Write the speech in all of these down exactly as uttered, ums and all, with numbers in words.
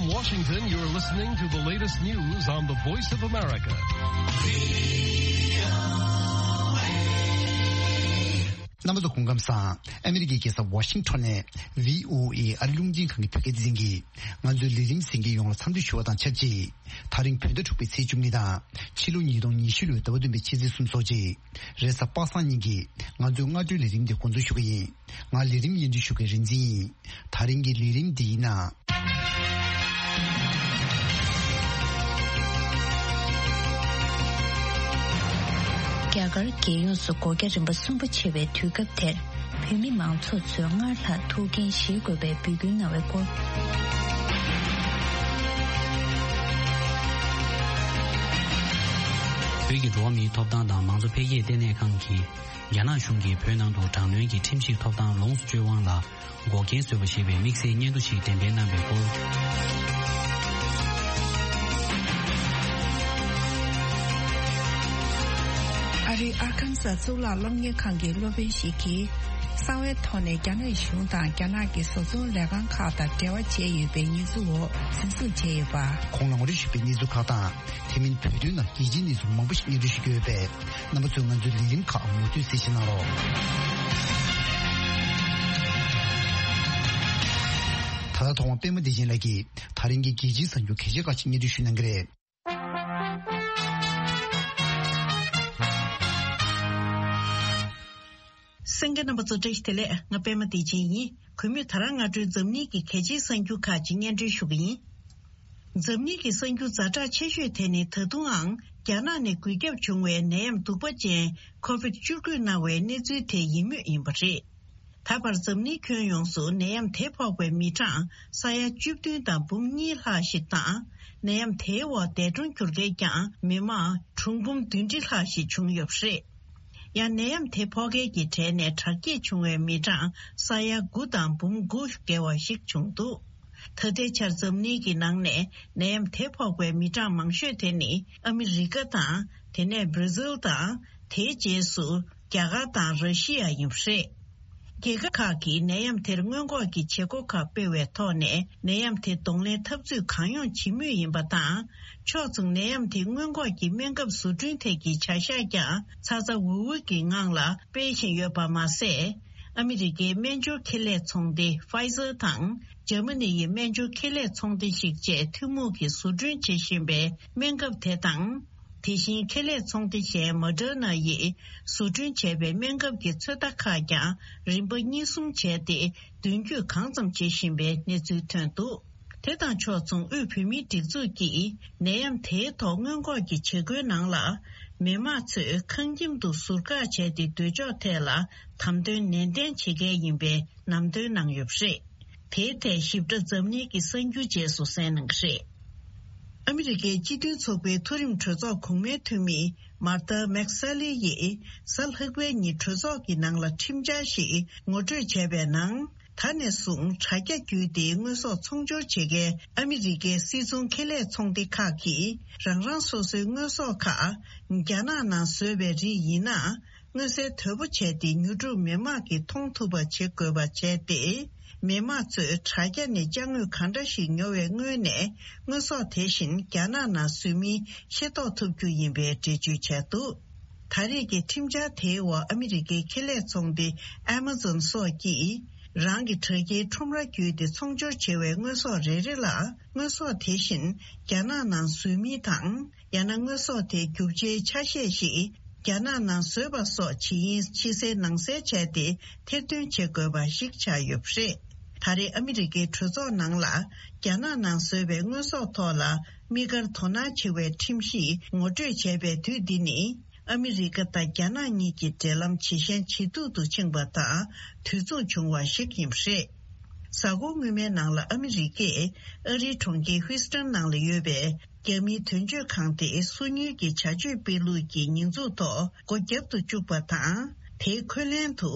Washington, you're listening to the latest news on the Voice of America. རྣམ་པ་ཚོ་སྐུ་ཁམས་བཟང་། ཨ་མི་རི་ཀའི་རྒྱལ་ས་ཝ་ཤིང་ཊོན་ནས་བྷི་ཨོ་ཨེ་ཨ་རི་རླུང་འཕྲིན་ཁང་གི་བོད་སྐད་སྡེ་ཚན་གྱིས་ང་ཚོའི་ལས་རིམ་གསན་མཁན་ཡོངས་ལ་འཚམས་འདྲི་ཞུ་བ་དང་ཆབས་ཅིག་ད་རིང་བོད་ཟླ་དྲུག་པའི་ཚེས་བཅུ་གཉིས་དང་ཕྱི་ལོ་ཉིས་སྟོང་ཉི་ཤུ་ལོའི་ཟླ་བ་བདུན་པའི་ཕྱི་ཚེས་གསུམ་སོགས་ཀྱི་རེས་གཟའ་པ་སངས་ཉིན་གྱི་ང་ཚོའི་སྔ་དྲོའི་ལས་རིམ་འདི་འགོ་འཛུགས་ཞུ་གི་ཡིན། ང་ལས་རིམ་སྙན་སྒྲོན་ཞུ་མཁན་རིག་འཛིན་ཡིན། ད་རིང་གི་ལས་རིམ་འདིའི་ནང་། རྒྱ་གར་རྒྱལ་ཡོངས་སུ་སྒོ་རྒྱ་རིམ་པ་གསུམ་པ་ཆེ་བའི་དུས་སྐབས་དེར། བོད་མི་མང་ཚོགས་ཚོས་སྔར་ལྷག་ཐུགས་འགན་བཞེས་དགོས་པའི་འབོད་སྐུལ་གནང་བའི་སྐོར། བོད་ཀྱི་འགྲོ་བ་མིའི་ཐོབ་ཐང་དང་མང་གཙོ་འཕེལ་རྒྱས་ལྟེ་གནས་ཁང་གིས། རྒྱ་ནག་གཞུང་གིས་བོད་ནང་དུ་དྲག་གནོན་གྱི་ཁྲིམས་ཞིབ་ཐོབ་ཐང་ལོངས་སུ་སྤྱོད་དབང་ལ་འགོག་རྐྱེན་བཟོས་པ་ཞེས་པའི་དམིགས་བསལ་སྙན་ཐོ་ཞིག་འགྲེམས་སྤེལ་གནང་བའི་སྐོར། ཨ་རིའི་ཨར་ཁན་སཱ་གཙུག་ལག་སློབ་གཉེར་ཁང་གི་སློབ་དཔོན་ཞིག་གིས། གསང་བའི་ཐོག་ནས་རྒྱ་ནག་གཞུང་དང་རྒྱ་ནག་གི་བཟོ་ཚོང་ལས་ཁང་ཁག་དང་འབྲེལ་བ་བྱས་ཡོད་པའི་ཉེས་འཛུགས་འོག་འཛིན་བཟུང་བྱས་ཡོད་པ། གོང་ལ་ངོ་སྤྲོད་ཞུས་པའི་གནས་ཚུལ་ཁག་དང་། དེ་མིན་བོད་དོན་ནང་རྒྱལ་སྤྱིའི་གནས་ཚུལ་མང་པོ་ཞིག་སྙན་སྒྲོན་ཞུ་རྒྱུ་ཡོད་པས། རྣམ་པ་ཚོས་ང་ཚོའི་ལས་རིམ་ཁག་མུ་མཐུད་གསན་བཞེས་གནང་རོགས། ད་ལྟ་ཐོག་མར་པད་མ་བདེ་ཆེན་ལགས་ཀྱིས་ད་རིང་གི་རྒྱལ་སྤྱིའི་གསར་འགྱུར་གལ་ཆེ་ཁག་ཅིག་སྙན་སྒྲོན་ཞུ་གནང་གི་རེད། གསན་མཁན་རྣམ་པ་ཚོ་བཀྲ་ཤིས་བདེ་ལེགས། ང་པད་མ་བདེ་ཆེན་ཡིན། གུས་མོས་ད་རང་སྔ་དྲོའི་འཛམ་གླིང་གི་གལ་ཆེའི་གསར་འགྱུར་ཁག་ཅིག་སྙན་སྒྲོན་ཞུ་གི་ཡིན། འཛམ་གླིང་གི་གསར་འགྱུར་ཛ་དྲག་ཆེ་ཤོས་དེ་ནི་ད་དུང་ཨང་རྒྱ་ནག་ནས་འགོས་ཁྱབ་བྱུང་བའི་ནད་ཡམས་གདུག་པ་ཅན་ཁོ་བིད་བཅུ་དགུ་སྣང་བའི་གནས་ཚུལ་དེ་ཡིན་མུས་ཡིན་པ་རེད། ད་བར་འཛམ་གླིང་ཁྱོན་ཡོངས་སུ་ནད་ཡམས་དེ་ཕོག་པའི་མི་གྲངས་ས་ཡ་བཅུ་བདུན་དང་འབུམ་གཉིས་ལྷག་ཞིག་དང་། ནད་ཡམས་དེའི་འོག་འདས་གྲོངས་གྱུར་མཁན་ཀྱང་མི་མང་གྲངས་འབུམ་བདུན་ཁྲི་ལྷག་ཞིག་བྱུང་ཡོད་པ་རེད། ཡང་ནད་ཡམས་དེ་ཕོག་མཁན་གྱི་གྲས་ནས་དྲག་སྐྱེད་བྱུང་བའི་མི་གྲངས་ས་ཡ་དགུ་དང་འབུམ་དགུ་བརྒལ་བ་ཞིག་བྱུང་འདུག་ད་ལྟའི་ཆར་འཛམ་གླིང་གི་ནང་ནས་ནད་ཡམས་དེ་ཕོག་པའི་མི་གྲངས་མང་ཤོས་དེ་ནི་ཨ་མི་རི་ཀ་དང་། དེ་ནས་བྷར་ཛིལ་དང་། དེའི་རྗེས་སུ་རྒྱ་གར་དང་ར་ཤི་ཡ་ཡིན་པ་རེད། རྒྱལ་ཁབ་ཁག་གིས་ནད་ཡམས་དེར་སྔོན་འགོག་གི་བྱེད་སྒོ་ཁག་སྤེལ་བའི་ཐོག་ནས་ནད་ཡམས་དེ་གདོང་ལེན་འཐབ་རྩོད་གང་ཡོང་བྱེད་མུས་ཡིན་པ་དང་། ཕྱོགས་མཚུངས་ནད་ཡམས་དེ་སྔོན་འགོག་གི་སྨན་ཁབ་བཟོ་སྐྲུན་ཐད་ཀྱི་བྱ་གཞག་ཀྱང་ཚ་ཚ་འུར་འུར་གྱི་ངང་ལ་སྤེལ་བཞིན་ཡོད་པ་མ་ཟད། ཨ་མི་རི་ཀའི་སྨན་སྦྱོར་ཁེ་ལས་ཚོང་སྡེ་Pfizer་དང་། འཇར་མ་ནི་ཡི་སྨན་སྦྱོར་ཁེ་ལས་ཚོང་སྡེ་ཞིག་བཅས་ཐུན་མོང་གིས་བཟོ་སྐྲུན་བྱེད་བཞིན་པའི་སྨན་ཁབ་དེ་དང་། དེ་བཞིན་ཁེ་ལས་ཚོང་སྡེ་གཞན་Moderna་ཡིས་བཟོ་སྐྲུན་བྱས་པའི་སྨན་ཁབ་ཀྱི་ཚོད་ལྟ་ཁག་ཀྱང་རིམ་པ་གཉིས་གསུམ་བྱས་ཏེ་མདུན་སྐྱོད་གང་ཙམ་བྱེད་བཞིན་པའི་གནས་ཚུལ་ཐོན་འདུག་དེ་དང་ཕྱོགས་མཚུངས་དབུས་བོད་མིའི་སྒྲིག་འཛུགས་ཀྱིས་ནད་ཡམས་དེའི་ཐོག་སྔོན་འགོག་གི་བྱེད་སྒོའི་ནང་ལ། མི་དམངས་ཚོས་ཁང་ཁྱིམ་དུ་ཟུར་བཀག་བྱས་ཏེ་སྡོད་ཕྱོགས་ཐད་ལ་དམ་དོན་ནན་ཏན་བྱེད་གལ་ཡིན་པའི་ལམ་སྟོན་གནང་ཡོད་པ་རེད། དེའི་ཐད་ཞིབ་ཕྲ་འཛམ་གླིང་གི་གསར་འགྱུར་རྗེས་སུ་གསན་གནང་གི་རེད། ཨ་མི་རི་ཀའི་སྤྱི་མཐུན་ཚོགས་པའི་མཐོ་རིམ་གྲོས་ཚོགས་གོང་མའི་འཐུས་མི་མར་ཐ་མེག་ས་ལི་ཡིས་གཟའ་ལྷག་པའི་ཉིན་གྲོས་ཚོགས་ཀྱི་ནང་ལ་ཁྲིམས་འཆར་ཞིག་ངོ་སྤྲོད་བྱས་པའི་ནང་། ད་ནས་བཟུང་དྲ་རྒྱ་བརྒྱུད་དེ་དངོས་ཟོག་ཚོང་སྦྱོར་བྱེད་མཁན་ཨ་མི་རི་ཀའི་སིལ་ཚོང་ཁེ་ལས་ཚོང་སྡེ་ཁག་གིས་རང་རང་སོ་སོའི་དངོས་ཟོག་ཁག་རྒྱ་ནག་ནང་བཟོས་པའི་རིགས་ཡིན་ན། མངོན་གསལ་དོད་པོ་བྱས་ཏེ་ཉོ་སྒྲུབ་མི་དམངས་ཀྱིས་མཐོང་ཐུབ་པ་བྱེད་དགོས་པ་བྱས་ཏེ། མི་དམངས་ཚོས་དྲ་རྒྱ་ནས་ཅ་དངོས་གང་འདྲ་ཞིག་ཉོ་བའི་སྔོན་ནས་དངོས་ཟོག་དེ་བཞིན་རྒྱ་ནག་ནང་བཟོས་མིན་ཤེས་རྟོགས་ཐུབ་རྒྱུ་ཡིན་པའི་འགྲེལ་བརྗོད་བྱས་འདུག་ད་རེས་ཀྱི་ཁྲིམས་འཆར་དེའི་འོག་ཨ་མི་རི་ཀའི་ཁེ་ལས་ཚོང་སྡེ་Amazon་སོགས་ཀྱིས་རང་གི་དྲ་རྒྱའི་ཁྲོམ་ར་བརྒྱུད་དེ་ཚོང་སྦྱོར་བྱེད་པའི་དངོས་ཟོག་རེ་རེ་ལ་དངོས་ཟོག་དེ་བཞིན་རྒྱ་ནག་ནང་བཟོས་མིན་དང་། ཡང་ན་དངོས་ཟོག་དེའི་རྒྱུ་ཆའི་ཆ་ཤས་ཤིག་རྒྱ་ནག་ནང་བཟོས་པ་སོགས་ཇི་ཡིན་ཕྱི་གསལ་ནང་གསལ་བྱས་ཏེ་ཐེར་འདོན་བྱེད་དགོས་པ་ཞིག་ཆགས་ཡོད་པ་རེད། ད་རེས་ཨ་མི་རི་ཀའི་གྲོས་ཚོགས་ནང་ལ་རྒྱ་ནག་ནང་བཟོས་པའི་དངོས་ཟོག་ཐོག་ལ་དམིགས་བཀར་དོ་སྣང་ཆེ་བའི་ཁྲིམས་གཞི་ངོ་སྤྲོད་བྱས་པའི་དུས་འདི་ནི། ཨ་མི་རི་ཀ་དང་རྒྱ་ནག་གཉིས་ཀྱི་འབྲེལ་ལམ་ཇེ་ཞན་ཇེ་སྡུག་ཏུ་ཕྱིན་པ་དང་དུས་མཚུངས་བྱུང་བ་ཞིག་ཡིན་པ་རེད། གཟའ་འཁོར་སྔོན་མའི་ནང་ལ་ཨ་མི་རི་ཀས་ཨ་རིའི་གྲོང་ཁྱེར་ཧུའུ་སི་ཏན་ནང་ལ་ཡོད་པའི་རྒྱ་མིའི་དོན་གཅོད་ཁང་དེ་སོ་ཉུལ་གྱི་བྱ་སྤྱོད་སྤེལ་ལུགས་ཀྱི་ཉེས་འཛུགས་ཐོག་སྒོ་བརྒྱབ་ཏུ་བཅུག་པ་དང་། དེའི་འཁོན་ལན་དུ།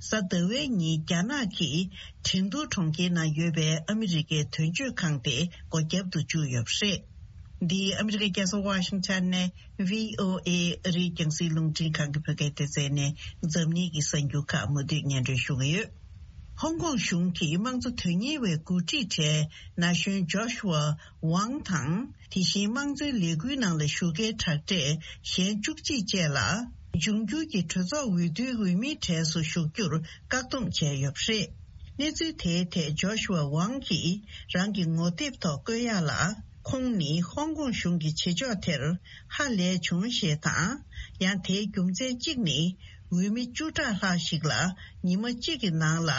གཟའ་ཟླ་བའི་ཉིན་རྒྱ་ནག་གིས་ཁྲིན་ཏུའུ་གྲོང་ཁྱེར་ནང་ཡོད་པའི་ཨ་མི་རི་ཀའི་དོན་གཅོད་ཁང་དེ་སྒོ་བརྒྱབ་ཏུ་བཅུག་ཡོད་པ་རེད། འདི་ཨ་མི་རི་ཀའི་རྒྱལ་ས་ཝ་ཤིང་ཊོན་ནས་བྷི་ཨོ་ཨེ་ཨ་རིའི་རྒྱང་སྲིང་རླུང་འཕྲིན་ཁང་གི་བོད་སྐད་སྡེ་ཚན་ནས་འཛམ་གླིང་གི་གསར་འགྱུར་ཁག་མུ་མཐུད་སྙན་སྒྲོན་ཞུ་གི་ཡོད། ཧོང་ཀོང་གཞུང་གི་དམངས་གཙོ་དོན་གཉེར་བའི་འགོ་ཁྲིད་གྲས་ན་གཞོན་ཇོ་ཤུ་ཝ་ཝང་དང་། དེ་བཞིན་དམངས་གཙོའི་ལས་འགུལ་ནང་ལ་ཞུགས་མཁན་དྲག་གྲས་གཞན་བཅུ་གཅིག་བཅས་ལ། འབྱུང་འགྱུར་གྱི་གྲོས་ཚོགས་འོས་བསྡུའི་འོས་མིའི་གྲས་སུ་ཞུགས་རྒྱུར་བཀག་སྡོམ་བྱས་ཡོད་པ་རེད། གནས་ཚུལ་དེའི་ཐད་ཇོ་ཤུ་ཝ་ཝང་གིས་རང་གི་ངོ་དེབ་ཐོག་བཀོད་ཡག་ལ། ཁོང་ནི་ཧོང་ཀོང་གཞུང་གི་བྱེད་ཕྱོགས་དེར་ཧ་ལས་བྱུང་ཞེས་དང་། ཡང་དེའི་རྒྱུ་མཚན་གཅིག་ནི། འོས་མི་བཅུ་ཕྲག་ལྷག་ཞིག་ལ་ཉི་མ་གཅིག་གི་ནང་ལ་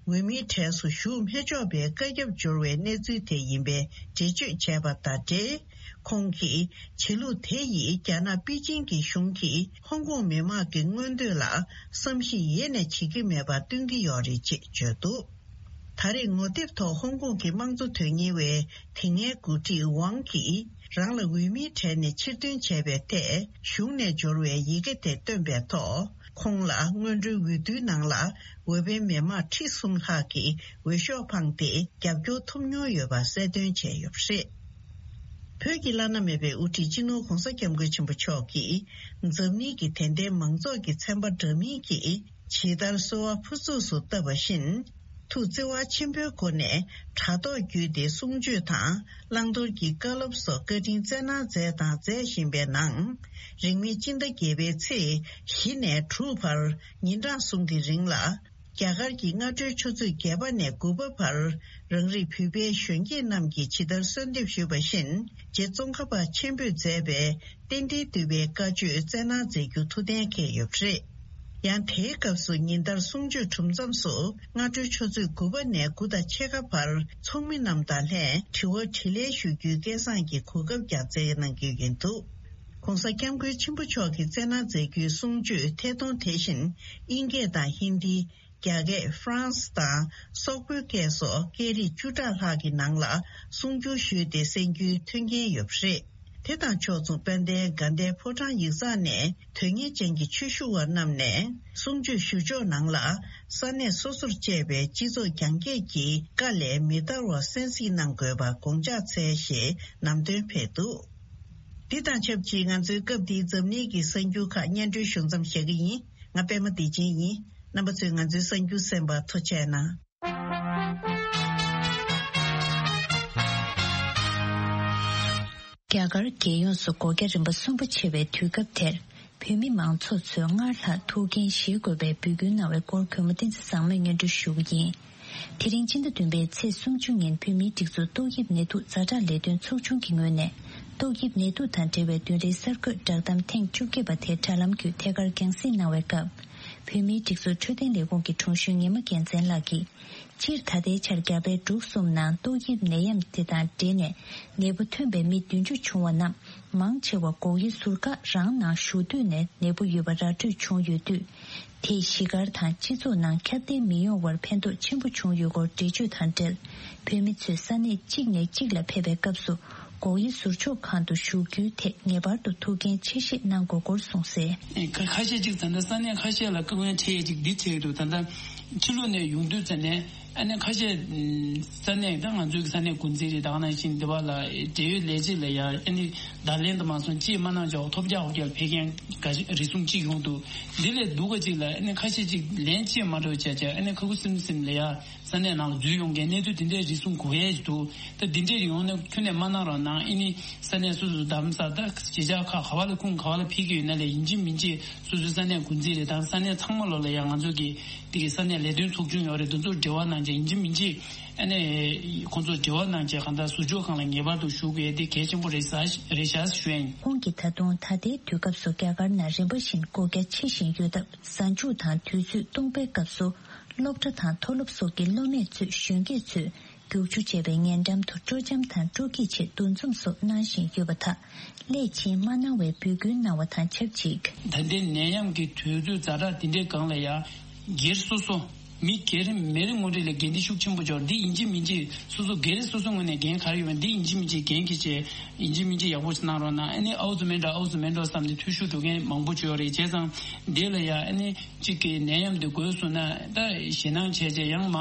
འོས་མིའི་གྲས་སུ་ཞུགས་མི་ཆོག་པའི་བཀའ་ཁྱབ་འབྱོར་བའི་གནས་ཚུལ་དེ་ཡིན་པའི་འགྲེལ་བརྗོད་བྱས་པ་དང་འབྲེལ། ཁོང་གིས་བྱེད་ལུགས་དེ་ཡིས་རྒྱ་ནག་པེ་ཅིང་གི་གཞུང་གིས་ཧོང་ཀོང་མི་མང་གི་མངོན་འདོད་ལ་བསམ་གཞིག་ཡེ་ནས་བྱེད་ཀྱི་མེད་པ་སྟོན་གྱི་ཡོད་རེད་ཅེས་བརྗོད་འདུག་ད་རེས་ངོ་དེབ་ཐོག་ཧོང་ཀོང་གི་དམངས་གཙོ་དོན་གཉེར་བའི་དེ་སྔའི་འགོ་ཁྲིད་ཝང་གིས་རང་ལ་འོས་མིའི་གྲས་ནས་ཕྱིར་འདོན་བྱས་པའི་ཐད་གཞུང་ནས་འབྱོར་བའི་ཡི་གེ་དེ་བཏོན་པའི་ཐོག་ཁོང་ལ་སྔོན་འགྲོའི་འོས་བསྡུའི་ནང་ལ་འོས་འཕེན་མི་མང་ཁྲི་གསུམ་ལྷག་གིས་འོས་ཤོག་འཕངས་ཏེ་རྒྱབ་སྐྱོར་ཐོབ་མྱོང་ཡོད་པ་གསལ་སྟོན་བྱས་ཡོད་པ་རེད། བོད་ཀྱི་བླ་ན་མེད་པའི་དབུ་ཁྲིད་སྤྱི་ནོར་༧གོང་ས་༧སྐྱབས་མགོན་ཆེན་པོ་མཆོག་གིས་འཛམ་གླིང་གི་དད་ལྡན་མང་ཚོགས་ཀྱི་ཚན་པ་འདྲ་མིན་གྱིས་ཇི་ལྟར་གསོལ་བ་ཕུར་ཚུགས་སུ་བཏབ་པ་བཞིན། ཐུགས་བརྩེ་བ་ཆེན་པོའི་སྒོ་ནས་དྲ་ཐོག་བརྒྱུད་དེ་གསུང་ཆོས་དང་བླང་དོར་གྱི་བཀའ་སློབ་སོགས་བཀའ་དྲིན་སྩལ་གནང་མཛད་དང་མཛད་བཞིན་པའི་ནང་། རིང་མིན་སྤྱི་ཟླ་བརྒྱད་པའི་ཚེས་བཞི་ནས་དྲུག་བར་ཉིན་གྲངས་གསུམ་གྱི་རིང་ལ། རྒྱ་གར་གྱི་སྔ་དྲོའི་ཆུ་ཚོད་བརྒྱད་པ་ནས་དགུ་པ་བར་རང་རིགས་བོད་པའི་གཞོན་སྐྱེས་རྣམས་ཀྱིས་ཇི་ལྟར་གསོལ་འདེབས་ཞུས་པ་བཞིན་རྗེ་ཙོང་ཁ་པ་ཆེན་པོས་མཛད་པའི་རྟེན་འབྲེལ་བསྟོད་པའི་བཀའ་ཆོས་སྩལ་གནང་མཛད་རྒྱུ་ཐུགས་གཏན་འཁེལ་ཡོད་པ་རེད། ཡང་དེའི་སྐབས་སུ་ཉིན་ལྟར་གསུང་ཆོས་གྲུབ་མཚམས་སུ་སྔ་དྲོའི་ཆུ་ཚོད་དགུ་པ་ནས་དགུ་དང་ཕྱེད་ཀ་བར་ཚོགས་མི་རྣམས་དང་ལྷན་དྲི་བ་དྲིས་ལན་ཞུ་རྒྱུའི་སྐལ་བཟང་གི་གོ་སྐབས་ཀྱང་སྩལ་གནང་རྒྱུ་ཡིན་འདུག ྋགོང་ས་ྋསྐྱབས་མགོན་ཆེན་པོ་མཆོག་གིས་སྩལ་གནང་མཛད་རྒྱུའི་གསུང་ཆོས་ཐད་གཏོང་དེ་བཞིན་དབྱིན་སྐད་དང་ཧིན་དི། རྒྱ་སྐད། ཧྥ་རན་སི་དང་སོག་པོའི་སྐད་སོགས་སྐད་རིགས་བཅུ་ཕྲག་ལྷག་གི་ནང་ལ་གསུང་སྒྱུར་ཞུས་ཏེ་གསན་རྒྱུའི་མཐུན་རྐྱེན་ཡོད་པ་རེད། དེ་དང་ཕྱོགས་མཚུངས་དཔལ་ལྡན་དགའ་ལྡན་ཕོ་བྲང་ཡིག་ཚང་ནས་དོན་གཉེར་ཅན་གྱི་ཆོས་ཞུ་བ་རྣམས་ནས་གསུང་ཆོས་ཞུ་ཕྱོགས་ནང་ལ་ས་གནས་སོ་སོར་གཅེས་པའི་སྤྱི་ཚོགས་རྒྱང་བཀྱེད་ཀྱི་བཀའ་ལས་མི་འདའ་བར་གསན་གཟིགས་གནང་དགོས་པ་དགོངས་འཇགས་འཚལ་ཞེས་ལམ་སྟོན་ཕེབས་འདུག་འདི་དང་ཆབས་ཅིག་ང་ཚོའི་སྐབས་འདིའི་འཛམ་གླིང་གི་གསར་འགྱུར་ཁག་སྙན་སྒྲོན་ཞུ་མཚམས་བཞག་གི་ཡིན། ང་པད་མ་བདེ་ཆེན་ཡིན། རྣམ་པ་ཚོས་ང་ཚོའི་གསར་འགྱུར་གསན་པར་ཐུགས་རྗེ་གནང་། རྒྱ་གར་རྒྱལ་ཡོངས་སུ་སྒོ་རྒྱ་རིམ་པ་གསུམ་པ་ཆེ་བའི་དུས་སྐབས་དེར། བོད་མི་མང་ཚོགས་ཚོས་སྔར་ལྷག་ཐུགས་འགན་བཞེས་དགོས་པའི་འབོད་སྐུལ་གནང་བའི་སྐོར་གུས་མོ་བསྟན་འཛིན་བཟང་མོས་སྙན་སྒྲོན་ཞུ་གི་ཡིན། དེ་རིང་སྤྱི་ཟླ་བདུན་པའི་ཚེས་སུམ་ཅུ་ཉིན་བོད་མིའི་སྒྲིག་འཛུགས་ཏོག་དབྱིབས་ནད་དུག་ཛ་དྲག་ལས་དོན་ཚོགས་ཆུང་གི་ངོས་ནས། ཏོག་དབྱིབས་ནད་དུག་དང་འབྲེལ་བའི་བདུན་རེའི་གསར་འགོད་བསྒྲགས་གཏམ་ཐེངས་བཅོ་བརྒྱད་པ་དེ་དྲ་ལམ་བརྒྱུད་ཐད་ཀར་རྒྱང་སྲིང་གནང་བའི་སྐབས། བོད་མིའི་སྒྲིག་འཛུགས་འཕྲོད་བསྟེན་ལས་ཁུངས་ཀྱི་དྲུང་གཞོན་ཉི་མ་རྒྱལ་མཚན་ལགས་ཀྱིས། སྤྱིར་ད་ལྟའི་ཆར་རྒྱ་བལ་འབྲུག་གསུམ་ནང་ཏོག་དབྱིབས་ནད་ཡམས་དེ་དང་འབྲེལ་ནས་ནད་འབུ་ཐོན་པའི་མི་བདུན་ཅུ་བྱུང་བ་རྣམས་མང་ཆེ་བ་སྒོག་དབྱེ་ཟུར་བཀག་རང་ནང་བཞུགས་དུས་ནས་ནད་འབུ་ཡོད་པ་ར་སྤྲོད་བྱུང་ཡོད་དུས། དེས་གཞིས་སྒར་དང་སྤྱི་ཚོགས་ནང་ཁྱབ་གདལ་མི་ཡོང་བར་ཕན་ཐོགས་ཆེན་པོ་བྱུང་ཡོད་སྐོར་འགྲེལ་བརྗོད་དང་འབྲེལ། བོད་མི་ཚོས་ས་གནས་གཅིག་ནས་གཅིག་ལ་ཕེབས་པའི་སྐབས་སུ་སྒོག་དབྱེ་ཟུར་འཇོག་ཁང་དུ་བཞུགས་རྒྱུའི་ཐད་ངེས་པར་དུ་ཐུགས་འགན་ཆེ་བཞེས་གནང་དགོས་སྐོར་གསུངས་གསལ། ཁ་ཁ་ཤས་ཅིག་ད་ལྟ་ས་གནས་ཁ་ཤས་ལ་བཀག་དབང་ཁྲིད་ཡས་ཅིག་འདི་བྱས་འདུག་ད་ལྟ་ཕྱི་ལོགས་ནས་ཡོང་དུས་ཙམ་ནས་ཨ་ནི་ཁ་ཤས་ས་གནས་ད་ང་ཚོའི་ས་གནས་འགོ་འཛིན་རེད། ད་ག་ནང་བཞིན་འདི་བ་ལ་འབྲེལ་ཡོད་ལས་བྱེད་ལ་ཡ་ཨ་ནི་བརྡ་ལན་དུ་མ་སོང་ཅིས་མ་གནང་ཅོག་ཐོབ་རྒྱག་ཧོབ་རྒྱག་ལ་ཕེབས་མཁན་ག་རེ་ཟུང་ཅིག་ཡོང་འདུག་འདི་ལས་སྡུག་ག་ཅིག་ལ་ཨ་ནི་ཁ་ཤས་ཅིག་ལན་ཅིས་མ་འགྲོ་བྱས་བྱས་ཨ་ནི་ཁ་ཁུ་སིམ་སིམ་ལ་ཡ། ས་གནས་ནང་ལ་འཛུལ་ཡོང་མཁན་གནས་ཚུལ་དེ་འདྲའི་རེ་ཟུང་གོ་ཡས་འདུག་ད་དེ་འདྲའི་ཡོང་ན་ཁྱོན་ནས་མ་གནང་རོགས་གནང་། ཨ་ནི་ས་གནས་སོ་སོ་རྡ་རམ་ས་ད་གཞིས་ཆགས་ཁག་ག་བ་ལ་ཁུངས་ག་བ་ལ་ཕེབས་ཀྱི་ཡོད་ན་ལས་ཡིན་གཅིག་མིན་གཅིག་སོ་སོའི་ས་གནས་འགོ་འཛིན་རེད་དང་ས་གནས་ཚང་མ་ལོ་ལ་ཡང་ང་ཚོ་གི་དེ་གི་ས་གནས་ལས་དོན་ཚོགས་ཆུང་ཡོད་རེད། དེ་ཚོར་འབྲེལ་བ་གནང་བྱས་ཡིན་གཅིག་མིན་གཅིག་ཨ་ནི་ཁོང་ཚོར་འབྲེལ་བ་གནང་བྱས་གང་ལྟར་ཟུར་འཇོག་ཁང་ལ་ངེས་པར་དུ་ཞུགས་དགོས་དེ་གལ་ཆེན་པོ་རེད་ཟེར་རེད་ཤག་ཞུ་ཡ་ཡིན། ཁོང་གིས་ད་དུང་ད་ལྟའི་དུས་སྐབས་སུ་རྒྱ་གར་ནང་རིམ་པ་བཞིན་སྒོ་རྒྱ་ཕྱེ་བཞིན་ཡོད་སྟབས་གཟའ་མཇུག་དང་དུས་ཚོད་སྟོང་པའི་སྐབས་སུ། སློབ་གྲྭ་དང་མཐོ་སློབ་སོགས་ཀྱི་སློབ་མས་ཚུད་གཞོན་སྐྱེས་ཚོས་རྒྱུག་ཆུ་བཅས་པའི་ཉེ་འགྲམ་དུ་སྤྲོ་འཆམ་དང་སྤྲོ་སྐྱིད་ཆེད་འདུ་འཛོམས་སོགས་གནང་བཞིན་ཡོད་པ་དག་སླད་ཕྱིན་མ་གནང་བའི་འབོད་སྐུལ་གནང་བ་དང་ཆབས་ཅིག་ད་ལྟའི་ནད་ཡམས་ཀྱི་དུས་ཚོད་ཛ་དྲག་འདི་འདྲའི་སྒང་ལ་ཡང་སྒེར་སོ་སོ་མི་སྒེར་མི་རེ་ངོ་རེ་ལ་འགན་འདི་ཤུགས་ཆེན་པོ་འབྱོར། འདི་ཡིན་གཅིག་མིན་གཅིག་སོ་སོ་སྒེར་སོ་སོ་ངོས་ནས་འགན་ག་རེ་ཡོད་པ་འདི་ཡིན་གཅིག་མིན་གཅིག་འགན་འཁྱེར་བྱས་ཡིན་གཅིག་མིན་གཅིག་ཡག་པོ་ཞིག་གནང་རོགས་གནང་། ཨ་ནི་ཨའུ་ཙི་མེན་འགྲོ་ཨའུ་ཙི་མེན་འགྲོ་བསམ་ནས་འཐུས་ཤོར་འགྲོ་མཁན་མང་པོ་ཅིག་ཡོད་རེད། བྱས་ཙང་འདི་ལ་ཡང་ཨ་ནི། གཅིག་གིས་ནད་ཡམས་དེ་འགོས་སོང་ན་ད་ཞེད་སྣང་བྱས་བྱས་ཡང་མ་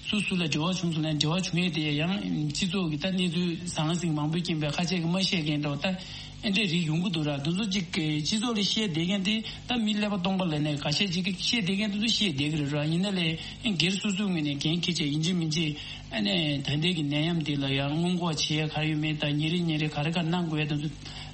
སུ་སུ་ལ་འབྲེལ་བ་བྱུང་སོང་ན་འབྲེལ་བ་བྱུང་ཡས་དེ་ཡང་སྤྱི་ཚོགས་ཀྱི་ད་གནས་ཚུལ་ཟང་ཟིང་མང་པོའི་རྐྱེན་པས་ཁ་ཤས་ཀྱིས་མ་བཤད་མཁན་འདྲ་བོ་ད་ ཨེ་འདྲའི་རིགས་ཡོང་གི་འདུག་ར། འདི་ཚོ་གཅིག་གི་སྤྱི་ཚོགས་ལ་བཤད་བསྡད་མཁན་དེ་ད་མི་ཀླད་པ་སྟོང་པ་ལ་ནས་ག་ཤེད་ཅིག་གིས་བཤད་བསྡད་མཁན་དེ་ཚོ་བཤད་བསྡད་ཀྱི་རེད་ར། ཡིན་ན་ལས་ཨེ་སྒེར་སོ་སོའི་ངོས་ནས་འགན་འཁྱེར་བྱས་ཡིན་གཅིག་མིན་གཅིག་ཨ་ནས་ད་ལྟའི་གི་ནད་ཡམས་འདི་ལ་ཡང་སྔོན་འགོག་བྱེད་ཡ་ག་རེ་ཡོད་མེད་དང་ཉིན་རེ་ཉིན་རེ་ག་རེ་ག་གནང་དགོས་ཡ་དེ་ཚོ་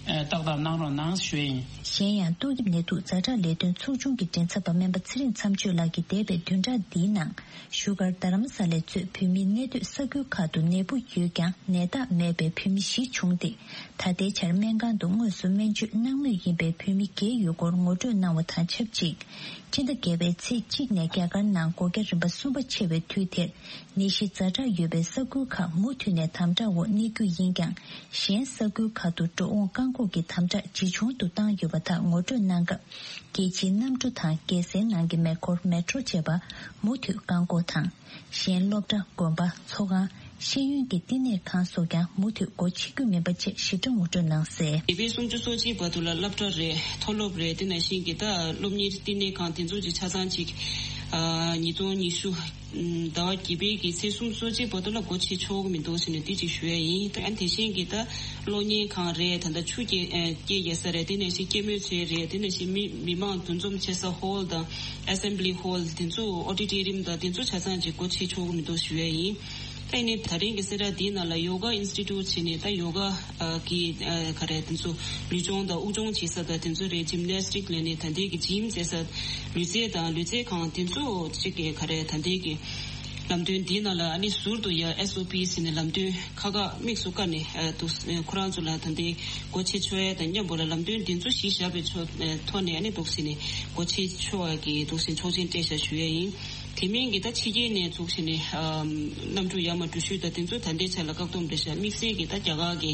ཨེ་ཏག་ཏག་གནང་རོགས་གནང་ཞུ་ཡ་ཡིན། གཞན་ཡང་ཏོག་དབྱིབས་ནད་དུག་ཛ་དྲག་ལས་དོན་ཚོགས་ཆུང་གི་མགྲིན་ཚབ་པ་སྨན་པ་ཚེ་རིང་མཚམས་གཅོད་ལགས་ཀྱིས་འདས་པའི་བདུན་ཕྲག་འདིའི་ནང་བཞུགས་སྒར་རྡ་རམ་ས་ལས་གཙོས་བོད་མིའི་གནས་སྡོད་ས་ཁུལ་ཁག་ཏུ་ནད་འབུ་ཡོད་ཀྱང་ནད་རྟགས་མེད་པའི་བོད་མི་བཞི་བྱུང་སྟེ། ད་ལྟའི་ཆར་སྨན་ཁང་དུ་དངོས་སུ་སྨན་བཅོས་གནང་མུས་ཡིན་པའི་བོད་མི་བརྒྱད་ཡོད་སྐོར་ངོ་སྤྲོད་གནང་བ་དང་ཆབས་ཅིག་སྤྱི་ཟླ་བརྒྱད་པའི་ཚེས་གཅིག་ནས་རྒྱ་གར་ནང་སྒོ་རྒྱ་རིམ་པ་གསུམ་པ་ཆེ་བའི་དུས་དེར་ནད་གཞི་ཛ་དྲག་ཡོད་པའི་ས་ཁུལ་ཁག་མུ་མཐུད་ནས་དམ་དྲག་འོག་གནས་རྒྱུ་ཡིན་ཀྱང་། གཞན་ས་ཁུལ་ཁག་ཏུ་འགྲོ་འོང་བཀག་འགོག་གི་དམ་དྲག་ཇེ་ཆུང་དུ་བཏང་ཡོད་པ་དག་ངོ་སྤྲོད་གནང་སྐབས། རྒྱལ་སྤྱིའི་གནམ་གྲུ་དང་རྒྱལ་སའི་ནང་གི་མེ་འཁོར་མེ་ཊྲོ་བཅས་པ་མུ་མཐུད་བཀག་འགོག་དང་། གཞན་སློབ་གྲྭ། དགོན་པ། ཚོགས་ཁང་། ཤེས་ཡོན་གྱི་བསྟི་གནས་ཁང་སོགས་ཀྱང་མུ་མཐུད་སྒོ་ཕྱེ་རྒྱུ་མིན་པ་བཅས་ཞིབ་ཕྲ་ངོ་སྤྲོད་གནང་གསལ། འདས་པའི་སུམ་ཅུ་སོ་གཅིག་བར་དུ་ལ་སློབ་གྲྭ་རེད། མཐོ་སློབ་རེད། དེ་ནང་བཞིན་གྱི་ད་སློབ་གཉེར་བསྟི་གནས་ཁང་དེ་ཚོ་གི་ཆ་ཚང་ཅིག་ཉིས་སྟོང་ཉི་ཤུ་ཟླ་བ་བརྒྱད་པའི་གི་ཚེས་སུམ་ཅུ་སོ་གཅིག་བར་དུ་ལ་སྒོ་ཕྱེ་ཆོག་གི་མི་འདུག་ཟེར་ནས་དེ་ཅིག་ཞུ་ཡ་ཡིན། ད་དེ་བཞིན་གྱི་ད་གློག་བརྙན་ཁང་རེད། ད་ད་ཆུ་སྐྱེལ་སྐྱེལ་རྒྱག་ས་རེད། དེ་ནང་བཞིན་སྐྱེད་མོས་ཚལ་རེད། དེ་ནང་བཞིན་མི་མི་མང་འདུ་འཛོམས་བྱེད་ས་ཧོལ་དང་། Assembly Hall དེ་ཚོ། Auditorium དང་དེ་ཚོ་ཆ་ཚང་ཅིག་སྒོ་ཕྱེ་ཆོག་གི་མི་འདུག་ཞུ་ཡ་ཡིན། ད་ཡིན་ནའི་ད་རིང་གི་གསལ་བསྒྲགས་འདིའི་ནང་ལ་ཡོ་ག་ཨིན་སི་ཊི་ཊུཊ་བྱས་ནས་ད་ཡོ་ག་གི་ག་རེ་དེ་ཚོ་ལུས་སྦྱོང་དང་དབུགས་སྦྱོང་བྱེད་ས་དང་དེ་ཚོ་རེད། ཇིམ་ནེ་སི་ཊིག་ལབ་ནས་ད་ལྟའི་གི་ཇིམ་ཟེར་ས་ལུས་རྩལ་དང་ལུས་རྩལ་ཁང་དེ་ཚོ་གཅིག་གི་ག་རེ་ད་ལྟའི་གི་ལམ་སྟོན་འདིའི་ནང་ལ་ཨ་ནི་ཟུར་དུ་ཡ་ཨེས་ཨོ་པི་ཟེར་ནས་ལམ་སྟོན་ཁག་ཁག་དམིགས་སུ་བཀར་ནས་འདུག་ཁོ་རང་ཚོ་ལ་ད་ལྟའི་སྒོ་ཕྱེ་ཆོག་ཡ་དང་མཉམ་པོ་ལ་ལམ་སྟོན་འདི་ཚོ་གཞི་བཞག་པའི་ཕྱོགས་ཐོག་ནས་ཨ་ནི་འདུག་ཟེར་ནས་སྒོ་ཕྱེ་ཆོག་ཡ་གི་འདུག་ཟེར་ཆོག་མཆན་སྤྲད་བཞག་ཞུ་ཡ་ཡིན། དེ་མིན་གྱི་ད་ཕྱི་རྒྱལ་ནས་ཚུགས་བྱས་ནས་གནམ་གྲུ་ཡར་མར་འགྲུལ་བཞུད་དང་དེ་ཚོ་ད་ལྟའི་ཆ་ལ་བཀག་སྡོམ་རེད་ཤག་དམིགས་བསལ་གྱི་ད་རྒྱ་གར་གྱི་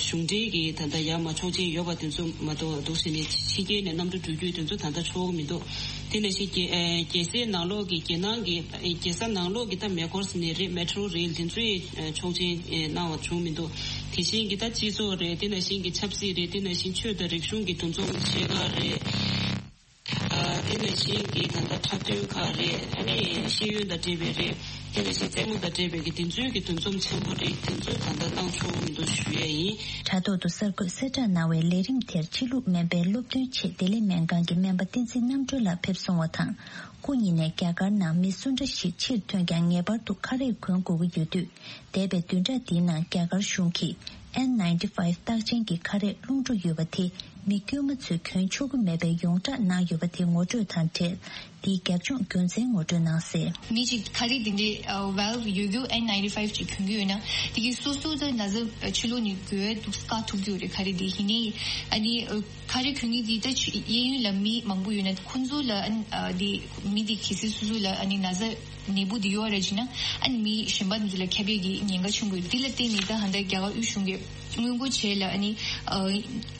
གཞུང་འབྲེལ་གྱི་ད་ལྟ་ཡར་མར་ཆོག་མཆན་ཡོད་པ་དེ་ཚོ་མ་གཏོགས་འདུག་ཟེར་ནས་ཕྱི་རྒྱལ་ནས་གནམ་གྲུ་འགྲུལ་སྐྱོད་དེ་ཚོ་ད་ལྟ་ཆོག་གི་མི་འདུག་དེ་ནང་བཞིན་རྒྱལ་རྒྱལ་སའི་ནང་ལོགས་ཀྱི་རྒྱལ་ནང་གི་རྒྱལ་ས་ནང་ལོགས་ཀྱི་ད་མེ་འཁོར་ཟེར་ནས་རེད། མེ་ཊོ་རེལ་དེ་ཚོའི་ཆོག་མཆན་གནང་བ་བྱུང་མི་འདུག་དེ་བཞིན་གྱི་ད་སྤྱི་ཚོགས་རེད། དེ་ནང་བཞིན་གྱི་ཆབ་སྲིད་རེད། དེ་ནང་བཞིན་ཆོས་དང་རིག་གཞུང་གི་འདུ་འཛོམས་བྱེད་ག་རེད། དེ་ནང་བཞིན་གྱི་ད་ལྟ་འཁྲབ་སྟོན་ཁག་རེད། ཨ་ནི་ཤེས་ཡོན་དང་འབྲེལ་བའི་རེད། དེ་ནང་བཞིན་རྩེད་མོ་དང་འབྲེལ་བའི་གི་དེ་ཚོའི་གི་འདུ་འཛོམས་ཆེན་པོ་རེད། དེ་ཚོ་ད་ལྟ་གནང་ཆོག་མི་འདུག་ཞུ་ཡ་ཡིན། དྲ་ཐོག་ཏུ་གསར་འགོད་གསལ་བསྒྲགས་གནང་བའི་ལས་རིམ་དེར་ཕྱི་ལུགས་སྨན་པའི་སློབ་སྟོན་ཆེད་བདེ་ལེགས་སྨན་ཁང་གི་སྨན་པ་བསྟན་འཛིན་རྣམ་གྲོལ་ལགས་ཕེབས་སོང་བ་དང་། སྐུ་ཉིད་ནས་རྒྱ་གར་ནང་མི་སུ་འདྲ་ཞིག་ཕྱིར་ཐོན་ཀྱང་ངེས་པར་དུ་ཁ་རས་གོན་དགོས་ཀྱི་ཡོད་དུས། འདས་པའི་བདུན་ཕྲག་འདིའི་ནང་རྒྱ་གར་གཞུང་གིས་ཨེན་ནའིན་ཊི་ཕའིབ་རྟགས་ཅན་གྱི་ཁ་རས་རླུང་འགྲོ་ཡོད་པ་དེ་མི་དཀྱུས་མ་ཚོས་གྱོན་ཆོག་གི་མེད་པའི་ཡོངས་བསྒྲགས་གནང་ཡོད་པ་དེ་ངོ་སྤྲོད་དང་འབྲེལ། དེའི་རྒྱབ་ལྗོངས་རྒྱུ་མཚན་ངོ་སྤྲོད་གནང་གསལ། མི་གཅིག་ཁ་རས་འདི་འདྲའི་ཝེལ་ཡོད་རྒྱུ་ཨེན་ནའིན་ཊི་ཕའིབ་ཅིག་གྱོན་གྱི་ཡོད་ན་དེ་གིས་སོ་སོ་ད་ན་ཚ་ཕྱི་ལོགས་ནས་འགོས་འདུག་བཀག་ཐུབ་ཀྱི་ཡོད་རེད། ཁ་རས་འདི་ཡིན་ནའི་ཨ་ནི་ཁ་རས་གྱོན་མཁན་འདི་ད་གཡས་གཡོན་ལ་མི་མང་པོ་ཡོད་ན་ཁོང་ཚོ་ལ་ཨ་ནི་འདི་མི་འདི་གལ་སྲིད་སོ་སོ་ལ་ཨ་ནི་ན་ཚ་ནད་འབུ་འདི་ཡོད་རེད་ཅེ་ན། ཨ་ནི་མི་གཞན་པ་འདི་ལ་ཁྱབ་པའི་གི་ཉེན་ཁ་ཆེན་པོ་ཡོད། འདི་ལ་བརྟེན་ནས་ད་ཧ་ད་རྒྱ་གར་དབུས་གཞུང་གིས་སྔོན་འགོག་བྱས་ལ་ཨ་ནི་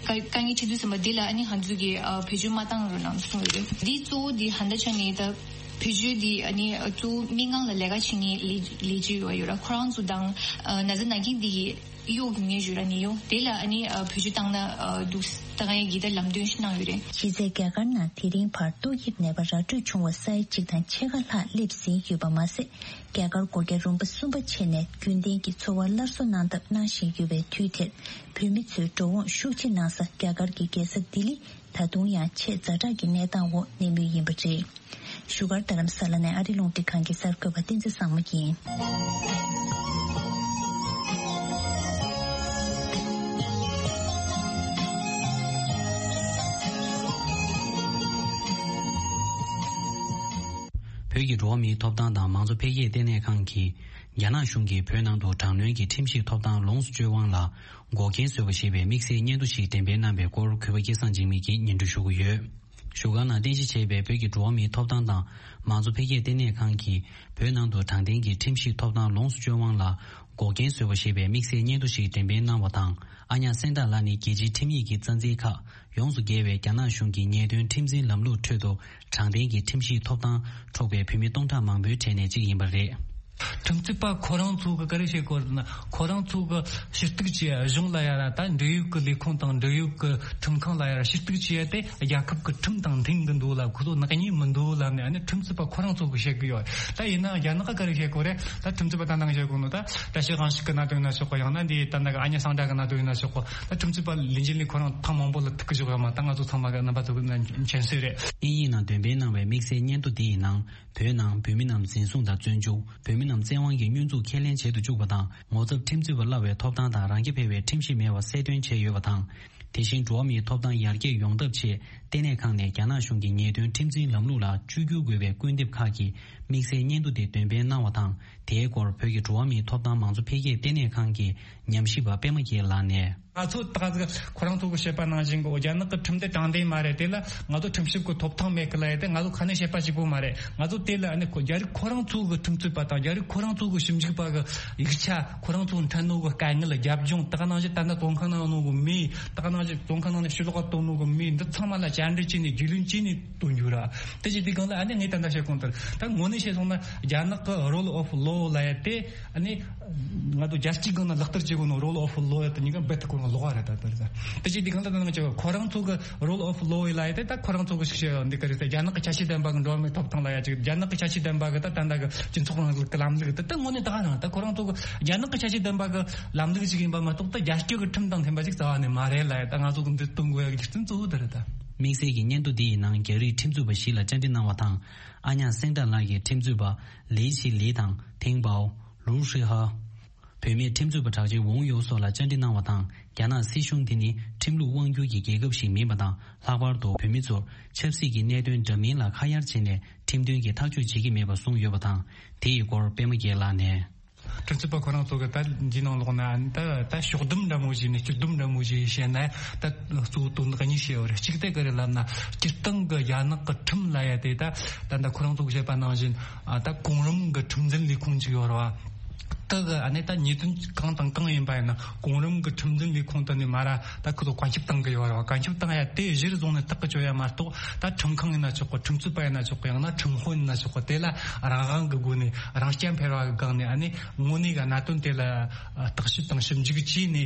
དཀའ་དཀའ་ངལ་འཕྲད་དུས་ཙམ་པ་འདི་ལ་ཨ་ནི་ང་ཚོ་གིས་བེད་སྤྱོད་མ་བཏང་རོགས་གནང་གསུངས་ཡོད་རེད། འདི་གཙོ་བོ་འདི་ཧ་ད་ཆ་ནས་ད་བེད་སྤྱོད་འདི་ཨ་ནི་གཙོ་བོ་སྨན་ཁང་ལ་ལས་ཀ་བྱེད་མཁན་ལས་ལས་བྱེད་ཡོད་ཡོད་ར། ཁོ་རང་ཚོ་དང་ན་ཚ་ན་མཁན་འདི་གི་གཡོག་གི་ངེས་ཞུ་ར་ནི་ཡོང་དེ་ལ་ཨ་ནི་བེད་སྤྱོད་བཏང་ན་འདུག་ད་ག་ཡང་གི་ད་ལམ་སྟོན་ཞིག་གནང་ཡོད་རེད། གཞི་རྩའི་རྒྱ་གར་ནང་དེ་རིང་བར་ཏོག་དབྱིབས་ནད་པ་ར་སྤྲོད་བྱུང་བ་ས་ཡ་གཅིག་དང་ཕྱེད་ཀ་ལྷག་སླེབས་ཟིན་ཡོད་པ་མ་ཟད། རྒྱ་གར་སྒོ་རྒྱ་རིམ་པ་གསུམ་པ་ཆད་ནས་རྒྱུན་ལྡན་གྱི་འཚོ་བ་སླར་གསོ་གནང་ཐབས་གནང་བཞིན་ཡོད་པའི་དུས་དེར། བོད་མི་ཚོའི་འགྲོ་འོང་ཤུགས་ཆེ་གནང་ས་རྒྱ་གར་གྱི་རྒྱལ་ས་ལྡི་ལི་ད་དུང་ཡང་ཆེས་ཛ་དྲག་གི་གནས་སྟངས་འོག་གནས་མུས་ཡིན་པ་རེད། བཞུགས་སྒར་རྡ་རམ་ས་ལ་ནས་ཨ་རི་རླུང་འཕྲིན་ཁང་གི་གསར་འགོད་པ་བསྟན་འཛིན་བཟང་མོ་ཡིན། བོད་ཀྱི་འགྲོ་བ་མིའི་ཐོབ་ཐང་དང་མང་གཙོ་འཕེལ་རྒྱས་ལྟེ་གནས་ཁང་གིས་རྒྱ་ནག་གཞུང་གིས་བོད་ནང་དུ་དྲག་གནོན་གྱི་ཁྲིམས་ཞིབ་ཐོབ་ཐང་ལོངས་སུ་སྤྱོད་དབང་ལ་འགོག་རྐྱེན་བཟོས་པ་ཞེས་པའི་དམིགས་བསལ་སྙན་ཐོ་ཞིག་འགྲེམས་སྤེལ་གནང་པའི་སྐོར་གུས་པ་སྐལ་བཟང་འཇིགས་མེད་ཀྱིས་སྙན་སྒྲོན་ཞུ་གི་ཡོད། བཞུགས་སྒར་ནང་རྟེན་གཞི་བྱས་པའི་བོད་ཀྱི་འགྲོ་བ་མིའི་ཐོབ་ཐང་དང་མང་གཙོ་འཕེལ་རྒྱས་ལྟེ་གནས་ཁང་གིས་བོད་ནང་དུ་དྲང་བདེན་གྱི་ཁྲིམས་ཞིབ་ཐོབ་ཐང་ལོངས་སུ་སྤྱོད་དབང་ལ་འགོག་རྐྱེན་བཟོས་པ་ཞེས་པའི་དམིགས་བསལ་སྙན་ཐོ་ཞིག་འགྲེམས་སྤེལ་གནང་བ་དང་། ཨ་ཉག་སེང་སྟག་ལགས་ནི་རྒྱལ་སྤྱིའི་ཁྲིམས་ཡིག་གི་རྩ་འཛིན་ཁག་ཡོངས་སུ་རྒྱལ་བའི་རྒྱ་ནག་གཞུང་གི་ཉེས་དོན་ཁྲིམས་འཛིན་ལམ་ལུགས་ཁྲོད་དུ་དྲང་བདེན་གྱི་ཁྲིམས་ཞིབ་ཐོབ་ཐང་འཕྲོག་པའི་བོད་མི་སྟོང་ཕྲག་མང་པོའི་གྲས་ནས་གཅིག་ཡིན་པ་རེད། ཁྲིམས་རྩོད་པ་ཁོ་རང་ཚོ་གི་ག་རེ་བྱེད་དགོས་ན། ཁོ་རང་ཚོ་གི་ཞུ་གཏུག་བྱེད་ཡ་གཞུང་ལ་ཡ་ར། ད་འབྲེལ་ཡོད་ཀྱི་ལས་ཁུངས་དང་འབྲེལ་ཡོད་ཀྱི་ཁྲིམས་ཁང་ལ་ཡ་ར་ཞུ་གཏུག་བྱེད་ཡ་དེ་རྒྱལ་ཁབ་ཀྱི་ཁྲིམས་དང་མཐུན་གི་འདུག་ལ། ཁོ་ཚོ་ནག་ཉེས་མི་འདུག་ལ་ནས། ཨ་ནི་ཁྲིམས་རྩོད་པ་ཁོ་རང་ཚོ་གི་བཤད་གི་ཡོད། ད་ཡིན་ན་རྒྱ་ནག་ག་རེ་བཤད་དགོས་རེད། ད་ཁྲིམས་རྩོད་པ་ད་ནང་བཤད་དགོས་ནོ། ད་བཀྲ་ཤིས་དབང་ཕྱུག་གི་གནད་དོན་ཡིན་ན་ཆོག་གི། ཡང་ན་འདི་ད་ནང་གི་ཨ་ཉ་སང་ཌ་གི་གནད་དོན་ཡིན་ན་ཆོག་གི། ད་ཁྲིམས་རྩོད་པ་ལས་འཛིན་ལས་ཁོ་རང་ཐེངས་མང་པོ་ལ་ཐུག་གི་བཞག་ཡོད་མ། ད་ང་ཚོ་ཚང་མ་གི་རྣམ་པ་ཚོ་གི་མཁྱེན་གསལ་རེད། དབྱིན་ཡིག་ནང་འདོན་སྤེལ་གནང་བའི་དམིགས་བསལ་སྙན་ཐོ་འདི་ཡི་ནང་། བོད་ནང་བོད་མི་རྣམས་འཛིན་བཟུང་དང་བཙོན་འཇུག་བོད་མི་རྣམས་བཙན་དབང་གིས་བསྙོན་འཛུགས་ཁས་ལེན་བྱེད་དུ་བཅུག་པ་དང་། ངོ་ཚབ་ཁྲིམས་རྩོད་པ་གླ་བའི་ཐོབ་ཐང་དང་རང་སྐྱ་འཕེར་བའི་ཁྲིམས་གཞི་མེད་པ་གསལ་སྟོན་བྱས་ཡོད་པ་དང་། དེ་བཞིན་འགྲོ་བ་མིའི་ཐོབ་ཐང་ཡར་རྒྱས་ཡོང་ཐབས་ཆེད་ལྟེ་གནས་ཁང་ནས་རྒྱ་ནག་གཞུང་གི་ཉེས་དོན་ཁྲིམས་འཛིན་ལམ་ལུགས་ལ་བཅོས་བསྒྱུར་དགོས་པའི་སྐུལ་འདེབས་ཁག་གི་དམིགས་བསལ་སྙན་ཐོ་དེ་འདོན་སྤེལ་གནང་བ་དང་། དེའི་སྐོར་བོད་ཀྱི་འགྲོ་བ་མིའི་ཐོབ་ཐང་མང་གཙོ་འཕེལ་རྒྱས་ལྟེ་གནས་ཁང་གི་ཉམས་ཞིབ་པ་པད་མ་རྒྱལ་ལགས་ནས། ང་ཚོ་ད་ག་ཁོ་རང་ཚོ་གི་བཤད་པ་ནང་བཞིན་གི་རྒྱ་ནག་གི་ཁྲིམས་དེ་དྲང་བདེན་མ་རེད། དེ་ལ་ང་ཚོ་ཁྲིམས་ཞིབ་ཀྱི་ཐོབ་ཐང་མེད་གི་ལ་ཡ། དེ་ང་ཚོ་ཁ་ནས་བཤད་པ་གཅིག་པོ་མ་རེད། ང་ཚོ་དེ་ལ་ཨ་ནི་ཁོ་རྒྱ་རིགས་ཁོ་རང་ཚོ་གི་ཁྲིམས་རྩོད་པ་དང་རྒྱ་རིགས་ཁོ་རང་ཚོ་གི་ཞིབ་འཇུག་པ་གི་ཡིག་ཆ། ཁོ་རང་ཚོ་འཕྲད་ནོ་གི་དཀའ་ངལ། རྒྱབ་ལྗོངས། ད་ག་ནང་བཞིན་ད་ལྟ་བཙོན་ཁང་ནང་ཡོད་ནོ་གི་མི། ད་ག་ནང་བཞིན་བཙོན་ཁང་ནང་ནས་ཕྱི་ལོགས་ག་ཐོན་ནོ་གི་མི་འདི་ཚང་མ་ལ་བཅར་འདྲི་བྱས་ནས། རྒྱུས་ལོན་བྱས་ནས་སྟོན་རྒྱུ་ར། དེ་བྱས་དུས་སྒང་ལ་ཨ་ནི་ངས་ད་ལྟ་བཤད་གོང་ལྟར། ད་དངོས་གནས་བཤད་སོང་ན་རྒྱ་ནག་གི་rule of law ལབ་ཡ་དེ། ཨ་ནི་ང་ཚོ་རྒྱལ་སྤྱིའི་སྒང་ན་ལག་བསྟར་བྱེད་དགོས་ནོ་rule of law ཡ་དེ་གཉིས་ཀ་རྦད་དེ་ཁོ་རང་ལོགས་ཀ་རེད། ད་ལྟ་རེད། ད་དེ་བྱས་དུས་སྒང་ལ་ད་ང་ཚོ་ཁོ་རང་ཚོ་གི་rule of law ཡ་ལབ་ཡ་དེ། ད་ཁོ་རང་ཚོ་གི་ཞིག་བཤད་ཡ་འདི་ག་རེད། ད་རྒྱ་ནག་གི་ཁྱད་ཆོས་ལྡན་པ་གི་འགྲོ་བ་མིའི་ཐོབ་ཐང་ལབ་ཡ་ཅིག་རྒྱ་ནག་གི་ཁྱད་ཆོས་ལྡན་པ་གི་ད་ད་ལྟ་གི་སྤྱི་ཚོགས་རིང་ལུགས་ཀྱི་ལམ་ལུགས་དེ། ད་དངོས་གནས་ད་ག་རང་ད་ཁོ་རང་ཚོ་གི་རྒྱ་ནག་གི་ཁྱད་ཆོས་ལྡན་པ་གི་ལམ་ལུགས་ཅིག་ཡིན་པ་མ་གཏོགས། ད་རྒྱ་སྐྱོད་ཀྱི་ཁྲིམས་དང་མཐུན་པ་ཅིག་རྩ་བ་ནས་མ་རེད་ལབ་ཡ། ད་ང་ཚོ་གི་འདི་སྟོན་དགོས་ཡ་གི་རྒྱུ་མཚན་གཙོ་བོ་དེ་རེད། ད། དམིགས་བསལ་གྱི་སྙན་ཐོ་འདི་ཡི་ནང་རྒྱ་རིགས་ཁྲིམས་རྩོད་པ་བཞི་ལ་བཅར་འདྲི་གནང་བ་དང་། ཨ་ཉག་སེང་ཏ་ལགས་ཀྱིས་ཁྲིམས་རྩོད་པ་ལི་ཆི་ལི་དང་ཐེང་པའོ། ལུའུ་ཧྲི་ཧ། བུད་མེད་ཁྲིམས་རྩོད་པ་གྲགས་ཅན་ཝུང་ཡོ་སོགས་ལ་བཅར་འདྲི་གནང་བ་དང་། རྒྱ་ནག་སྲིད་གཞུང་འདི་ནི་ཁྲིམས་ལུགས་དབང་སྒྱུར་གྱི་རྒྱལ་ཁབ་ཞིག་མིན་པ་དང་། ལྷག་པར་དུ་བོད་མི་ཚོར་ཆབ་སྲིད་ཀྱི་གནད་དོན་འདྲ་མིན་ལ་ཁ་གཡར་བྱས་ནས་ཁྲིམས་མཐུན་གྱི་ཐག་གཅོད་བྱེད་ཀྱི་མེད་པ་གསུངས་ཡོད་པ་དང་། དེ་ཡི་སྐོར་པད་མ་རྒྱལ་ལགས་ནས། ཁྲིམས་རྩོད་པ་ཁོ་རང་ཚོ་གི་ད་འདི་ནང་ལོགས་ན་ད་ད་ཕྱོགས་བསྡོམས་འདྲ་མོ་ཞིག་ནས། སྤྱི་བསྡོམས་འདྲ་མོ་ཞིག་བཤད་ན། ད་གཙོ་བོ་དོན་དག་གཉིས་བཤད་ཡོད་རེད། གཅིག་དེ་ག་རེ་ལབ་ན། སྤྱིར་བཏང་གི་རྒྱ་ནག་གི་ཁྲིམས་ལབ་ཡ་དེ། ད་ད་ད་ཁོ་རང་ཚོ་གི་བཤད་པ་ནང་བཞིན། ཨ། ད་གོང་རིམ་གི་ཁྲིམས་འཛིན་ལས་ཁུངས་ཅིག་ཡོད་རེད་བ། ད་གི་ཨ་ནི་ད་ཉེས་དོན་གང་དང་གང་ཡིན་པ་ཡིན་ན། གོང་རིམ་གི་ཁྲིམས་འཛིན་ལས་ཁུངས་དེ་ནས་མར་ད་ཁོ་ཚོ་བཀའ་ཁྱབ་བཏང་གི་ཡོད་རེད་བ། བཀའ་ཁྱབ་བཏང་ཡ་དེ་གཞིར་བཟུང་ནས་ཐག་གི་གཅོད་ཡ་མ་གཏོགས། ད་ཁྲིམས་ཁང་ཡིན་ན་ཆོག་གི། ཁྲིམས་རྩོད་པ་ཡིན་ན་ཆོག་གི། ཡང་ན་ཁྲིམས་དཔོན་ཡིན་ན་ཆོག་གི། དེ་ལ་རང་དབང་གི་སྒོ་ནས། རང་རྐྱ་འཕེར་བ་གི་སྒང་ནས། ཨ་ནི་དངོས་གནས་གི་གནད་དོན་དེ་ལ་བརྟག་ཞིབ་དང་ཞིབ་འཇུག་བྱས་ནས།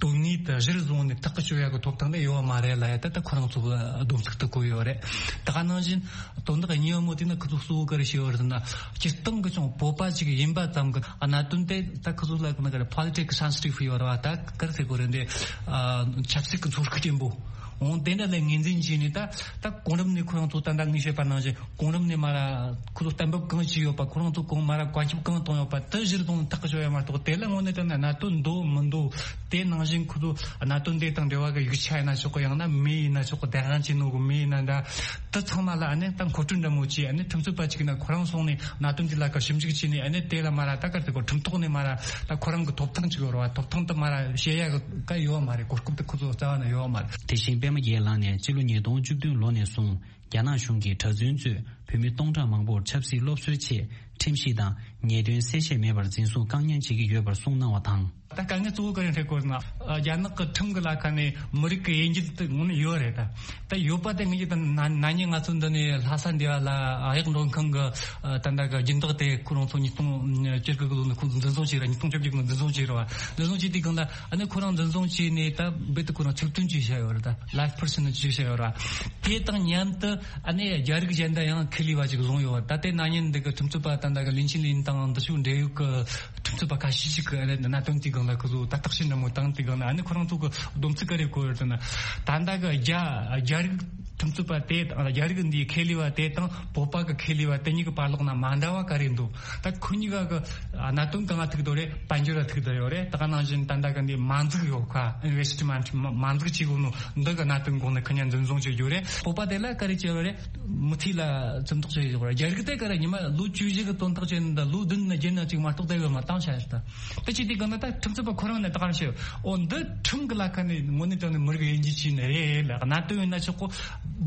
དོན་དངོས་དེ་གཞིར་བཟུང་ནས་ཐག་གི་གཅོད་ཡ་གི་ཐོབ་ཐང་དེ་ཡོད་བ་མ་རེད་ལབ་ཡ། ད་ད་ཁོ་རང་ཚོ་གི་སྡོམ་ཚིག་ཏུ་བཀོད་ཡོད་རེད། ད་ག་ནང་བཞིན་དོན་དག་གཉིས་པ་མོ་དེ་ན། ཁོ་ཚོ་གཙོ་བོ་ག་རེ་བཤད་ཡོད་རེད་ཟེར་ན། སྤྱིར་བཏང་གི་ཅུང་བོད་པ་ཅིག་ཡིན་པ་ཙམ་གི་གནད་དོན་དེ། ད་ཁོ་ཚོ་ལ་གི་ན་ག་རེ། politics sensitive ཡོད་རེད་བ། ད་ག་རེ་ཟེར་དགོས་རེད། འདི་ཆབ་སྲིད་ཀྱི་ཚོར་ཤུགས་ཆེན་པོ། འོང་དེ་འདྲ་ལ་ངོས་འཛིན་བྱས་ནས། ད་ད་གོང་རིམ་ནས་ཁོ་རང་ཚོ་ད་ལྟ་ངས་བཤད་པ་ནང་བཞིན། གོང་རིམ་ནས་མར་ཁོ་ཚོ་གཏན་འབེབས་གང་བྱས་ཡོད་པ། ཁོ་རང་ཚོ་གོང་མར་བཀའ་ཁྱབ་གང་བཏང་ཡོད་པ་དེ་གཞིར་བཟུང་ནས་ཐག་གཅོད་ཡོད་མ་གཏོགས། དེ་ལ་དངོས་གནས་དྲང་གནས་གནད་དོན་འདུག་མི་འདུག་དེ་ནང་བཞིན་ཁོ་ཚོ་གནད་དོན་དེ་དང་འབྲེལ་བ་གི་ཡིག་ཆ་ཡིན་ན་ཆོག་གི། ཡང་ན་མི་ཡིན་ན་ཆོག་གི། བདེན་དཔང་བྱས་ནོ་གི་མི་ཡིན་ན་འདྲ། དེ་ཚང་མ་ལ་ཨ་ནི་ད་མཁོ་སྤྲོད་འདྲ་མོ་བྱས། ཨ་ནི་ཁྲིམས་རྩོད་པ་ཅིག་ཡིན་ན་ཁོ་རང་སོང་ནས་གནད་དོན་དེ་ལ་ག་ཞིབ་འཇུག་བྱས་ནས། ཨ་ནི་དེ་ལ་མར་ད་ག་རེ་ཟེར་དགོས། ཁྲིམས་ཐོག་ནས་མར་ད་ཁོ་རང་གི་ཐོབ་ཐང་ཅིག་ཡོད་རེད་བ། ཐོབ་ཐང་དེ་མར་བཤད་ཡ་གི་ག་ཡོད་མ་རེད། གོ་སྐབས་དེ་ཁོ་ཚོ་རྩ་བ་ནས་ཡོད་མ་རེད། དེ་བཞིན་པད་མ་རྒྱལ་ལགས་ནས་སྤྱི་ལོ་ཉིས་སྟོང་བཅུ་བདུན་ལོ་ནས་བཟུང་རྒྱ་ནག་གཞུང་གིས་གྲྭ་བཙུན་གཙོས་བོད་མི་སྟོང་ཕྲག་མང་པོར་ཆབ་སྲིད་སློབ་གསོའི་ཆེད་ཁྲིམས་གཞི་དང་ཉེས་དོན་གསལ་བཤད་མེད་པར་འཛིན་བཟུང་བཀག་ཉར་བྱེད་ཀྱི་ཡོད་པར་གསུངས་གནང་བ་དང་། ད་དཀའ་ངལ་གཙོ་བོ་ག་རེ་འཕྲད་དགོས་ན། ཨ། རྒྱ་ནག་གི་ཁྲིམས་ཀྱི་ལ་ཁ་ནས་མི་རིགས་ཀྱི་དབྱེ་འབྱེད་དེ་དངོས་གནས་ཡོད་རེད། ད་ད་ཡོད་པ་དེ་ངེད་ཀྱི་ད་ན་ན་ནིང་ང་ཚོ་འདི་ནས་ལྷ་ས་འདི་བ་ལ་གཡག་མགྲོན་ཁང་གི་ད་ལྟ་གི་སྦྱིན་བདག་དེ་ཁོ་རང་ཚོ་ཉིས་སྟོང་བཅུ་དགུ་གི་ལོ་ནས་ཁོང་ཚོ་འཛིན་བཟུང་བྱས་ར། ཉིས་སྟོང་བཅོ་བརྒྱད་གི་ལོ་འཛིན་བཟུང་བྱས་ར་བ། འཛིན་བཟུང་བྱས་དུས་སྒང་ལ། ཨ་ནི་ཁོ་རང་འཛིན་བཟུང་བྱས་ནས་ད་རྦད་དེ་ཁོ་རང་ཚབ་བསྟུན་བྱས་བཞག་ཡོད་རེད། ད་life prison བྱས་བཞག་ཡོད་ར། དེ་དང་མཉམ་དུ་ཨ་ནི་རྒྱ་རིགས་གཞན་དག་ཡང་ཁེ་ལས་པ་ཅིག་བཟུང་ཡོད་རེད། ད་དེ་ན་ནིང་འདི་གི་ཁྲིམས་རྩོད་པ་ད་ལྟ་གི་ལིན་ཆིན་ལིན་དང་འདི་ཕྱོགས་འབྲེལ་ཡོད་གི་ཁྲིམས་རྩོད་པ་ཁ་ཤས་ཤིག་གི་ཨ་ནི་གནད་དོན་དེའི་སྒང་ལ་ཁོ་ཚོ་ད་བརྟག་དཔྱད་འདྲ་མོ་བཏང་དུས་སྒང་ལ། ཨ་ནི་ཁོ་རང་ཚོ་གི་སྡོམ་ཚིག་ག་རེ་བཀོད་ཡོད་ཟེར་ན། ད་ལྟ་གི་རྒྱ་རྒྱ་རིགས་ཁྲིམས་རྩོད་པ་དེ་དང་། རྒྱ་རིགས་འདིའི་ཁེ་ལས་པ་དེ་དང་བོད་པ་གི་ཁེ་ལས་པ་དེ་གཉིས་ཀྱི་བར་ལོགས་ན་མ་འདྲ་བ་ག་རེ་འདུག་ད་ཁོ་གཉིས་ཀ་གི་གནད་དོན་གང་ང་ཐུག་འདུག་རེད། དཔལ་འབྱོར་ལ་ཐུག་འདུག་ཡོད་རེད། ད་ག་ནང་བཞིན་ད་ལྟ་གི་འདི་མ་འཛུགས་ཡོད་ཁ། investment མ་མ་འཛུགས་བྱེད་དགོས་ནོ་འདི་གི་གནད་དོན་སྒང་ནས་ཁོ་གཉིས་འཛིན་བཟུང་བྱེད་རྒྱུ་རེད། བོད་པ་དེ་ལ་ག་རེ་བྱེད་ཡོད་རེད། མུ་མཐུད་ལ་བཙོན་ཐག་བཅད་ཡོད་རེད། རྒྱ་རིགས་དེ་ག་རེ་ཉི་མ་ལོ་བཅུ་བཞི་གི་བཙོན་ཐག་བཅད་ནས་ད་ལོ་བདུན་ནས་བརྒྱད་ནས་གཅིག་མ་གཏོགས་ད་ཡོད་མ་བཏང་བྱ་ཡོད་ད། ད་ཅི་དེ་ག་ན་ད་ཁྲིམས་རྩོད་པ་ཁོ་རང་ནས་ད་ག་རེ་བྱེད། འོ་འདི་ཁྲིམས་ཀྱི་ལ་ཁ་ནས་དངོས་གནས་དྲང་གནས་མི་རིགས་དབྱེ་འབྱེད་བྱས་ནས་རེད་ལ། གནད་དོན་ཡིན་ན་ཆོག་གོ།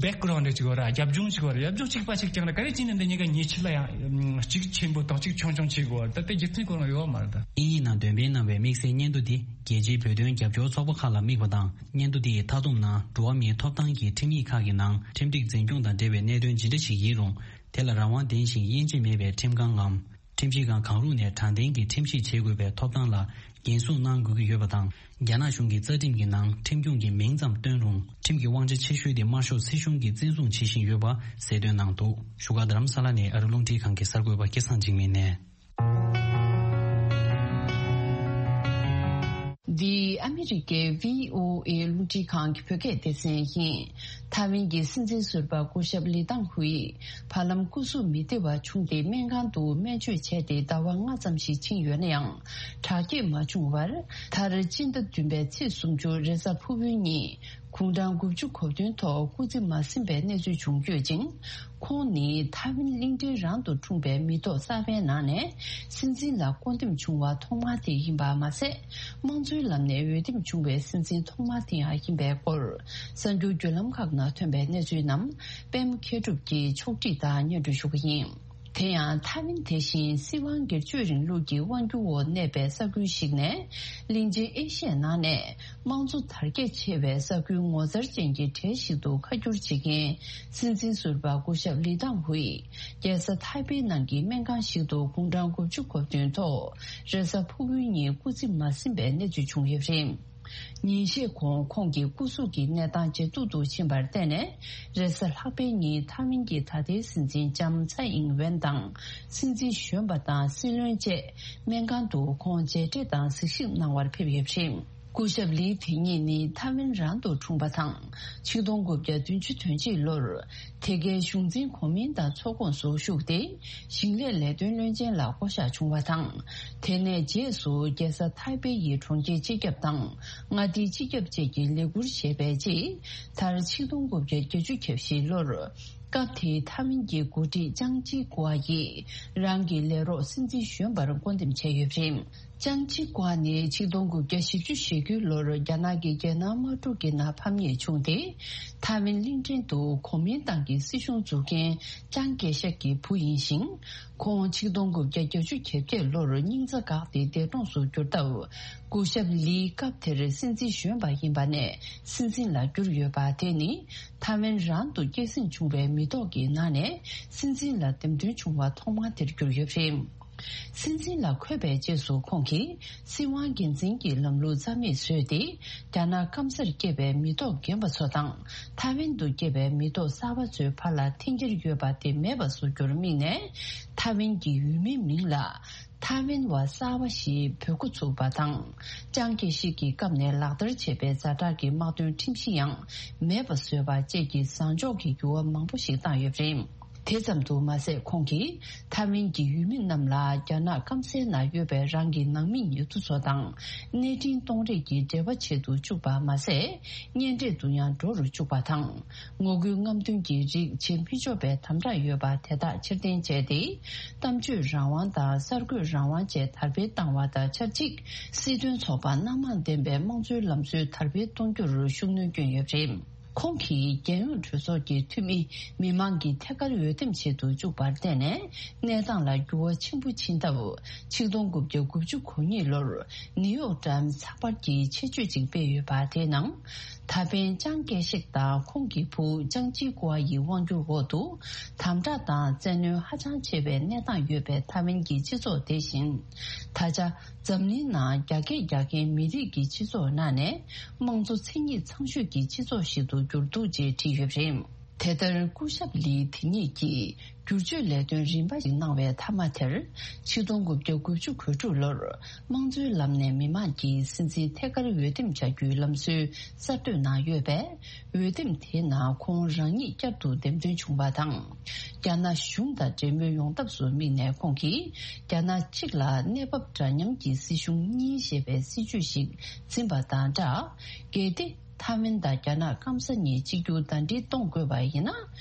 background རེ་ཅིག་ཡོད་ར། རྒྱབ་ལྗོངས་ཅིག་ཡོད་ར། རྒྱབ་ལྗོངས་གཅིག་པ་ཅིག་ཀྱང་ར། ག་རེ་བྱས་ནས་འདི་གཉིས་ཀ་ཉེས་ཆད་ལ་ཡང་གཅིག་ཆེན་པོ་དང་གཅིག་ཆུང་ཆུང་བྱེད་དགོས་པ། ད་ལྟ་རྒྱུ་མཚན་ཁོ་རང་ཡོད་མ་རེད་ད། དབྱིན་ཡིག་ནང་འདོན་སྤེལ་གནང་བའི་དམིགས་བསལ་སྙན་ཐོ་འདི་རྒྱལ་སྤྱིའི་བོད་དོན་རྒྱབ་སྐྱོར་ཚོགས་པ་ཁག་ལ་དམིགས་པ་དང་། སྙན་ཐོ་འདི་ཡི་མཐའ་སྡོམ་ནང་འགྲོ་བ་མིའི་ཐོབ་ཐང་གི་ཁྲིམས་ཡིག་ཁག་གི་ནང་ཁྲིམས་སྒྲིག་འཛིན་སྐྱོང་དང་འབྲེལ་བའི་གནད་དོན་ཇི་འདྲ་ཞིག་ཡིན་རུང་། དེ་ལ་རང་དབང་ལྡན་ཞིང་དབྱེ་འབྱེད་མེད་པའི་ཁྲིམས་ཁང་ངམ། ཁྲིམས་ཞིབ་ཁང་གང་རུང་ནས་དྲང་བདེན་གྱི་ཁྲིམས་ཞིབ་བྱེད་དགོས་པའི་ཐོབ་ཐང་ལ་འགན་སྲུང་གནང་དགོས་ཀྱི་ཡོད་པ་དང་། རྒྱ་ནག་གཞུང་གི་རྩ་ཁྲིམས་ཀྱི་ནང་ཁྲིམས་སྐྱོང་གི་མིང་ཙམ་བཏོན་རུང་། ཁྲིམས་ཀྱི་དབང་ཆ་ཆེ་ཤོས་དེ་དམར་ཤོག་སྲིད་གཞུང་གིས་བཙན་བཟུང་བྱེད་བཞིན་ཡོད་པ་གསལ་སྟོན་གནང་འདུག་བཞུགས་སྒར་རྡ་རམ་ས་ལ་ནས་ཨ་རི་རླུང་འཕྲིན་ཁང་གི་གསར་འགོད་པ་སྐལ་བཟང་འཇིགས་མེད་ནས། འདི་ཨ་མི་རི་ཀའི་བྷི་ཨོ་ཨེ་རླུང་འཕྲིན་ཁང་གི་བོད་སྐད་སྡེ་ཚན་ཡིན། ཐའེ་ཝན་གྱི་སྲིད་འཛིན་ཟུར་པ་སྐུ་ཞབས་ལི་ཏང་ཧུའེ་བར་ལམ་སྐུ་གཟུགས་མི་བདེ་བ་བྱུང་སྟེ་སྨན་ཁང་དུ་སྨན་བཅོས་བྱས་ཏེ་ཟླ་བ་ལྔ་ཙམ་ཞིག་ཕྱིན་ཡོད་ན་ཡང་། དྲག་སྐྱེད་མ་བྱུང་བར། མཐར་སྤྱི་ཟླ་བདུན་པའི་ཚེས་སུམ་ཅུ་རེས་གཟའ་ཕུར་བུའི་ཉིན། དགུང་གྲངས་དགུ་བཅུ་གོ་བདུན་ཐོག་སྐུ་ཚེ་མ་ཟིན་པའི་གནས་ཚུལ་བྱུང་ཡོད་ཅིང་། ཁོང་ནི་ཐའེ་ཝན་གླིང་ཕྲན་རང་དུ་འཁྲུངས་པའི་མི་ཐོག་གསར་པའི་ནང་ནས་སྲིད་འཛིན་ལ་བསྐོ་འདེམས་བྱུང་བ་ཐོག་མ་དེ་ཡིན་པ་མ་ཟད། དམངས་གཙོའི་ལམ་ནས་འོས་འདེམས་བྱུང་བའི་སྲིད་འཛིན་ཐོག་མ་དེ་ཡང་ཡིན་པའི་སྐོར། གསར་འགྱུར་བརྒྱུད་ལམ་ཁག་ནང་ཐོན་པའི་གནས་ཚུལ་རྣམས་པད་མ་མཁས་གྲུབ་ཀྱིས་ཕྱོགས་སྒྲིག་དང་སྙན་སྒྲོན་ཞུ་གི་ཡིན། དེ་ཡང་ཐའེ་ཝན་དེ་བཞིན་སྲིད་དབང་སྒེར་གཅོད་རིང་ལུགས་ཀྱི་དབང་སྒྱུར་འོག་གནས་པའི་ས་ཁུལ་ཞིག་ནས། གླིང་ཆེན་ཨེ་ཤི་ཡའི་ནང་ནས་དམངས་གཙོ་དར་རྒྱས་ཆེ་བའི་ས་ཁུལ་ངོ་མཚར་ཅན་གྱི་གྲས་ཤིག་ཏུ་ཁ་བསྒྱུར་བྱེད་མཁན་སྲིད་འཛིན་ཟུར་པ་སྐུ་ཞབས་ལི་ཏང་ཧུའེ། རྒྱལ་ས་ཐའེ་པེ་ནང་གི་སྨན་ཁང་ཞིག་ཏུ་དགུང་གྲངས་དགུ་བཅུ་གོ་བདུན་ཐོག་རེས་གཟའ་ཕུར་བུའི་ཉིན་སྐུ་ཚེ་མ་ཟིན་པའི་གནས་ཚུལ་བྱུང་ཡོད་པ་རེད། ཉིན་ཤས་གོང་ཁོང་གི་སྐུ་གཟུགས་ཀྱི་གནས་སྟངས་ཇེ་སྡུག་ཏུ་ཕྱིན་པར་བརྟེན་ནས། རེས་གཟའ་ལྷག་པའི་ཉིན་ཐའེ་ཝན་གྱི་ད་ལྟའི་སྲིད་འཛིན་ལྕམ་ཚའེ་ཨིང་ཝེན་དང་། སྲིད་འཛིན་གཞོན་པ་དང་སྲིད་བློན་བཅས་སྨན་ཁང་དུ་ཁོང་མཇལ་འཕྲད་དང་གཟིགས་ཞིབ་གནང་བར་ཕེབས་ཡོད་པ་རེད། སྐུ་ཞབས་ལི་དེ་ཉིད་ནི་ཐའེ་ཝན་རང་དུ་འཁྲུངས་པ་དང་། ཆིག་སྟོང་དགུ་བརྒྱ་བདུན་ཅུ་དོན་གཅིག་ལོར། དེ་གའི་གཞུང་འཛིན་གོ་མིན་ཏང་ཚོགས་ཁོངས་སུ་ཞུགས་ཏེ། ཞིང་ལས་ལས་དོན་བློན་ཆེན་ལ་བསྐོ་གཞག་བྱུང་བ་དང་། དེ་ནས་རྗེས་སུ་རྒྱལ་ས་ཐའེ་པེ་ཡི་གྲོང་ཁྱེར་སྤྱི་ཁྱབ་དང་། མངའ་སྡེའི་སྤྱི་ཁྱབ་བཅས་ཀྱི་ལས་ཁུར་བཞེས་པའི་རྗེས། མཐར་ཆིག་སྟོང་དགུ་བརྒྱ་བརྒྱད་ཅུ་གྱ་བཞི་ལོར། སྐབས་དེའི་ཐའེ་ཝན་གྱི་འགོ་ཁྲིད་ཅང་ཅི་ཀུའ་ཡིས་རང་གི་ལས་རོགས་སྲིད་འཛིན་གཞོན་པར་བསྐོ་འདེམས་བྱས་ཡོད་པ་རེད། ཅང་ཅི་ཀུའ་ནི་ཆིག་སྟོང་དགུ་བརྒྱ་བཞི་བཅུ་ཞེ་དགུ་ལོར་རྒྱ་ནག་གི་རྒྱལ་ནང་དམག་འཁྲུག་གི་ནང་ཕམ་ཉེས་བྱུང་སྟེ། ཐའེ་ཝན་གླིང་ཕྲན་དུ་གོ་མིན་ཏང་གི་སྲིད་གཞུང་འཛུགས་མཁན་ཅང་ཀེ་ཤེག་གི་བུ་ཡིན་ཞིང་། ཁོང་ཆིག་སྟོང་དགུ་བརྒྱ་བརྒྱད་ཅུ་གྱ་བརྒྱད་ལོར་སྙིང་རྩ་འགག་སྟེ་འདས་གྲོངས་སུ་གྱུར་སྟབས། སྐུ་ཞབས་ལིས་སྐབས་དེར་སྲིད་འཛིན་གཞོན་པ་ཡིན་པ་ནས་སྲིད་འཛིན་ལ་གྱུར་ཡོད་པ་དེ་ནི། ཐའེ་ཝན་རང་དུ་སྐྱེད་སྲིང་བྱུང་བའི་མི་ཐོག་གི་ནང་ནས་སྲིད་འཛིན་ལ་འདེམས་ཐོན་བྱུང་བ་ཐོག་མ་དེར་གྱུར་ཡོད་པ་རེད། སྲིད་འཛིན་ལ་འཁོད་པའི་རྗེས་སུ་ཁོང་གིས་སྲིད་དབང་སྒེར་འཛིན་གྱི་ལམ་ལུགས་རྩ་མེད་བཟོས་ཏེ། རྒྱ་ནག་སྐམ་སར་སྐྱེས་པའི་མི་ཐོག་རྒན་པ་ཚོ་དང་། ཐའེ་ཝན་དུ་སྐྱེས་པའི་མི་ཐོག་གསར་པ་ཚོའི་བར་ལ་འཐེན་འཁྱེར་ཡོད་པ་དེ་མེད་པ་བཟོ་རྒྱུར་དམིགས་ནས། ཐའེ་ཝན་གྱི་ཡུལ་མིའི་མིང་ལ་ཐའེ་ཝན་བ་གསར་པ་ཞེས་འབོད་འགོ་ཚུགས་པ་དང་། ཅང་ཀེ་ཤེག་གི་སྐབས་ནས་ལག་བསྟར་བྱས་པའི་ཛ་དྲག་གི་དམག་དོན་ཁྲིམས་གཞི་ཡང་མེད་པ་བཟོས་པ་བཅས་ཀྱི་བཟང་ཕྱོགས་ཀྱི་འགྱུར་བ་མང་པོ་ཞིག་བཏང་ཡོད་པ་རེད། དེ་ཙམ་དུ་མ་ཟད། ཁོང་གིས་ཐའེ་ཝན་གྱི་ཡུལ་མི་རྣམས་ལ་རྒྱ་ནག་སྐམ་སའི་ནང་ཡོད་པའི་རང་གི་ནང་མི་ཉེ་དུ་ཚོ་དང་གནས་འཕྲིན་གཏོང་རེས་ཀྱི་འབྲེལ་བ་བྱེད་དུ་བཅུག་པ་མ་ཟད། གཉེན་འཕྲད་དུ་ཡང་འགྲོ་རུ་བཅུག་པ་དང་། ངོ་རྒོལ་རྔམ་སྟོན་གྱི་རིགས་བྱེད་མི་ཆོག་པའི་དམ་དྲག་ཡོད་པ་དེ་དག་ཕྱིར་འཐེན་བྱས་ཏེ། གཏམ་བརྗོད་རང་དབང་དང་གསར་འགོད་རང་དབང་བཅས་དར་སྤེལ་བཏང་བ་དང་ཆབས་ཅིག་སྲིད་དོན་ཚོགས་པ་སྣ་མང་ལྡན་པའི་དམངས་གཙོའི་ལམ་སྲོལ་དར་སྤེལ་གཏོང་རྒྱུར་ཤུགས་སྣོན་བསྐྱོན་ཡོད་པ་རེད། ཁོང་གིས་རྒྱལ་ཡོངས་གྲོས་ཚོགས་ཀྱི་འཐུས་མི་མི་མང་གིས་ཐད་ཀར་འོས་འདེམས་བྱེད་དུ་བཅུག་པར་བརྟེན་ནས། གནས་སྟངས་ལ་འགྱུར་བ་ཆེན་པོ་ཕྱིན་སྟབས། ཆིག་སྟོང་དགུ་བརྒྱ་དགུ་བཅུ་གོ་གཉིས་ལོར་ནིའུ་ཡོག་ཊའིམ་ཚགས་པར་གྱིས་ཆེད་བརྗོད་ཅིག་སྤེལ་ཡོད་པ་དེའི་ནང་། ད་ཕན་ཅང་ཀེ་ཤེག་དང་ཁོང་གི་བུ་ཅང་ཅི་ཀུའ་ཡི་དབང་སྒྱུར་འོག་ཏུ། དམ་དྲག་དང་བཙན་གནོན་ཧ་ཅང་ཆེ་བའི་གནས་སྟངས་ཡོད་པའི་ཐའེ་ཝན་གྱི་སྤྱི་ཚོགས་དེ་བཞིན། ད་ཆ། འཛམ་གླིང་ནང་རྒྱ་སྐད་རྒྱག་མཁན་མི་རིགས་ཀྱི་སྤྱི་ཚོགས་ནང་ནས། དམངས་གཙོ་མཚན་ཉིད་ཚང་ཤོས་ཀྱི་སྤྱི་ཚོགས་ཤིག་ཏུ་གྱུར་འདུག་ཅེས་བྲིས་ཡོད་པ་རེད། དེ་ལྟར་སྐུ་ཞབས་ལི་དེ་ཉིད་ཀྱིས་བསྒྱུར་བཅོས་ལས་དོན་རིམ་པ་ཞིག་གནང་བའི་མཐའ་མ་དེར། ཆིག་སྟོང་དགུ་བརྒྱ་དགུ་བཅུ་གོ་དྲུག་ལོར། དམངས་གཙོའི་ལམ་ནས་མི་མང་གིས་སྲིད་འཛིན་ཐད་ཀར་འོས་འདེམས་བྱ་རྒྱུའི་ལམ་སྲོལ་གསར་གཏོད་གནང་ཡོད་པས། འོས་འདེམས་དེའི་ནང་ཁོང་རང་ཉིད་བསྐྱར་དུ་འདེམས་ཐོན་བྱུང་བ་དང་། རྒྱ་ནག་གཞུང་དང་འབྲེལ་མོལ་ཡོང་ཐབས་སུ་དམིགས་ནས་ཁོང་གིས། རྒྱ་ནག་གཅིག་ལ་གནས་བབ་འདྲ་མཉམ་གྱི་སྲིད་གཞུང་གཉིས་ཞེས་པའི་སྲིད་བྱུས་ཤིག་འཛིན་པ་དང་སྦྲགས། གལ་ཏེ་ཐའེ་ཝན་དང་རྒྱ་ནག་སྐམ་ས་གཉིས་གཅིག་གྱུར་ཟླ་སྒྲིལ་གཏོང་དགོས་པ་ཡིན་ན།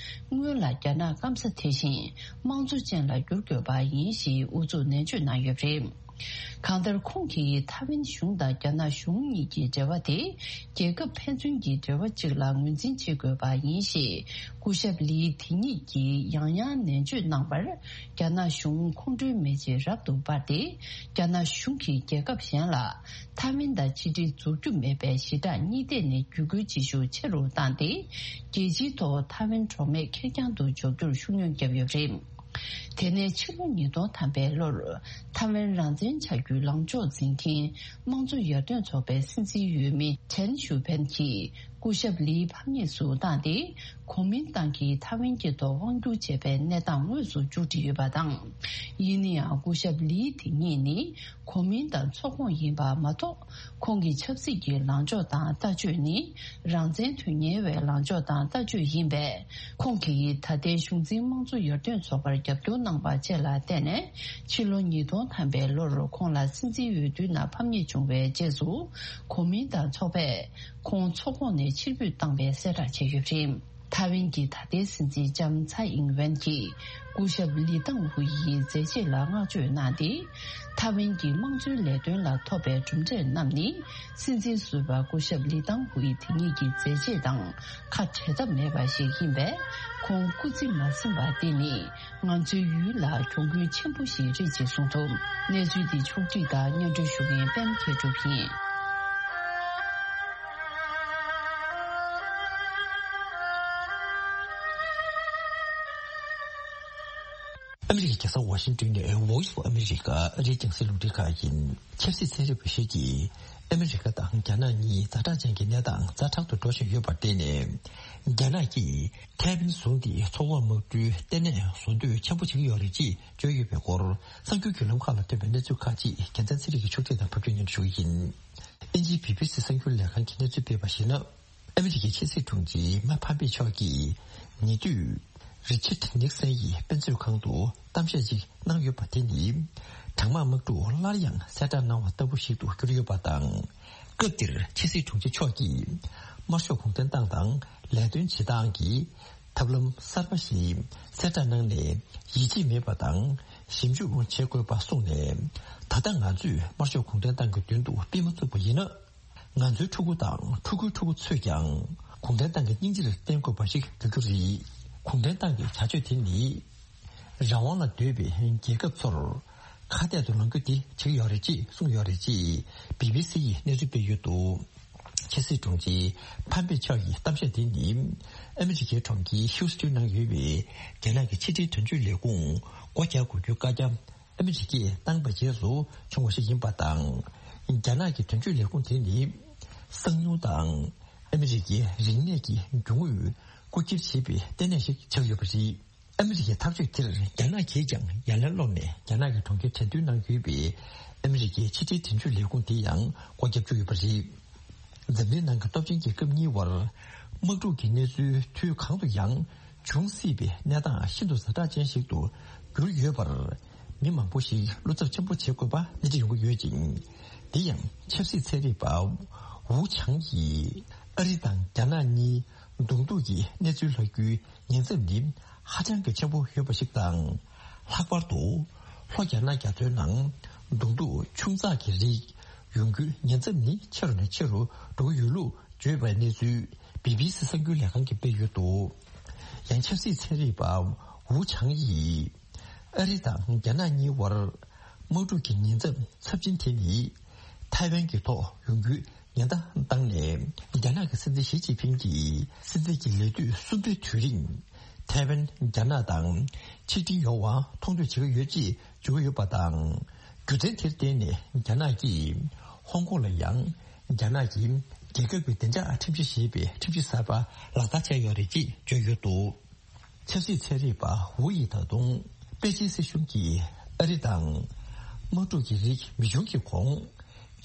སྔོན་ལ་རྒྱ་ནག་སྐམ་ས་དེ་བཞིན་དམངས་གཙོ་ཅན་ལ་བསྒྱུར་དགོས་པ་ཡིན་ཞེས་ཨུ་ཚུགས་ནན་བརྗོད་གནང་ཡོད་པ་རེད། གང་ལྟར་ཁོང་གིས་ཐའེ་ཝན་གཞུང་དང་རྒྱ་ནག་གཞུང་གཉིས་ཀྱི་འབྲེལ་བ་དེ་རྒྱལ་ཁབ་ཕན་ཚུན་གྱི་འབྲེལ་བ་གཅིག་ལ་ངོས་འཛིན་བྱེད་དགོས་པ་ཡིན་ཞེས་སྐུ་ཞབས་ལི་དེ་ཉིད་ཀྱིས་ཡང་ཡང་ནན་བརྗོད་གནང་བར། རྒྱ་ནག་གཞུང་ཁོང་ཁྲོའི་མེ་ལྕེ་རབ་ཏུ་འབར་ཏེ། རྒྱ་ནག་གཞུང་གིས་རྒྱལ་ཁབ་གཞན་ལ་ཐའེ་ཝན་དང་ཕྱི་འབྲེལ་འཛུགས་རྒྱུ་མེད་པའི་ཞི་དྲག་གཉིས་ཐད་ནས་བརྒྱུད་སྐུལ་བྱེད་ཤུགས་ཆེ་རུ་བཏང་སྟེ། རྒྱལ་སྤྱིའི་ཐོག་ཐའེ་ཝན་གྲོགས་མེད་ཁེར་རྐྱང་དུ་འཇོག་རྒྱུར་ཤུགས་སྣོན་བརྒྱབ་ཡོད་པ་རེད། དེ་ནས་ཕྱི་ལོ་ཉིས་སྟོང་ཐམ་པའི་ལོར་ཐའེ་ཝན་རང་བཙན་བྱ་རྒྱུའི་ལངས་ཕྱོགས་འཛིན་མཁན་དམངས་གཙོ་ཡར་ཐོན་ཚོགས་པའི་སྲིད་འཛིན་འོས་མི་ཆན་ཞུ་ཕན་གྱིས་སྐུ་ཞབས་ལིའི་ཕམ་ཉེས་སུ་བཏང་སྟེ། གོ་མིན་ཏང་གིས་ཐའེ་ཝན་གྱི་ཐོག་དབང་བསྒྱུར་བྱས་པའི་གནས་སྟངས་དངོས་སུ་མཇུག་སྒྲིལ་ཡོད་པ་དང་། ཡིན་ན་ཡང་སྐུ་ཞབས་ལིའི་དེ་ཉིད་ནི་གོ་མིན་ཏང་ཚོགས་ཁོངས་ཡིན་པ་མ་གཏོགས། ཁོང་གི་ཆབ་སྲིད་ཀྱི་ལངས་ཕྱོགས་དང་ལྟ་སྤྱོད་ནི་རང་བཙན་དོན་གཉེར་བའི་ལངས་ཕྱོགས་དང་ལྟ་སྤྱོད་ཡིན་པས། ཁོང་གིས་ད་ལྟའི་གཞུང་འཛིན་དམངས་གཙོ་ཡར་ཐོན་ཚོགས་པར་རྒྱབ་སྐྱོར་གནང་བ་བཅས་ལ་བརྟེན་ནས། ཕྱི་ལོ་ཉིས་སྟོང་ཐམ་པའི་ལོར་ཁོང་ལ་སྲིད་འཛིན་འོས་བསྡུའི་ནང་ཕམ་ཉེས་བྱུང་བའི་རྗེས་སུ། གོ་མིན་ཏང་ཚོགས་པས་ཁོང་ཚོགས་ཁོངས་ནས་ཕྱིར་འབུད་བཏང་བའི་གསལ་བསྒྲགས་བྱས་ཡོད་པ་རེད། ཐའེ་ཝན་གྱི་ད་ལྟའི་སྲིད་འཛིན་ལྕམ་ཚའེ་ཨིང་ཝེན་གྱིས་སྐུ་ཞབས་ལི་ཏང་ཧུའེ་ཡི་མཛད་རྗེས་ལ་བསྔགས་བརྗོད་གནང་སྟེ། ཐའེ་ཝན་གྱི་དམངས་གཙོའི་ལས་དོན་ལ་ཐོབ་པའི་གྲུབ་འབྲས་རྣམས་ནི། སྲིད་འཛིན་ཟུར་པ་སྐུ་ཞབས་ལི་ཏང་ཧུའེ་དེ་ཉིད་ཀྱི་མཛད་རྗེས་དང་ཁ་བྲལ་ཐབས་མེད་པ་ཞིག་ཡིན་པས། ཁོང་སྐུ་ཚེ་མ་ཟིན་པ་འདི་ནི་ང་ཚོའི་ཡུལ་ལ་གྱོང་གུན་ཆེན་པོ་ཞིག་རེད་ཅེས་གསུངས་འདུག་གནས་ཚུལ་འདི་ཕྱོགས་སྒྲིག་དང་སྙན་སྒྲོན་ཞུ་མཁན་པད་མ་མཁས་གྲུབ་ཡིན། ཨ་མི་རི་ཀའི་རྒྱལ་ས་ཝ་ཤིང་ཏོན་ནས་Voice of America ཨ་རིའི་རྒྱང་སྲིང་རླུང་འཕྲིན་ཁང་ཡིན། ཆབ་སྲིད་ཚན་རིག་པ་ཞིག་གིས་ཨ་མི་རི་ཀ་དང་རྒྱ་ནག་གཉིས་ཛ་དྲག་ཅན་གྱི་གནས་སྟངས་ཛ་དྲག་ཏུ་འགྲོ་བཞིན་ཡོད་པར་བརྟེན་ནས། རྒྱ་ནག་གིས་ཐའེ་ཝན་བཟུང་སྟེ་མཚོ་འོག་དམག་གྲུའི་ལྟེ་གནས་བཟོ་འདོད་ཆེན་པོ་བྱེད་ཀྱི་ཡོད་རེད་ཅེས་བརྗོད་ཡོད་པའི་སྐོར། གསར་འགྱུར་བརྒྱུད་ལམ་ཁག་ལ་ཐོན་པའི་གནས་ཚུལ་ཁག་ཅིག་རྒྱལ་མཚན་ཚེ་རིང་གིས་ཕྱོགས་སྒྲིག་དང་ཕབ་སྒྱུར་སྙན་སྒྲོན་ཞུ་གི་ཡིན། དབྱིན་ཇིའི་བི་བི་སི་གསར་འགྱུར་ལས་ཁང་གིས་གནས་ཚུལ་སྤེལ་བར་གཞིགས་ན། ཨ་མི་རི་ཀའི་ཕྱི་སྲིད་དྲུང་ཆེ་མེག་ཕམ་པེ་མཆོག་གིས་ཉེ་དུས་རི་ཆར་ནིག་སན་ཡི་དཔེ་མཛོད་ཁང་དུ་གཏམ་བཤད་ཅིག་གནང་ཡོད་པ་དེ་ནི། གྲང་དམག་དམག་འཁྲུག་སླར་ཡང་གསལ་བསྒྲགས་གནང་བ་ལྟ་བུ་ཞིག་ཏུ་གྱུར་ཡོད་པ་དང་། སྐབས་དེར་ཕྱི་སྲིད་དྲུང་ཆེ་མཆོག་གིས་དམར་ཤོག་གུང་ཁྲན་ཏང་དང་ལས་དོན་བྱེད་སྟངས་ཀྱི་ཐབས་ལམ་གསར་པ་ཞིག་གསལ་བསྒྲགས་གནང་ནས་ཡིད་ཆེས་མེད་པ་དང་ཞིབ་འཇུག་བྱེད་དགོས་པ་གསུངས་ནས། ད་ལྟ་ང་ཚོས་དམར་ཤོག་གུང་ཁྲན་ཏང་གི་མདུན་དུ་སྤེལ་མ་ཐུབ་པ་ཡིན་ན། ང་ཚོའི་ཕྲུ་གུ་དང་ཕྲུ་གུའི་ཕྲུ་གུ་ཚོས་ཀྱང་གུང་ཁྲན་ཏང་གི་སྙིང་རྗེར་བརྟེན་དགོས་པ་ཞིག་འགྱུར་རྒྱུ་རེད། གུང་ཁྲན་ཏང་གི་བྱ་སྤྱོད་དེ་ནི་རང་དབང་ལ་འདོད་པའི་རྒྱལ་ཁབ་ཚོར་ཁ་གཏད་དུ་ལངས་རྒྱུ་དེ་བྱེད་ཀྱི་ཡོད་རེད་ཅེས་གསུངས་ཡོད་རེད་ཅེས་བི་བི་སི་ཡིས་གནས་ཚུལ་སྤེལ་ཡོད་འདུག་ཕྱི་སྲིད་དྲུང་ཆེ་ཕམ་པེ་མཆོག་གི་གཏམ་བཤད་དེ་ནི་ཨ་མི་རི་ཀའི་གྲོང་ཁྱེར་ཧིའུ་སི་ཊོན་ནང་ཡོད་པའི་རྒྱ་ནག་གི་ཕྱི་འབྲེལ་དོན་གཅོད་ལས་ཁུངས་སྒོ་རྒྱག་དགོས་རྒྱུའི་བཀའ་རྒྱ། ཨ་མི་རི་ཀས་བཏང་བའི་རྗེས་སུ་བྱུང་བ་ཞིག་ཡིན་པ་དང་། རྒྱ་ནག་གི་དོན་གཅོད་ལས་ཁུངས་དེ་ནི་གསང་མྱུལ་དང་ཨ་མི་རི་ཀའི་རིག་གནས་ཀྱི་རྒྱུ་དངོས་རྐུ་འཁྱེར་བྱེད་པའི་ལྟེ་གནས་ཤིག་ཆགས་ཡོད་པ་རེད། ཨ་མི་རི་ཀའི་ཐག་གཅོད་དེར་རྒྱ་ནག་གིས་ཀྱང་ཡ་ལན་སློག་ནས། རྒྱ་ནག་གི་གྲོང་ཁྱེར་ཁྲེང་ཏུའུ་ནང་ཡོད་པའི་ཨ་མི་རི་ཀའི་ཕྱི་འབྲེལ་དོན་གཅོད་ལས་ཁུངས་དེ་ཡང་སྒོ་བརྒྱབ་བཅུག་ཡོད་པ་རེད། འཛམ་གླིང་ནང་གི་སྟོབས་ཆེན་རྒྱལ་ཁབ་གཉིས་བར་དམག་འཁྲུག་གི་གནས་ཚུལ་དུས་གང་དུ་ཡང་འབྱུང་སྲིད་པའི་གནས་སྟངས་ཤིན་ཏུ་ཛ་དྲག་ཅན་ཞིག་ཏུ་གྱུར་ཡོད་པར། མི་མང་པོ་ཞིག་བློ་འཚབ་ཆེན་པོ་བྱེད་དགོས་པ་སྣེ་ཁྲིད་ཡོང་གི་ཡོད་ཅིང་། དེ་ཡང་ཆབ་སྲིད་ཚན་རིག་པ་ཝུ་ཆང་ཡིས་ཨ་རི་དང་རྒྱ་ནག་གཉིས་གདོང་ཐུག་གི་གནས་ཚུལ་ལྷག་རྒྱུའི་ཉེན་ཚབས་ནི་ཧ་ཅང་གི་ཆེན་པོ་ཡོད་པ་ཞིག་དང་། ལྷག་པར་དུ་ལྷོ་རྒྱ་ནག་རྒྱ་མཚོའི་ནང་གདོང་ཐུག་ཆུང་ཙག་གི་རིགས་ཡོང་རྒྱུའི་ཉེན་ཚབས་ནི་ཆེ་རུ་ནས་ཆེ་རུ་འགྲོ་གི་ཡོད་ལུགས་བརྗོད་པའི་གནས་ཚུལ་བི་བི་སི་གསར་འགྱུར་ལས་ཁང་གིས་སྤེལ་ཡོད་འདུག་ཡང་ཆབ་སྲིད་ཚན་རིག་པ་ཝུ་ཆང་ཡིས་ཨ་རི་དང་རྒྱ་ནག་གཉིས་བར་དམག་འཁྲུག་གི་ཉེན་ཚབས་ཚབས་ཆེན་དེ་ནི་ཐའེ་ཝན་གྱི་ཐོག་ཡོང་རྒྱུའི་ཉེན་བརྡ་བཏང་ནས། རྒྱ་ནག་གི་སྲིད་འཛིན་ཞི་ཅིན་ཕིང་གིས་སྲིད་འཛིན་གྱི་ལས་དུས་གསུམ་པའི་དུས་རིང་ཐའེ་ཝན་རྒྱ་ནག་དང་ཆིག་སྒྲིལ་ཡོང་བ་མཐོང་འདོད་བྱེད་ཀྱི་ཡོད་ཅེས་བརྗོད་ཀྱི་ཡོད་པ་དང་། རྒྱུ་མཚན་དེར་བརྟེན་ནས་རྒྱ་ནག་གིས་ཧོང་ཀོང་ལ་ཡང་རྒྱ་ནག་གི་རྒྱལ་ཁབ་ཀྱི་བདེ་འཇགས་ཁྲིམས་གཞི་ཞེས་པའི་ཁྲིམས་གཞི་གསར་པ་ལག་བསྟར་བྱས་ཡོད་རེད་ཅེས་བརྗོད་ཡོད་འདུག་ཆབ་སྲིད་ཚན་རིག་པ་ཝུ་ཡིས་ད་དུང་པེ་ཅིན་སྲིད་གཞུང་གིས་ཨ་རི་དང་དམག་འཁྲུག་གི་རིགས་མི་བྱུང་གི་གོང་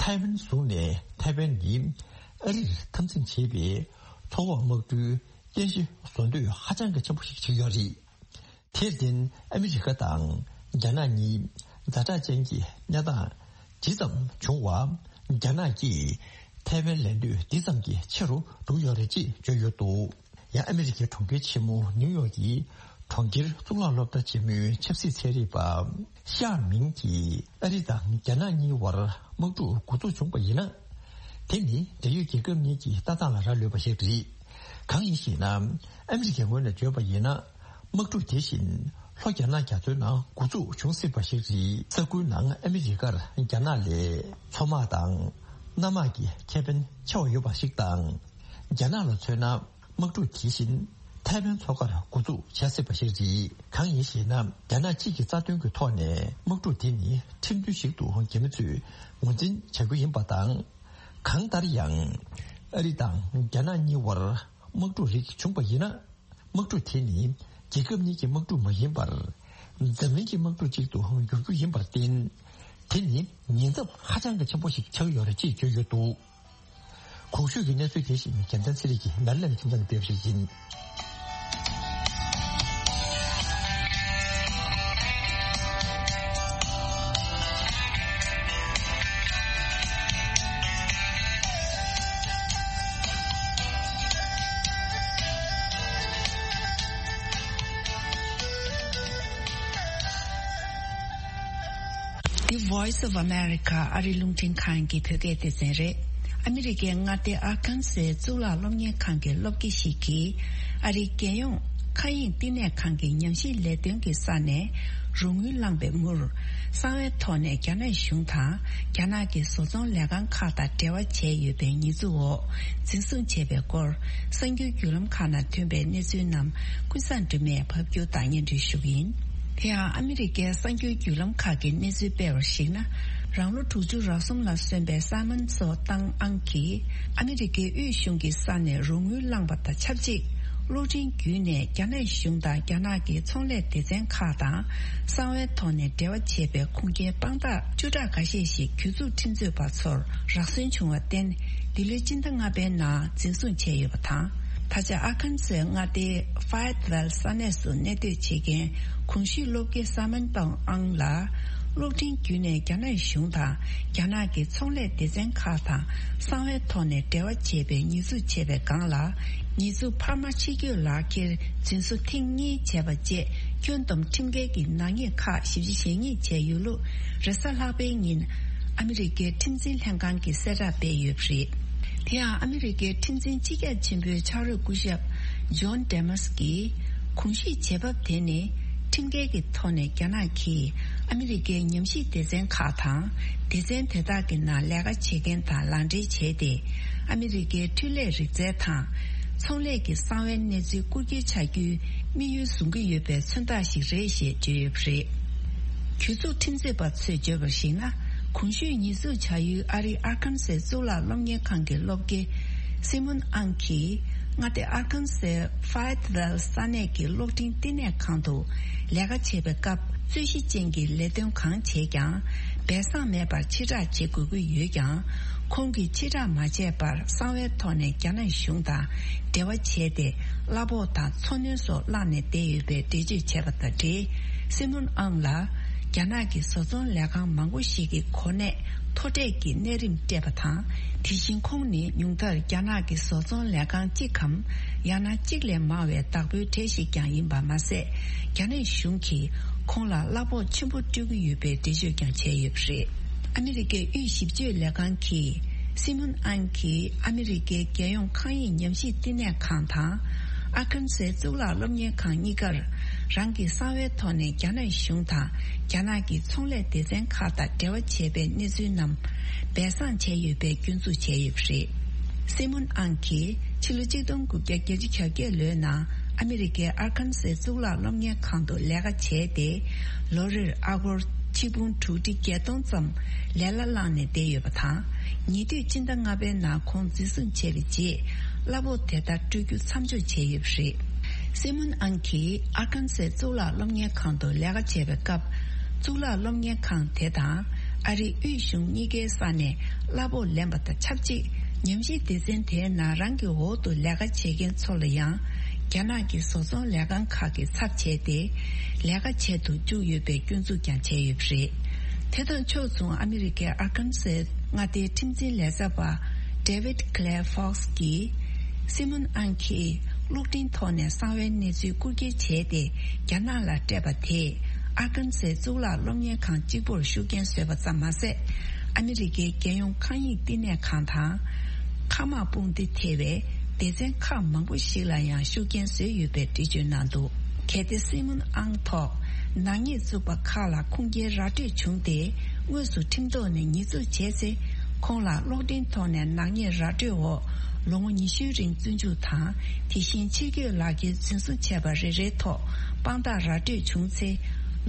ཐའེ་ཝན་བཟུང་ནས། ཐའེ་ཝན་ནི་ཨ་རིར་འཐབ་འཛིང་བྱེད་པའི་མཚོ་འོག་དམག་གྲུའི་རྟེན་གཞི་བཟོ་འདོད་ཧ་ཅང་གི་ཆེན་པོ་ཞིག་བྱེད་ཀྱི་ཡོད་རེད། དེར་བརྟེན་ཨ་མི་རི་ཀ་དང་རྒྱ་ནག་གཉིས་ཛ་དྲག་ཅན་གྱི་གནས་སྟངས་ཇི་ཙམ་བྱུང་བ། རྒྱ་ནག་གིས་ཐའེ་ཝན་ལེན་འདོད་འདི་ཙམ་གྱིས་ཆེ་རུ་འགྲོ་གི་ཡོད་རེད་ཅེས་བརྗོད་ཡོད་འདུག་ཡང་ཨ་མི་རི་ཀའི་གྲོང་ཁྱེར་ཆེན་མོ་ནིའུ་ཡོག་གི་གྲོང་ཁྱེར་གཙུག་ལག་སློབ་གྲྭ་ཆེན་མོའི་ཆབ་སྲིད་ཚན་རིག་པ་ཤ་མིང་གིས་ཨ་རི་དང་རྒྱ་ནག་གཉིས་བར་དམག་འཁྲུག་འགོ་འཛུགས་བྱུང་བ་ཡིན་ན། དེ་ནི་འབྲེལ་ཡོད་རྒྱལ་ཁབ་གཉིས་ཀྱི་ལྟ་སྟངས་ལ་རག་ལུས་པ་ཞིག་རེད། གང་ཡིན་ཞེ་ན། ཨ་མི་རི་ཀའི་ངོས་ནས་བརྗོད་པ་ཡིན་ན། དམག་འཁྲུག་དེ་བཞིན་ལྷོ་རྒྱ་ནག་རྒྱ་མཚོའི་ནང་འགོ་འཛུགས་བྱུང་སྲིད་པ་ཞིག་རེད། ས་ཁུལ་ནང་ཨ་མི་རི་ཀར་རྒྱ་ནག་ལས་མཚོ་དམག་དང་གནམ་དམག་གི་ཁེ་ཕན་ཆེ་བ་ཡོད་པ་ཞིག་དང་། རྒྱ་ནག་ལ་མཚོན་ན། དམག་འཁྲུག་དེ་བཞིན་ ཐའེ་ཝན་མཚོ་ཁར་འགོ་འཛུགས་བྱ་སྲིད་པ་ཞིག་རེད། གང་ཡིན་ཞེ་ན། རྒྱ་ནག་གཅིག་གི་རྩ་དོན་གྱི་ཐོག་ནས་དམག་འཁྲུག་དེ་ནི་ཁྲིམས་མཐུན་ཞིག་ཏུ་རྒྱ་མི་ཚོས་ངོས་འཛིན་བྱ་རྒྱུ་ཡིན་པ་དང་། གང་ལྟར་ཡང་། ཨ་རི་དང་རྒྱ་ནག་གཉིས་བར་དམག་འཁྲུག་རིགས་བྱུང་པ་ཡིན་ན། དམག་འཁྲུག་དེ་ནི་རྒྱལ་ཁབ་གཉིས་ཀྱི་དམག་འཁྲུག་མ་ཡིན་པར། འཛམ་གླིང་གི་དམག་འཁྲུག་ཅིག་ཏུ་འགྱུར་རྒྱུ་ཡིན་པར་བརྟེན། དེ་ནི་ཉེན་ཚབས་ཧ་ཅང་གི་ཆེན་པོ་ཞིག་ཆགས་ཡོད་རེད་ཅེས་བརྗོད་ཡོད་འདུག། གོང་ཞུས་ཀྱི་གནས་ཚུལ་དེ་བཞིན་རྒྱལ་མཚན་ཚེ་རིང་གིས་ནར་ལན་ཁྱིམ་ཚང་གི་སྤེལ་བ་ཞིག་ཡིན། The Voice of America ཨ་རི་རླུང་འཕྲིན་ཁང་གི་བོད་སྐད་སྡེ་ཚན་རེད། ཨ་མི་རི་ཀའི་མངའ་སྡེ་ཨར་ཁན་སའི་གཙུག་ལག་སློབ་གཉེར་ཁང་གི་སློབ་དགེ་ཞིག་གིས། ཨ་རིའི་རྒྱལ་ཡོངས་མཁའ་དབྱིངས་བསྟི་གནས་ཁང་གི་ཉམས་ཞིབ་ལས་དོན་གྱི་ས་ནས་རོགས་དངུལ་བླངས་པའི་མུར། གསང་བའི་ཐོག་ནས་རྒྱ་ནག་གཞུང་དང་རྒྱ་ནག་གི་བཟོ་ཚོང་ལས་ཁང་ཁག་དང་འབྲེལ་བ་བྱས་ཡོད་པའི་ཉེས་འཛུགས་འོག་འཛིན་བཟུང་བྱས་པའི་སྐོར། གསར་འགྱུར་བརྒྱུད་ལམ་ཁག་ནང་ཐོན་པའི་གནས་ཚུལ་རྣམས་ཀུན་བཟང་སྒྲོལ་མས་ཕབ་སྒྱུར་དང་སྙན་སྒྲོན་ཞུ་གི་ཡིན། དེ་ཡང་ཨ་མི་རི་ཀའི་གསར་འགྱུར་བརྒྱུད་ལམ་ཁག་གིས་གནས་ཚུལ་སྤེལ་བར་གཞིགས་ན། རང་ལོ་དྲུག་ཅུ་རེ་གསུམ་ལ་སོན་པའི་སཱ་མན་སོ་ཏང་ཨང་གིས་ཨ་མི་རི་ཀའི་དབུས་གཞུང་གི་ས་ནས་རོགས་དངུལ་བླངས་པ་དང་ཆབས་ཅིག་གློག་འཕྲིན་བརྒྱུད་ནས་རྒྱ་ནག་གཞུང་དང་རྒྱ་ནག་གི་ཚོང་ལས་སྡེ་ཚན་ཁག་དང་གསང་བའི་ཐོག་ནས་འབྲེལ་བ་བྱས་པའི་ཁུངས་སྐྱེལ་དཔང་རྟགས་བཅུ་ཕྲག་འགའ་ཤས་ཤིག་གྱོད་འཛུགས་ཁྲིམས་རྩོད་པ་ཚོར་རག་སོན་བྱུང་བར་བརྟེན། འདི་ལོའི་སྤྱི་ཟླ་ལྔ་པའི་ནང་འཛིན་བཟུང་བྱས་ཡོད་པ་དང་། ད་ཆ་ཨར་ཁན་སའི་མངའ་སྡེའི་ཧྥ་ཡེད་ཝེལ་ས་གནས་སུ་གནས་སྡོད་བྱེད་མཁན་གོང་ཞུས་སློབ་དགེ་སཱ་མན་ཏོང་ཨང་ལ། གློག་འཕྲིན་བརྒྱུད་ནས་རྒྱ་ནག་གཞུང་དང་རྒྱ་ནག་གི་ཚོང་ལས་སྡེ་ཚན་ཁག་དང་གསང་བའི་ཐོག་ནས་འབྲེལ་བ་བྱས་པའི་ཉེས་འཛུགས་བྱས་པའི་སྒང་ལ། ཉེས་འཛུགས་འཕར་མ་ཕྱི་སྐྱོད་ལག་འཁྱེར་འཛིན་བཟུང་ཐེངས་གཉིས་བྱས་པ་བཅས་སྐྱོན་བསྡོམས་ཁྲིམས་འགལ་གྱི་ནག་ཉེས་ཁག་ཞིབ་དཔྱད་བྱེད་ཉེས་བྱས་ཡོད་ལུགས། རེས་གཟའ་ལྷག་པའི་ཉིན་ཨ་མི་རི་ཀའི་ཁྲིམས་འཛིན་ལྷན་ཁང་གིས་གསལ་བསྒྲགས་སྤེལ་ཡོད་པ་རེད། དེ་ཡང་ཨ་མི་རི་ཀའི་ཁྲིམས་འཛིན་སྤྱི་ཁྱབ་ཆེན་པོའི་ཕྱག་རོགས་སྐུ་ཞབས་ཇོན་ཌེ་མཱས་ཀྱིས། གོང་ཞུས་བྱེད་བབ་དེ་ནི་ཁྲིམས་འགལ་གྱི་ཐོག་ནས་རྒྱ་ནག་གིས་ཨ་མི་རི་ཀའི་ཉམས་ཞིབ་སྡེ་ཚན་ཁག་དང་སྡེ་ཚན་དེ་དག་གི་ནང་ལས་ཀ་བྱེད་མཁན་དང་ལག་འབྲེལ་བྱས་ཏེ། ཨ་མི་རི་ཀའི་འཕྲུལ་ལས་རིག་རྩལ་དང་ཚོང་ལས་ཀྱི་གསང་བའི་གནས་ཚུལ་རྐུ་འཁྱེར་བྱ་རྒྱུའི་དམིགས་ཡུལ་བཟུང་གི་ཡོད་པའི་མཚོན་རྟགས་ཤིག་རེད་ཞེས་བརྗོད་ཡོད་པ་རེད། གྱོད་འཛུགས་ཁྲིམས་རྩོད་པ་ཚོས་བརྗོད་པར་གཞིགས་ན། གོང་ཞུས་ཉེས་འཛུགས་བྱ་ཡུལ་ཨ་རིའི་ཨར་ཁན་སའི་གཙུག་ལག་སློབ་གཉེར་ཁང་གི་སློབ་དགེ་སི་མོན་ཨང་གིས། མངའ་སྡེ་ཨར་ཁན་སའི་ཧྥ་ཡེད་ཝེལ་ས་གནས་ཀྱི་གློག་འཕྲིན་བསྟི་གནས་ཁང་དུ་ལས་ཀ་བྱེད་པའི་སྐབས། རྩོད་གཞི་ཅན་གྱི་ལས་དོན་གང་བྱེད་ཀྱང་སྦས་གསང་མེད་པར་ཕྱིར་བསྒྲགས་བྱེད་དགོས་ཀྱི་ཡོད་ཀྱང་། ཁོང་གིས་ཕྱིར་བསྒྲགས་མ་བྱས་པར་གསང་བའི་ཐོག་ནས་རྒྱ་ནག་གཞུང་དང་འབྲེལ་བ་བྱས་ཏེ། གླ་ཕོགས་དང་འཚོ་སྣོན་སོགས་བླངས་ནས་བསྡད་ཡོད་པའི་འགྲེལ་བརྗོད་བྱས་པ་དང་འབྲེལ། སི་མོན་ཨང་ལ་རྒྱ་ནག་གི་བཟོ་ཚོང་ལས་ཁང་མང་པོ་ཞིག་གི་གོ་གནས་མཐོ་གྲས་ཀྱི་གནས་རིམ་སྤྲད་པ་དང་། དེ་བཞིན་ཁོང་ནི་ཉུང་མཐར་རྒྱ་ནག་གི་བཟོ་ཚོང་ལས་ཁང་གཅིག་གམ་ཡང་ན་གཅིག་ལས་མང་བའི་བདག་པོའི་གྲས་ཤིག་ཀྱང་ཡིན་པ་མ་ཟད། རྒྱ་ནག་གཞུང་གིས་ཁོང་ལ་གླ་ཕོགས་ཆེན་པོ་སྤྲོད་ཀྱི་ཡོད་པའི་འགྲེལ་བརྗོད་ཀྱང་བྱས་ཡོད་པ་རེད། ཨ་མི་རི་ཀའི་དབུས་ཞིབ་དཔྱོད་ལས་ཁང་གིས། སི་མོན་ཨང་གིས་ཨ་མི་རི་ཀའི་རྒྱལ་ཡོངས་མཁའ་དབྱིངས་ཉམས་ཞིབ་བསྟི་གནས་ཁང་དང་། ཨར་ཁན་སའི་གཙུག་ལག་སློབ་གཉེར་ཁང་གཉིས་ཀར། རང་གི་གསང་བའི་ཐོག་ནས་རྒྱ་ནག་གཞུང་དང་རྒྱ་ནག་གི་ཚོང་ལས་སྡེ་ཚན་ཁག་དང་འབྲེལ་བ་བྱས་པའི་གནས་ཚུལ་རྣམས་སྦས་གསང་བྱས་ཡོད་པའི་སྐྱོན་འཛུགས་བྱས་ཡོད་པ་རེད། སི་མོན་ཨང་གིས་ཕྱི་ལོ་ཆིག་སྟོང་དགུ་བརྒྱ་བརྒྱད་ཅུ་གྱ་བརྒྱད་ལོའི་ནང་ཨ་མི་རི་ཀའི་ཨར་ཁན་སའི་གཙུག་ལག་སློབ་གཉེར་ཁང་དུ་ལས་ཀ་བྱས་ཏེ། ལོ་རེར་ཨ་སྒོར་ཆིག་འབུམ་དྲུག་ཁྲི་བརྒྱད་སྟོང་ཙམ་ལས་གླ་བླངས་ནས་བསྡད་ཡོད་པ་དང་། ཉེ་དུས་སྤྱི་ཟླ་ལྔ་པའི་ནང་ཁོང་འཛིན་བཟུང་བྱས་པའི་རྗེས། གླ་ཕོགས་དེ་ལྟར་སྤྲོད་རྒྱུ་མཚམས་འཇོག་བྱས་ཡོད་པ་རེད། སི་མོན་ཨང་གིས་ཨར་ཁན་སའི་གཙུག་ལག་སློབ་གཉེར་ཁང་དུ་ལས་ཀ་བྱས་པའི་སྐབས། གཙུག་ལག་སློབ་གཉེར་ཁང་དེ་དང་ཨ་རིའི་དབུས་གཞུང་གཉིས་ཀའི་ས་ནས་གླ་ཕོགས་ལེན་པ་དང་ཆབས་ཅིག་ཉམས་ཞིབ་སྡེ་ཚན་དེའི་ནང་རང་གི་འོག་ཏུ་ལས་ཀ་བྱེད་མཁན་ཚོ་ལ་ཡང་རྒྱ་ནག་གི་བཟོ་ཚོང་ལས་ཁང་ཁག་གི་ཚབ་བྱས་ཏེ་ལས་ཀ་བྱེད་དུ་བཅུག་ཡོད་པའི་སྐྱོན་འཛུགས་ཀྱང་བྱས་ཡོད་པ་རེད། དེ་དང་ཕྱོགས་མཚུངས་ཨ་མི་རི་ཀའི་ཨར་ཁན་སའི་མངའ་སྡེའི་ཁྲིམས་འཛིན་ལས་བྱེད་པ་David Clay Fox གིས། སི་མོན་ཨང་གིས་གློག་འཕྲིན་ཐོག་ནས་གསང་བའི་གནས་ཚུལ་རྐུ་འཁྱེར་བྱས་ཏེ་རྒྱ་ནག་ལ་སྤྲད་པ་དེས་ཨར་ཁན་སའི་གཙུག་ལག་སློབ་གཉེར་ཁང་གཅིག་པུར་ཤུགས་རྐྱེན་བཟོས་པ་ཙམ་མ་ཟད། ཨ་མི་རི་ཀའི་རྒྱལ་ཡོངས་མཁའ་དབྱིངས་བསྟི་གནས་ཁང་དང་། མཁའ་དམག་དཔུང་སྡེ་ཐེ་བའི་སྡེ་ཚན་ཁག་མང་པོ་ཞིག་ལ་ཡང་ཤུགས་རྐྱེན་བཟོས་ཡོད་པའི་འགྲེལ་བརྗོད་གནང་འདུག། གལ་ཏེ་སི་མོན་ཨང་ཐོག་ནག་ཉེས་བཙུགས་པ་ཁག་ལ་ཁུངས་སྐྱེལ་ར་སྤྲོད་བྱུང་སྟེ་དངོས་སུ་ཁྲིམས་ཐོག་ནས་ཉེས་འཛུགས་བྱས་ཚེ། ཁོང་ལ་གློག་འཕྲིན་ཐོག་ནས་ནག་ཉེས་ར་སྤྲོད་འོག་ལོ་ངོ་ཉི་ཤུའི་རིང་བཙོན་འཇུག་དང་། དེ་བཞིན་ཕྱིར་སྐྱོད་ལག་འཁྱེར་འཛིན་བཟུང་བྱས་པ་རེ་རེའི་ཐོག་དཔང་རྟགས་ར་སྤྲོད་བྱུང་ཚེ།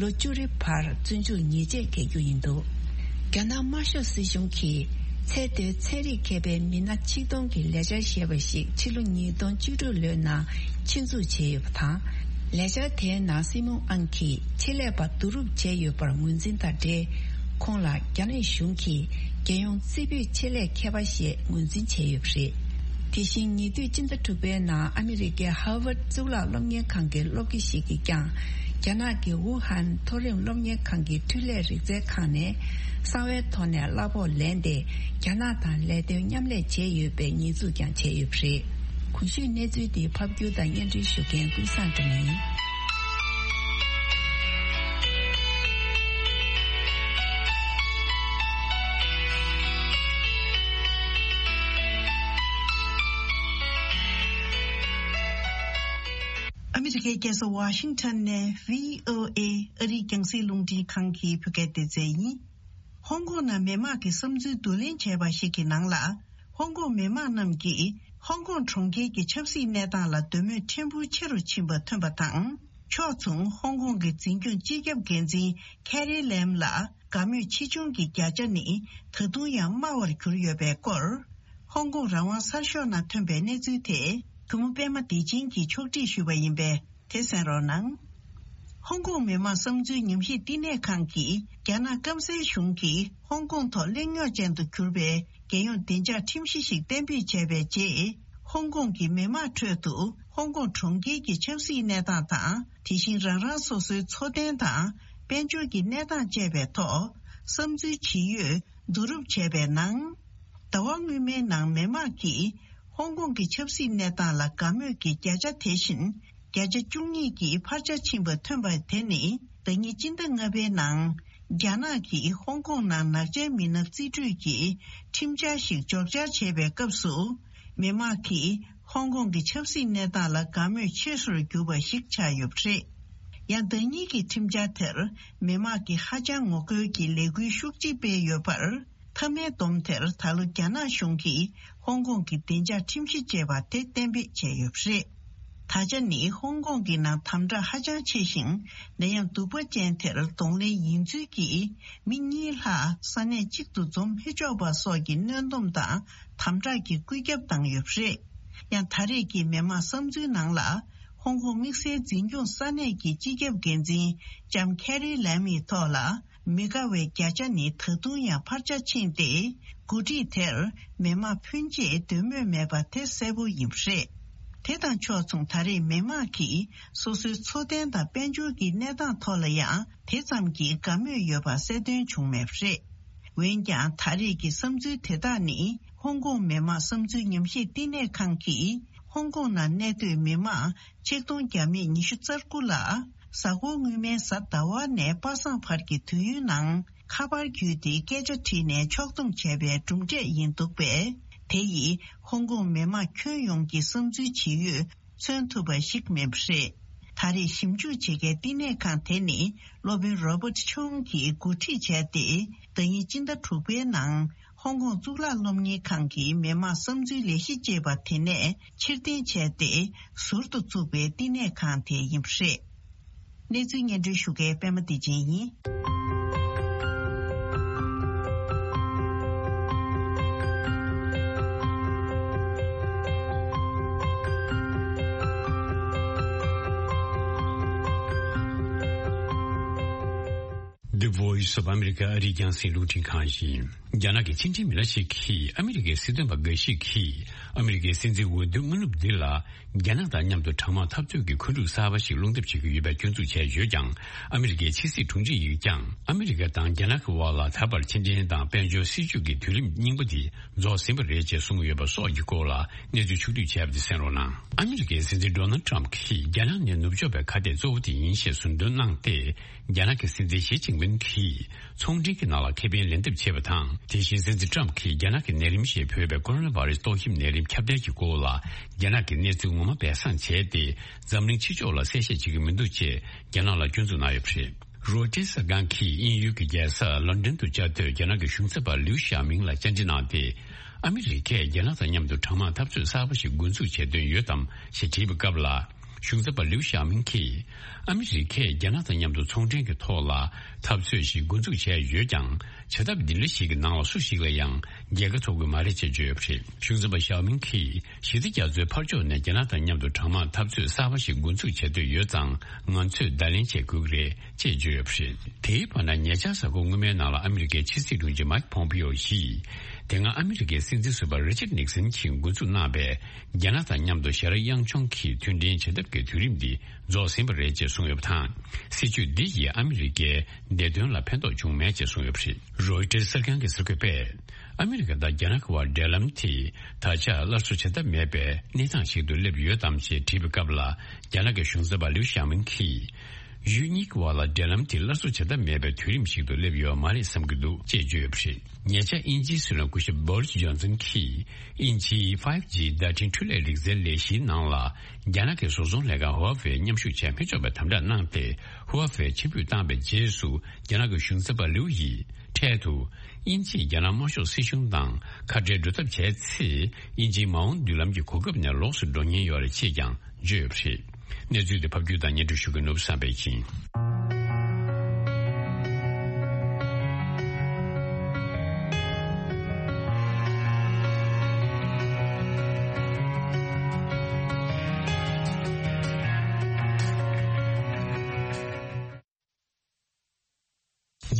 ལོ་བཅུ་རེའི་བར་བཙོན་འཇུག་ཉེས་ཆད་འགེལ་རྒྱུ་ཡིན་འདུག་རྒྱ་ནག་དམར་ཤོག་སྲིད་གཞུང་གིས་ཚད་མཐོའི་ཚན་རིག་མཁས་པའི་མི་སྣ་ཆིག་སྟོང་གི་ལས་འཆར་ཞེས་པ་ཞིག་ཕྱི་ལོ་ཉིས་སྟོང་བཅུ་དྲུག་ལོའི་ནང་ཆེད་འཛུགས་བྱས་ཡོད་པ་དང་། ལས་འཆར་དེའི་ནང་སྲིད་བློན་ཨང་གིས་ཆེད་ལས་པ་བསྡུ་རུབ་བྱས་ཡོད་པར་ངོས་འཛིན་དང་འབྲེལ། ཁོང་ལ་རྒྱ་ནག་གཞུང་གིས་རྒྱལ་ཡོངས་རྩེ་ཕུད་ཆེད་ལས་མཁས་པ་ཞེས་ངོས་འཛིན་བྱས་ཡོད་པ་རེད། དེ་བཞིན་ཉེ་དུས་སྤྱི་ཟླ་དྲུག་པའི་ནང་ཨ་མི་རི་ཀའི་ཧར་ཝརཌ་གཙུག་ལག་སློབ་གཉེར་ཁང་གི་སློབ་དགེ་ཞིག་གིས་ཀྱང་། རྒྱ་ནག་གི་ཝུ་ཧན་མཐོ་རིམ་སློབ་གཉེར་ཁང་གི་འཕྲུལ་ལས་རིག་རྩལ་ཁང་ནས་གསང་བའི་ཐོག་ནས་གླ་ཕོགས་ལེན་ཏེ། རྒྱ་ནག་དང་ལས་དོན་མཉམ་ལས་བྱས་ཡོད་པའི་ཉེས་འཛུགས་ཀྱང་བྱས་ཡོད་པ་རེད། གོང་ཞུས་གནས་ཚུལ་འདི་ཕབ་སྒྱུར་དང་སྙན་སྒྲོན་ཞུ་མཁན་ཀུན་བཟང་སྒྲོལ་མ་ཡིན། ཨ་མི་རི་ཀའི་རྒྱལ་ས་ཝ་ཤིང་ཊོན་ནས་བྷི་ཨོ་ཨེ་ཨ་རིའི་རྒྱང་སྲིང་རླུང་འཕྲིན་ཁང་གི་བོད་སྐད་སྡེ་ཚན་ཡིན། ཧོང་ཀོང་ནང་མི་མང་གི་བསམ་ཚུལ་བསྡུ་ལེན་བྱས་པ་ཞིག་གི་ནང་ལ། ཧོང་ཀོང་མི་མང་རྣམས་ཀྱིས་ཧོང་ཀོང་གྲོང་ཁྱེར་གྱི་ཆབ་སྲིད་གནས་སྟངས་ལ་འདོད་མོས་ཕྲན་བུ་ཆེ་རུ་ཕྱིན་པ་ཐོན་པ་དང་། ཕྱོགས་མཚུངས་ཧོང་ཀོང་གི་འཛིན་སྐྱོང་སྤྱི་ཁྱབ་འགན་འཛིན་ཁེ་རི་ལེམ་ལ་དགའ་མོས་ཆེ་ཆུང་གི་བརྒྱ་ཆ་ནི་ད་དུང་ཡང་དམའ་བར་གྱུར་ཡོད་པའི་སྐོར། ཧོང་ཀོང་རང་དབང་གསར་ཤོག་ནང་ཐོན་པའི་གནས་ཚུལ་དེ་གུས་མོ་པད་མ་བདེ་ཆེན་གྱིས་ཕྱོགས་སྒྲིག་ཞུས་པ་ཡིན་པས། དེ་གསན་རོགས་གནང་། ཧོང་ཀོང་མི་དམངས་བསམ་ཚུལ་ཉམས་ཞིབ་བསྟི་གནས་ཁང་གིས་རྒྱ་ནག་སྐམ་སའི་གཞུང་གིས་ཧོང་ཀོང་ཐོག་གླེང་རྙོག་ཅན་དུ་གྱུར་པའི་རྒྱལ་ཡོངས་བདེ་འཇགས་ཁྲིམས་གཞི་ཞིག་གཏན་འབེབས་བྱས་པའི་རྗེས། ཧོང་ཀོང་གི་མི་དམངས་ཁྲོད་དུ་ཧོང་ཀོང་གྲོང་ཁྱེར་གྱི་ཆབ་སྲིད་གནས་སྟངས་དང་། དེ་བཞིན་རང་རང་སོ་སོའི་འཚོ་རྟེན་དང་དཔལ་འབྱོར་གྱི་གནས་སྟངས་བཅས་པའི་ཐོག་བསམ་ཚུལ་ཇི་ཡོད་བསྡུ་རུབ་བྱས་པའི་ནང་། ཟླ་བ་སྔོན་མའི་ནང་མི་དམངས་ཀྱིས་ཧོང་ཀོང་གི་ཆབ་སྲིད་གནས་སྟངས་ལ་དགའ་མོས་ཀྱི་བརྒྱ་ཆ་དེ་བཞིན་བརྒྱ་ཆ་བཅུ་གཉིས་ཀྱིས་འཕར་ཆ་ཕྱིན་པ་ཐོན་པ་དེ་ནི། ཟླ་ཉིན་སྤྱི་ཟླ་ལྔ་པའི་ནང་རྒྱ་ནག་གིས་ཧོང་ཀོང་ནང་ནག་ཅན་མི་སྣ་རྩིས་སྤྲོད་ཀྱི་ཁྲིམས་འཆར་ཞིག་འཇོག་འཆར་བྱས་པའི་སྐབས་སུ། མི་དམངས་ཀྱིས་ཧོང་ཀོང་གི་ཆབ་སྲིད་གནས་སྟངས་ལ་དགའ་མོས་ཆེ་སར་གྱུར་པ་ཞིག་ཆགས་ཡོད་པ་རེད། ཡང་ཟླ་ཉིན་གྱི་ཁྲིམས་འཆར་དེར་མི་དམངས་ཀྱིས་ཧ་ཅང་ངོ་རྒོལ་གྱི་ལས་འགུལ་ཤུགས་ཆེ་སྤེལ་ཡོད་པར། མཐའ་མའི་སྡོམ་དེར་ད་ལོ་རྒྱ་ནག་གཞུང་གིས་ཧོང་ཀོང་གི་བདེ་འཇགས་ཁྲིམས་གཞི་ཅེས་པ་དེ་གཏན་འབེབས་བྱས་ཡོད་པ་རེད། ད་ཆ་ནི་ཧོང་ཀོང་གི་ནང་དམ་དྲག་ཧ་ཅང་ཆེ་ཞིང་། ནད་ཡམས་གདུག་པ་ཅན་དེར་གདོང་ལེན་ཡིན་ཚུལ་གྱིས་མི་གཉིས་ལྷག་ས་གནས་གཅིག་ཏུ་འཛོམས་མི་ཆོག་པ་སོགས་ཀྱི་གནོན་སྡོམ་དང་དམ་དྲག་གི་བཀོད་ཁྱབ་བཏང་ཡོད་པ་རེད། ཡང་ད་རེས་ཀྱི་མི་དམངས་བསམ་ཚུལ་ནང་ལ། ཧོང་ཀོང་དམིགས་བསལ་འཛིན་སྐྱོང་ས་གནས་ཀྱི་སྤྱི་ཁྱབ་འགན་འཛིན་ལྕམ་ཁེ་རི་ལེམ་ཡི་ཐོག་ལ། མི་དགའ་བའི་བརྒྱ་ཆ་ནི་ད་དུང་ཡང་འཕར་ཆ་ཕྱིན་ཏེ། འགོ་ཁྲིད་དེར་མི་དམངས་ཕོན་ཆེས་འདོད་མོས་མེད་པ་དེ་གསལ་པོ་ཡིན་པ་རེད། དེ་དང་ཕྱོགས་མཚུངས་ད་རེས་མི་དམངས་ཀྱིས་སོ་སོའི་འཚོ་རྟེན་དང་དཔལ་འབྱོར་གྱི་གནས་སྟངས་ཐོག་ལ་ཡང་དེ་ཙམ་གྱིས་དགའ་མོས་ཡོད་པ་གསལ་སྟོན་བྱུང་མེད་པ་རེད། འོན་ཀྱང་ད་རེས་ཀྱི་བསམ་ཚུལ་དེ་དག་ནི་ཧོང་ཀོང་མི་དམངས་བསམ་ཚུལ་ཉམས་ཞིབ་བསྟི་གནས་ཁང་གིས་ཧོང་ཀོང་ནང་གནས་སྡོད་མི་དམངས། ཆིག་སྟོང་བརྒྱ་མེད་ཉི་ཤུ་རྩ་དགུ་ལ། གཟའ་འཁོར་སྔོན་མའི་གཟའ་ཟླ་བ་ནས་པ་སངས་བར་གྱི་དུས་ཡུན་ནང་ཁ་པར་བརྒྱུད་དེ་སྐད་ཆ་དྲིས་ནས་ཕྱོགས་བསྡོམས་བྱས་པའི་གྲུབ་འབྲས་ཡིན་འདུག་པས། དེ་ཡིས་ཧོང་ཀོང་མི་དམངས་ཁྱོན་ཡོངས་ཀྱི་བསམ་ཚུལ་ཇི་ཡོད་མཚོན་ཐུབ་པ་ཞིག་མིན་པ་རེད། ད་རེས་ཞིབ་འཇུག་བྱེད་མཁན་བསྟི་གནས་ཁང་དེ་ནི་སློབ་དཔོན་རོ་བར་ཊི་ཆུང་གིས་འགོ་ཁྲིད་བྱས་ཏེ། ཟླ་ཉིན་སྤྱི་ཟླ་དྲུག་པའི་ནང་། ཧོང་ཀོང་གཙུག་ལག་སློབ་གཉེར་ཁང་གི་མི་དམངས་བསམ་ཚུལ་ལས་གཞི་ཅེས་པ་དེ་ནས་ཕྱིར་འཐེན་བྱས་ཏེ། ཟུར་དུ་བཙུགས་པའི་བསྟི་གནས་ཁང་དེ་ཡིན་པ་རེད། གནས་ཚུལ་སྙན་སྒྲོན་ཞུ་མཁན་པད་མ་བདེ་ཆེན་ཡིན། The Voice of America ཨ་རིའི་རྒྱང་སྲིང་རླུང་འཕྲིན་ཁང་ཡིན། རྒྱ་ནག་གི་ཕྱི་འབྲེལ་མི་སྣ་ཞིག་གིས་ཨ་མི་རི་ཀའི་སྲིད་དོན་པ་འགའ་ཞིག་གིས་ཨ་མི་རི་ཀའི་སྲིད་འཛིན་འོས་བསྡུའི་སྔ་ནུབ་འདི་ལ། རྒྱ་ནག་དང་མཉམ་དུ་གྲང་དམག་འཐབ་རྩོད་ཀྱི་འཁོན་འཁྲུག་གསར་པ་ཞིག་སློང་ཐབས་བྱེད་ཀྱི་ཡོད་པའི་སྐྱོན་འཛུགས་བྱས་ཡོད་ཀྱང་། ཨ་མི་རི་ཀའི་ཕྱི་སྲིད་དྲུང་ཆེ་ཡིས་ཀྱང་ཨ་མི་རི་ཀ་དང་རྒྱ་ནག་གི་དབར་ལ་ད་བར་ཕྱི་འབྲེལ་དང་དཔལ་འབྱོར་སྲིད་ཇུས་ཀྱི་དུས་རིམ་རྙིང་པ་འདི་རྫོགས་ཟིན་པ་རེད་ཅེས་གསུངས་ཡོད་པ་སོགས་ཀྱི་སྐོར་ལ་གནས་ཚུལ་ཕྱོགས་བསྡུས་བྱས་པ་དེ་གསན་རོགས་གནང་། ཨ་མི་རི་ཀའི་སྲིད་འཛིན་ཌོ་ནལ་ཏྲམ་གྱིས་རྒྱ་ནག་ནི་ནུབ་ཕྱོགས་པའི་ཁ་གཏད་གཙོ་བོ་དེ་ཡིན་ཞེས་ཟུར་འདོན་གནང་སྟེ། རྒྱ་ནག་གི་སྲིད་འཛིན་ཞི་ཅིན་ཕིན་གྱིས་ཚོང་འབྲེལ་གྱི་ནང་ལ་ཁེ་ཕན་ལེན་ཐབས་བྱས་པ་དང་། དེ་བཞིན་སྲིད་འཛིན་ཏྲམ་གྱིས་རྒྱ་ནག་གི་ནད་རིམས་ཞེས་འབོད་པའི་ཀོ་རོ་ན་བྷ་རེ་སི་ཏོག་དབྱིབས་ནད་རིམས་ཁྱབ་གདལ་གྱི་སྐོར་ལ་རྒྱ་ནག་གི་གནས་ཚུལ་ངོ་མ་སྦས་གསང་བྱས་ཏེ། འཛམ་གླིང་ཕྱི་ཕྱོགས་ལ་གསལ་བཤད་བྱེད་ཀྱི་མི་འདུག་ཅེས་རྒྱ་ནག་ལ་སྐྱོན་འཛུགས་གནང་ཡོད་པ་རེད། རོའི་ཊར་གསར་ཁང་གིས་དབྱིན་ཡུལ་གྱི་རྒྱལ་ས་ལོན་ཌོན་དུ་བཅའ་སྡོད་རྒྱ་ནག་གི་གཞུང་ཚབ་པ་ལིའུ་ཞའོ་མིང་ལ་བཅར་འདྲི་གནང་སྟེ། ཨ་མི་རི་ཀས་རྒྱ་ནག་དང་མཉམ་དུ་གྲང་དམག་འཐབ་རྩོད་གསར་པ་ཞིག་འགོ་འཛུགས་བྱེད་འདོད་ཡོད་དམ་ཞེས་དྲིས་པའི་སྐབས་ལ། གཞུང་ཚབ་པ་ལིའུ་ཞའོ་མིང་གིས། ཨ་མི་རི་ཀས་རྒྱ་ནག་དང་མཉམ་དུ་ཚོང་འབྲེལ་གྱི་ཐོག་ལ་འཐབ་རྩོད་ཞིག་འགོ་འཛུགས་བྱས་ཡོད་ཀྱང་། བྱ་ཐབས་འདི་འདྲ་ཞིག་གི་ནང་ལ་སུ་ཞིག་ལ་ཡང་རྒྱལ་ཁ་ཐོབ་ཀྱི་མ་རེད་ཅེས་བརྗོད་ཡོད་པ་རེད། གཞུང་ཚབ་པ་ཞའོ་མིང་གིས། ཞི་བདེ་རྒྱ་མཚོའི་ཕར་ཕྱོགས་ནས་རྒྱ་ནག་དང་མཉམ་དུ་གྲང་དམག་འཐབ་རྩོད་གསར་པ་ཞིག་འགོ་འཛུགས་བྱེད་འདོད་ཡོད་ཙང་། ང་ཚོས་བརྡ་ལན་བྱེད་དགོས་ཀྱི་རེད། ཅེས་བརྗོད་ཡོད་པ་རེད། དེའི་བར་ན་ཉེ་ཆར་གཟའ་འཁོར་སྔོན་མའི་ནང་ལ་ཨ་མི་རི་ཀའི་ཕྱི་སྲིད་དྲུང་ཆེ་མཱིག་ཕོམ་པིའོ་ཡིས། དེ་སྔ་ཨ་མི་རི་ཀའི་སྲིད་འཛིན་ཟུར་པ་རི་ཅར་ནིག་སན་གྱིས་འགོ་འཛུགས་གནང་པའི་རྒྱ་ནག་དང་མཉམ་དུ་ཞི་རགས་གཡང་མཆོང་གི་མཐུན་འབྲེལ་བྱེད་ཐབས་ཀྱི་དུས་རིམ་འདི་རྫོགས་ཟིན་པ་རེད་ཅེས་གསུངས་ཡོད་པ་དང་། སྲིད་བྱུས་འདི་ཡིས་ཨ་མི་རི་ཀའི་བདེ་དོན་ལ་ཕན་ཐོགས་བྱུང་མེད་ཅེས་གསུངས་ཡོད་པ་རེད། རོའི་ཊར་གསར་ཁང་གི་གསར་འགོད་པས། ཨ་མི་རི་ཀ་དང་རྒྱ་ནག་གི་བར་འབྲེལ་ལམ་དེ་ད་ཆ་སླར་གསོ་བྱེད་ཐབས་མེད་པའི་གནས་སྟངས་ཤིག་ཏུ་སླེབས་ཡོད་དམ་ཞེས་དྲིས་པའི་སྐབས་ལ། རྒྱ་ནག་གི་གཞུང་ཚབ་པ་ལིའུ་ཞའོ་མིང་གིས། ཡུལ་གཉིས་ཀྱི་བར་ལ་འབྲེལ་ལམ་དེ་སླར་གསོ་བྱེད་ཐབས་མེད་པའི་དུས་རིམ་ཞིག་ཏུ་སླེབས་ཡོད་མ་རེད་བསམ་གྱི་འདུག་ཅེས་བརྗོད་ཡོད་པ་རེད། ཉེ་ཆར་དབྱིན་ཇིའི་སྲིད་བློན་སྐུ་ཞབས་བོ་རི་སི་ཇོན་སན་གྱིས། དབྱིན་ཇིའི་ཕའིབ་ཇི་བརྡ་འཕྲིན་འཕྲུལ་ལས་རིག་རྩལ་ལས་གཞིའི་ནང་ལ། རྒྱ་ནག་གི་བཟོ་ཚོང་ལས་ཁང་ཧུའུ་ཝེ་མཉམ་ཞུགས་བྱས་མི་ཆོག་པའི་དམ་དྲག་གནང་སྟེ། ཧུའུ་ཝེ་ཕྱིར་འབུད་བཏང་བའི་རྗེས་སུ། རྒྱ་ནག་གི་གཞུང་ཚབ་པ་ལིའུ་ཡིས། འཕྲལ་དུ། དབྱིན་ཇིས་རྒྱ་ནག་དམར་ཤོག་སྲིད་གཞུང་དང་ཁ་བྲལ་འགྲོ་ཐབས་བྱས་ཚེ། དབྱིན་ཇིའི་མ་འོངས་མདུན་ལམ་གྱི་གོ་སྐབས་ནས་ལོགས་སུ་འགྲོ་ཉེན་ཡོད་རེད་ཅེས་ཀྱང་བརྗོད་ཡོད་པ་རེད། གནས་ཚུལ་དེ་ཕབ་སྒྱུར་དང་སྙན་སྒྲོན་ཞུ་མཁན་ནོར་བུ་བསམ་འཕེལ་ཡིན།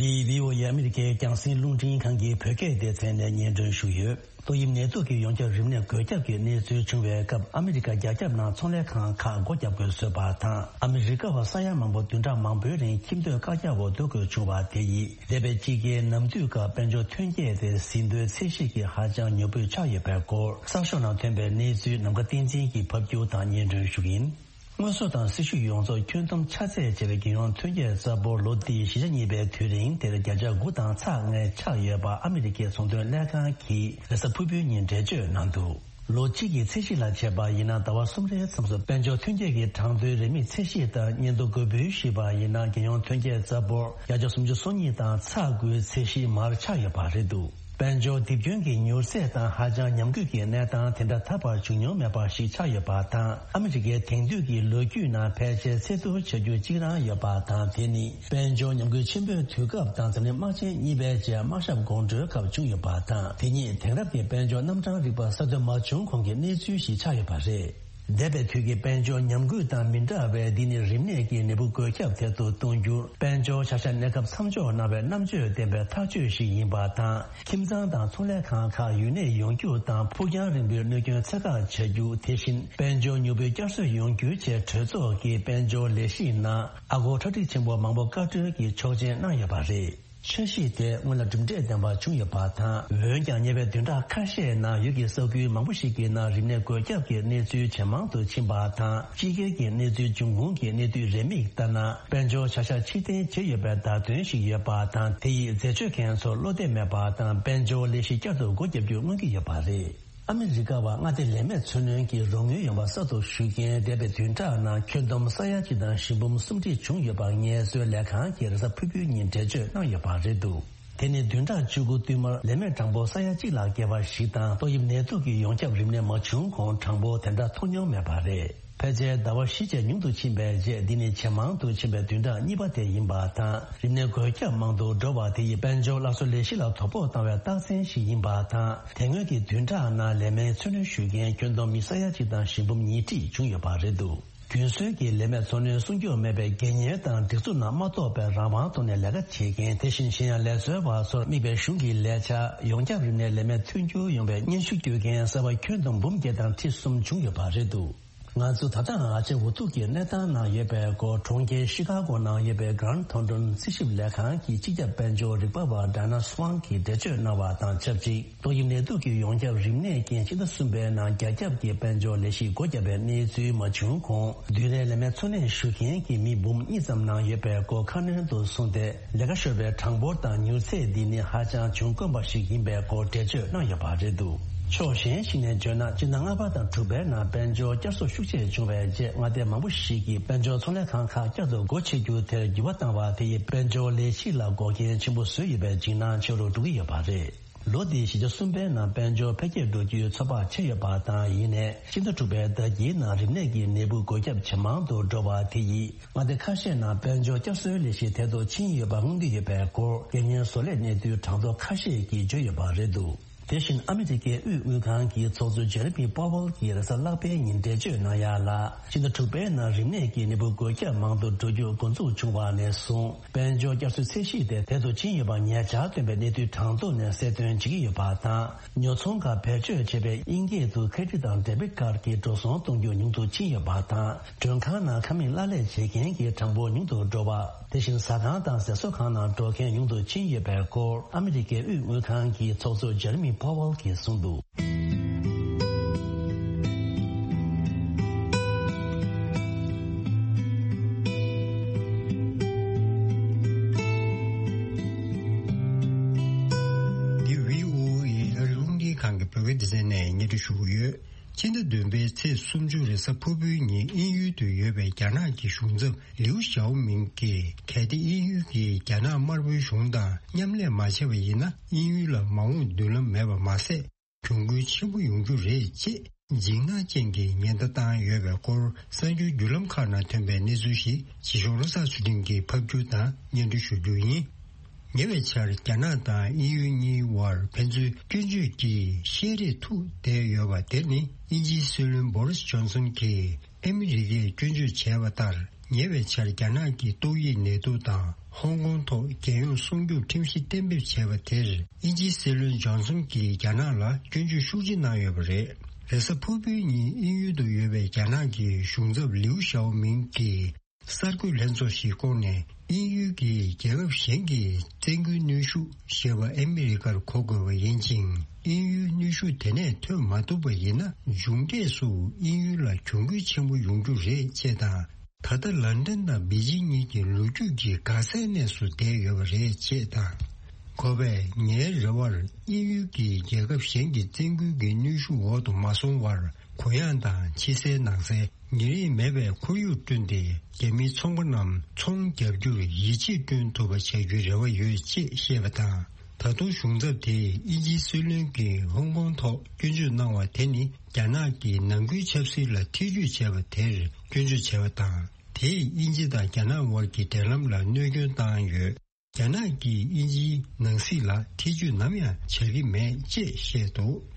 འདི་བྷི་ཨོ་ཨེ་ཨ་མི་རི་ཀའི་རྒྱང་སྲིང་རླུང་འཕྲིན་ཁང་གི་བོད་སྐད་སྡེ་ཚན་ནས་སྙན་སྒྲོན་ཞུ་ཡོད། ཏོག་དབྱིབས་ནད་དུག་གི་ཡོངས་ཁྱབ་རིམས་ནད་འགོས་ཁྱབ་ཀྱི་གནས་ཚུལ་བྱུང་བའི་སྐབས། ཨ་མི་རི་ཀ་རྒྱ་ཁྱབ་ནང་ཚོང་ལས་ཁང་ཁག་སྒོ་བརྒྱབ་དགོས་བཟོས་པ་དང་། ཨ་མི་རི་ཀ་བ་ས་ཡ་མང་པོ་བདུན་ཕྲག་མང་པོའི་རིང་ཁྱིམ་སྡོད་བཀག་རྒྱ་འོག་སྡོད་དགོས་བྱུང་བ་དེ་ཡིས། འདས་པའི་དཔྱིད་ཀའི་ནམ་དུས་སྐབས་དཔལ་འབྱོར་ཐོན་སྐྱེད་དེ་ཟིན་ཐོའི་ཚད་གཞི་གིས་ཧ་ཅང་ཉོབ་པོས་ཆགས་ཡོད་པའི་སྐོར། གསར་ཤོག་ནང་ཐོན་པའི་གནས་ཚུལ་ནམ་མཁའ་བསྟན་འཛིན་གྱིས་ཕབ་སྒྱུར་དང་སྙན་སྒྲོན་ཞུ་གི་ཡིན། དངོས་ཟོག་དང་སྲི་ཞུ་ཡོངས་རྫོགས་ཁྱོན་བསྡོམས་ཆ་ཚད་བྱས་པའི་རྒྱལ་ཡོངས་ཐོན་སྐྱེད་རྩ་འབོར་ལོ་འདིའི་བཞི་ཆ་གཉིས་པའི་དུས་རིང་དེར་བརྒྱ་ཆ་དགུ་དང་ཚེག་ལྔ་ཆག་ཡོད་པ་ཨ་མི་རི་ཀའི་ཚོང་དོན་ལྷན་ཁང་གིས་རེས་གཟའ་ཕུར་བུའི་ཉིན་འགྲེལ་བརྗོད་གནང་འདུག་ལོ་གཅིག་གི་ཚད་གཞི་ལ་བྱས་པ་ཡིན་ན། ཟླ་བ་གསུམ་རེའི་མཚམས་སུ་དཔལ་འབྱོར་ཐོན་སྐྱེད་ཀྱི་གྲངས་ཐོའི་རེའུ་མིག་ཚད་གཞི་ལྟར་སྙན་ཐོ་འགོད་འབུལ་ཞུས་པ་ཡིན་ན། རྒྱལ་ཡོངས་ཐོན་སྐྱེད་རྩ་འབོར་བརྒྱ་ཆ་སུམ་ཅུ་སོ་གཉིས་དང་ཚེག་དགུའི་ཚད་གཞི་མར་ཆག་ཡོད་པ་རེད་འདུག་དཔལ་འབྱོར་རྡིབ་སྐྱོན་གྱི་མྱུར་ཚད་དང་ཧ་ཅང་ཉམས་རྒུད་ཀྱི་གནས་སྟངས་དེ་འདྲ་ད་བར་བྱུང་མྱོང་མེད་པ་ཞིག་ཆགས་ཡོད་པ་དང་། ཨ་མི་རི་ཀའི་དེང་དུས་ཀྱི་ལོ་རྒྱུས་ནང་ཕལ་ཆེར་ཚད་ཐུབ་ཆེ་རྒྱུ་གཅིག་རང་ཡོད་པ་དང་། དེ་ནི་དཔལ་འབྱོར་ཉམས་རྒུད་ཆེན་པོའི་དུས་སྐབས་དང་འཛམ་གླིང་དམག་ཆེན་གཉིས་པའི་རྗེས་དམག་ཞབས་དགོང་དྲོའི་སྐབས་བྱུང་ཡོད་པ་དང་། དེ་ཉིད་དེང་རབས་ཀྱི་དཔལ་འབྱོར་རྣམ་གྲངས་རིག་པ་གསར་གཏོད་མ་བྱུང་གོང་གི་གནས་ཚུལ་ཞིག་ཆགས་ཡོད་པ་རེད། འདས་པའི་དུས་ཀྱི་དཔལ་འབྱོར་ཉམས་རྒུད་དང་མི་འདྲ་བའི། འདི་ནི་རིམས་ནད་ཀྱི་ནད་འབུ་འགོས་ཁྱབ་ཐེབས་དུ་གཏོང་རྒྱུར་དཔལ་འབྱོར་བྱ་གཞག་གནས་སྐབས་མཚམས་འཇོག་གནང་བའི་རྣམ་དཔྱོད་ལྡན་པའི་ཐག་གཅོད་ཞིག་ཡིན་པ་དང་། ཁྱིམ་ཚང་དང་ཚོང་ལས་ཁང་ཁག་ཡུན་གནས་ཡོང་རྒྱུ་དང་། ཕུགས་རྒྱང་རིང་པོའི་གནོད་སྐྱོན་ཚད་བཀག་བྱ་རྒྱུ། དེ་བཞིན་དཔལ་འབྱོར་ཉུང་པོའི་བསྐྱར་གསོ་ཡོང་རྒྱུའི་ཆེད་གྲོས་ཚོགས་ཀྱི་དཔལ་འབྱོར་ལས་གཞིའི་ནང་ཨ་སྒོར་ཁྲག་ཁྲིག་ཆེན་པོ་མང་པོ་བཀའ་འཁྲོལ་གྱི་ཆོག་མཆན་གནང་ཡོད་པ་རེད། འཆར་གཞི་དེ་སྔོན་ལ་གྲུབ་འབྲས་ལྡན་པ་བྱུང་ཡོད་པ་དང་། འོན་ཀྱང་ཉེ་བའི་བདུན་ཕྲག་ཁ་ཤས་ནང་ཡུལ་གྱི་ས་ཁུལ་མང་པོ་ཞིག་གི་ནང་རིམས་ནད་འགོས་ཁྱབ་ཀྱི་གནས་ཚུལ་ཇེ་མང་དུ་ཕྱིན་པ་དང་། དཔྱིད་ཀའི་གནས་ཚུལ་འབྱུང་ཁུངས་ཀྱི་གནས་སྡུད་རེའུ་མིག་ལྟར་ན། དཔལ་འབྱོར་བྱ་གཞག་ཕྱིར་འཐེན་བྱས་ཡོད་པའི་བརྡ་སྟོན་ཞིག་ཡོད་པ་དང་། དེ་ཡིས་འཛད་སྤྱོད་མཁན་ཚོར་བློ་གཏད་མེད་པ་དང་། དཔལ་འབྱོར་ལས་གཞི་བསྐྱར་དུ་སྒོ་བརྒྱབ་རྒྱུར་མངོན་གྱི་ཡོད་པ་རེད། ཨ་མི་རི་ཀ་བ་མངའ་སྡེ་ལས་མེད་འཚོ་སྣོན་གྱི་རོགས་དངུལ་ཡོང་བ་གསར་དུ་ཞུ་མཁན་འདས་པའི་བདུན་ཕྲག་ནང་ཁྱོན་བསྡོམས་ས་ཡ་གཅིག་དང་བཞི་འབུམ་སུམ་ཁྲི་བྱུང་ཡོད་པ་ངལ་གསོའི་ལས་ཁང་གིས་རེས་གཟའ་ཕུར་བུའི་ཉིན་འགྲེལ་བརྗོད་གནང་ཡོད་པ་རེད་འདུག་དེ་ནི་བདུན་ཕྲག་བཅུ་དགུ་བསྟུད་མར་ལས་མེད་གྲངས་འབོར་ས་ཡ་གཅིག་ལ་བརྒལ་བ་ཞིག་དང་། ཏོག་དབྱིབས་ནད་དུག་གི་ཡོངས་ཁྱབ་རིམས་ནད་མ་བྱུང་གོང་གྲངས་འབོར་དེ་འདྲ་མཐོང་མྱོང་མེད་པ་རེད། ཕལ་ཆེར་ཟླ་བ་བཞི་བཅས་ཉུང་དུ་ཕྱིན་པའི་རྗེས། འདི་ནི་ཇེ་མང་དུ་ཕྱིན་པའི་བདུན་ཕྲག་གཉིས་པ་དེ་ཡིན་པ་དང་། རིམས་ནད་འགོས་ཁྱབ་མང་དུ་འགྲོ་བ་དེ་ཡིས་དཔལ་འབྱོར་སླར་གསོ་ལས་གཞི་ལ་དོ་ཕོག་བཏང་བའི་རྟགས་མཚན་ཞིག་ཡིན་པ་དང་། དེ་སྔོན་གྱི་བདུན་ཕྲག་ནང་ལས་མེད་འཚོ་སྣོན་ཞུ་མཁན་ཁྱོན་བསྡོམས་མི་ས་ཡ་གཅིག་དང་བཞི་འབུམ་ཉིས་ཁྲི་བྱུང་ཡོད་པ་རེད་འདུག་རྒྱུན་སྲོལ་གྱི་ལས་མེད་འཚོ་སྣོན་སྲུང་སྐྱོབ་མེད་པའི་དགོས་ངེས་དང་སྒྲིག་འཛུགས་ནང་མ་གཏོགས་པའི་རང་དབང་ཐོག་ནས་ལས་ཀ་བྱེད་མཁན། དེ་བཞིན་གཞན་ཡང་ལས་བཟོ་བ་ཚོར་དམིགས་པའི་གཞུང་གི་ལས་འཆར་ཡོངས་ཁྱབ་རིམས་ནད་ལས་མེད་ཐོན་རྒྱུ་ཡོང་བའི་སྙན་ཞུ་སྐྱོར་མཁན་གསར་པ་ཁྱོན་བསྡོམས་འབུམ་བརྒྱད་དང་ཁྲི་གསུམ་བྱུང་ཡོད་པ་རེད་འདུག་ང་ཚོ་ད་ལྟའང་ཨ་ཅེ་འུ་ཐུག་གི་གནས་སྟངས་ནང་ཡོད་པའི་སྐོར། གྲོང་ཁྱེར་ཤི་ཀ་གོ་ནང་ཡོད་པའི་གྷན་ཐོན་ཏོན་རྩིས་ཞིབ་ལས་ཁང་གི་སྤྱི་ཁྱབ་དཔལ་འབྱོར་རིག་པ་བ་ཌ་ན་སུའང་གིས་འགྲེལ་བརྗོད་གནང་བ་དང་ཆབས་ཅིག་ཏོག་དབྱིབས་ནད་དུག་གི་ཡོངས་ཁྱབ་རིམས་ནད་རྐྱེན་ཕྱི་ཟླ་གསུམ་པའི་ནང་རྒྱ་ཁྱབ་ཀྱི་དཔལ་འབྱོར་ལས་གཞི་སྒོ་བརྒྱབ་པའི་གནས་ཚུལ་མ་བྱུང་གོང་། བདུན་རེའི་ལས་མེད་འཚོ་གནས་ཞུ་མཁན་གྱི་མི་འབུམ་གཉིས་ཙམ་ནང་ཡོད་པའི་སྐོར་ཁ་སྣོན་དུ་གསུངས་ཏེ། ལས་ཀ་ཤོར་བའི་གྲངས་འབོར་དང་མྱུར་ཚད་འདི་ནི་ཧ་ཅང་བྱུང་དཀོན་པ་ཞིག་ཡིན་པའི་སྐོར་འགྲེལ་བརྗོད་གནང་ཡོད་པ་རེད་འདུག་ཕྱོགས་གཞན་ཞིག་ནས་བརྗོད་ན། སྤྱི་ཟླ་ལྔ་པ་དང་དྲུག་པའི་ནང་དཔལ་འབྱོར་བསྐྱར་གསོ་ཤུགས་ཆེ་བྱུང་བའི་རྗེས། མངའ་སྡེ་མང་པོ་ཞིག་གིས་དཔལ་འབྱོར་ཚོང་ལས་ཁང་ཁག་བསྐྱར་དུ་སྒོ་ཕྱེ་རྒྱུ་དེར་འགྱུར་བ་བཏང་བ་དེ་ཡིས་དཔལ་འབྱོར་ལས་གཞི་ལ་འགོག་རྐྱེན་ཆེན་པོ་བཟོས་ཡོད་པའི་འཇིགས་སྣང་ཆེ་རུ་འགྲོ་གི་ཡོད་པ་རེད། ལོ་འདིའི་བཞི་ཆ་གསུམ་པའི་ནང་དཔལ་འབྱོར་འཕེལ་རྒྱས་འགྲོ་རྒྱུའི་ཚོད་དཔག་ཆེ་ཡོད་པ་དང་། ཡིན་ནའི་སྤྱི་ཟླ་དྲུག་པའི་ཟླ་དཀྱིལ་ནང་རིམས་ནད་ཀྱི་ནད་འབུ་འགོས་ཁྱབ་ཇེ་མང་དུ་འགྲོ་བ་དེ་ཡིས་མངའ་སྡེ་ཁ་ཤས་ནང་དཔལ་འབྱོར་བསྐྱར་གསོའི་ལས་གཞི་དལ་དུ་ཕྱིན་ཡོད་པ་མངོན་གྱི་ཡོད་པའི་སྐོར། རྒྱལ་སྔོན་བཟོ་ལས་གནས་ཚུལ་གྲངས་ཐོ་ཁ་ཤས་ཀྱིས་བརྗོད་ཡོད་པ་རེད་འདུག་དེ་བཞིན་ཨ་མི་རི་ཀའི་དབུས་དངུལ་ཁང་གི་ཚོགས་གཙོ་ཇེ་རེ་མི་པོ་ཝེལ་གྱིས་རེས་གཟའ་ལྷག་པའི་ཉིན་འགྲེལ་བརྗོད་གནང་ཡག་ལ། ཕྱི་ཟླ་དྲུག་པའི་ནང་རིམས་ནད་ཀྱི་ནད་འབུ་འགོས་ཁྱབ་མང་དུ་འགྲོ་རྒྱུ་འགོ་འཛུགས་བྱུང་བ་ནས་བཟུང་། དཔལ་འབྱོར་བསྐྱར་གསོའི་ཚད་གཞི་དེ་དལ་དུ་ཕྱིན་ཡོད་པ་ཉེ་ཆར་ཐོན་པའི་གནས་ཚུལ་གྲངས་ཐོ་ནས་གསལ་སྟོན་བྱེད་ཀྱི་ཡོད་པ་དང་། ཉོ་ཚོང་ཁག་བེད་སྤྱོད་བྱེད་པའི་དབྱིན་སྐད་དུ་ཁེ་ཌི་དང་ཌེ་བིད་ཀར་གྱི་འགྲོ་སོང་གཏོང་རྒྱུ་ཉུང་དུ་ཕྱིན་ཡོད་པ་དང་། མགྲོན་ཁང་ནང་ཁང་མིག་གླ་ལེན་བྱེད་མཁན་གྱི་གྲངས་འབོར་ཉུང་དུ་འགྲོ་བ། དེ་བཞིན་ཟ་ཁང་དང་ཟས་གསོ་ཁང་ནང་འགྲོ་མཁན་ཉུང་དུ་ཕྱིན་ཡོད་པའི་སྐོར། ཨ་མི་རི་ཀའི་དབུས་དངུལ་ཁང་གི་ཚོགས་གཙོ་ཇེ་རེ་མི་པོ་ཝེལ་གྱིས་གསུངས་འདུག་འདི་བྷི་ཨོ་ཨེ་ཨ་རི་རླུང་འཕྲིན་ཁང་གི་བོད་སྐད་སྡེ་ཚན་ནས་སྙན་སྒྲོན་ཞུ་གི་ཡོད། ཕྱི་ཟླ་བདུན་པའི་ཚེས་སུམ་ཅུ་རེས་གཟའ་ཕུར་བུའི་ཉིན་དབྱིན་ཡུལ་དུ་ཡོད་པའི་རྒྱ་ནག་གི་གཞུང་ཚབ་ལིའུ་ཞའོ་མིང་གིས། གལ་ཏེ་དབྱིན་ཡུལ་གྱིས་རྒྱ་ནག་དམར་པོའི་གཞུང་དང་མཉམ་ལས་མ་བྱས་པ་ཡིན་ན། དབྱིན་ཡུལ་ལ་མ་འོངས་མདུན་ལམ་མེད་པ་མ་ཟད། གྱོང་གུན་ཆེན་པོ་ཡོང་རྒྱུ་རེད་ཅེས་འཇིགས་སྣང་ཅན་གྱི་ཉེན་བརྡ་བཏང་ཡོད་པའི་སྐོར། གསར་འགྱུར་བརྒྱུད་ལམ་ཁག་ནང་ཐོན་པའི་གནས་ཚུལ་ཞིག་བྱིས་གཤོག་བློ་བཟང་ཚུལ་ཁྲིམས་ཀྱིས་ཕབ་སྒྱུར་དང་སྙན་སྒྲོན་ཞུ་རྒྱུ་ཡིན། ཉེ་བའི་ཆར་རྒྱ་ནག་དང་དབྱིན་ཡུལ་གཉིས་དབར་ཕན་ཚུན་སྐྱོན་བརྗོད་ཀྱི་བཤད་རེས་ཐུག་བསྡད་ཡོད་པ་དེ་ནི། དབྱིན་ཇིའི་སྲིད་བློན་བོ་རིས་ཇོན་སོན་གྱིས་ཨ་མི་རི་ཀས་སྐྱོན་བརྗོད་བྱས་པ་ལྟར། ཉེ་བའི་ཆར་རྒྱ་ནག་གི་ཏོག་དབྱིབས་ནད་དུག་དང་ཧོང་ཀོང་ཐོག་རྒྱལ་ཡོངས་སྲུང་སྐྱོབ་ཁྲིམས་གཞི་གཏན་འབེབས་བྱས་པ་དེར། དབྱིན་ཇིའི་སྲིད་བློན་ཇོན་སོན་གྱིས་རྒྱ་ནག་ལ་སྐྱོན་བརྗོད་ཤུགས་ཆེ་གནང་ཡོད་པ་རེད། རེས་གཟའ་ཕུར་བུའི་ཉིན་དབྱིན་ཡུལ་དུ་ཡོད་པའི་རྒྱ་ནག་གི་གཞུང་ཚབ་ལིའུ་ཞའོ་མིང་གིས། གསར་འགོད་ལྷན་ཚོགས་ཤིག་བསྐོངས་ནས། དབྱིན་ཡུལ་གྱིས་རྒྱལ་ཁབ་གཞན་གྱི་བཙན་རྒོལ་གནོན་ཤུགས་ཞེས་པ་ཨ་མི་རི་ཀར་གོ་དགོས་པ་ཡིན་ཅིང་། དབྱིན་ཡུལ་གནོན་ཤུགས་དེ་ནས་ཐོན་མ་ཐུབ་པ་ཡིན་ན། མཇུག་འབྲས་སུ་དབྱིན་ཡུལ་ལ་གྱོང་གུན་ཆེན་པོ་ཡོང་རྒྱུ་རེད་ཅེས་དང་། ད་ལྟ་ལན་ཀྲན་དང་པེ་ཅིང་གཉིས་ཀྱི་ལོ་རྒྱུས་ཀྱི་འགག་རྩའི་གནས་སུ་བསྡད་ཡོད་པ་རེད་ཅེས་དང་། ཁོ་པས་ངའི་རེ་བར་དབྱིན་ཡུལ་གྱིས་རྒྱལ་ཁབ་གཞན་གྱི་བཙན་རྒོལ་གྱི་གནོན་ཤུགས་འོག་ཏུ་མ་སོང་བར། གུ་ཡངས་དང་ཕྱི་གསལ་ནང་གསལ། ཉེ་རིང་མེད་པའི་ཁོར་ཡུག་བསྐྲུན་ཏེ། རྒྱ་མིའི་ཚོང་པ་རྣམས་ཚོང་རྒྱག་རྒྱུར་ཡིད་ཆེས་བསྐྲུན་ཐུབ་པ་བྱ་རྒྱུའི་རེ་བ་ཡོད་ཅེས་བཤད་པ་དང་། ད་དུང་གཞུང་ཚབ་དེས་དབྱིན་ཇིའི་སྲིད་བློན་གྱིས་ཧོང་ཀོང་ཐོག་སྐྱོན་བརྗོད་གནང་བ་དེ་ནི། རྒྱ་ནག་གིས་ནང་ཁུལ་ཆབ་སྲིད་ལ་ཐེ་ཇུས་བྱས་པ་དེར་སྐྱོན་བརྗོད་བྱས་པ་དང་། དེས་དབྱིན་ཇི་དང་རྒྱ་ནག་དབར་གྱི་འབྲེལ་ལམ་ལ་གནོད་སྐྱོན་བཏང་ཡོད། རྒྱ་ནག་གིས་དབྱིན་ཇིའི་ནང་སྲིད་ལ་ཐེ་ཇུས་ནམ་ཡང་བྱ་གི་མེད་ཅེས་བཤད་འདུག་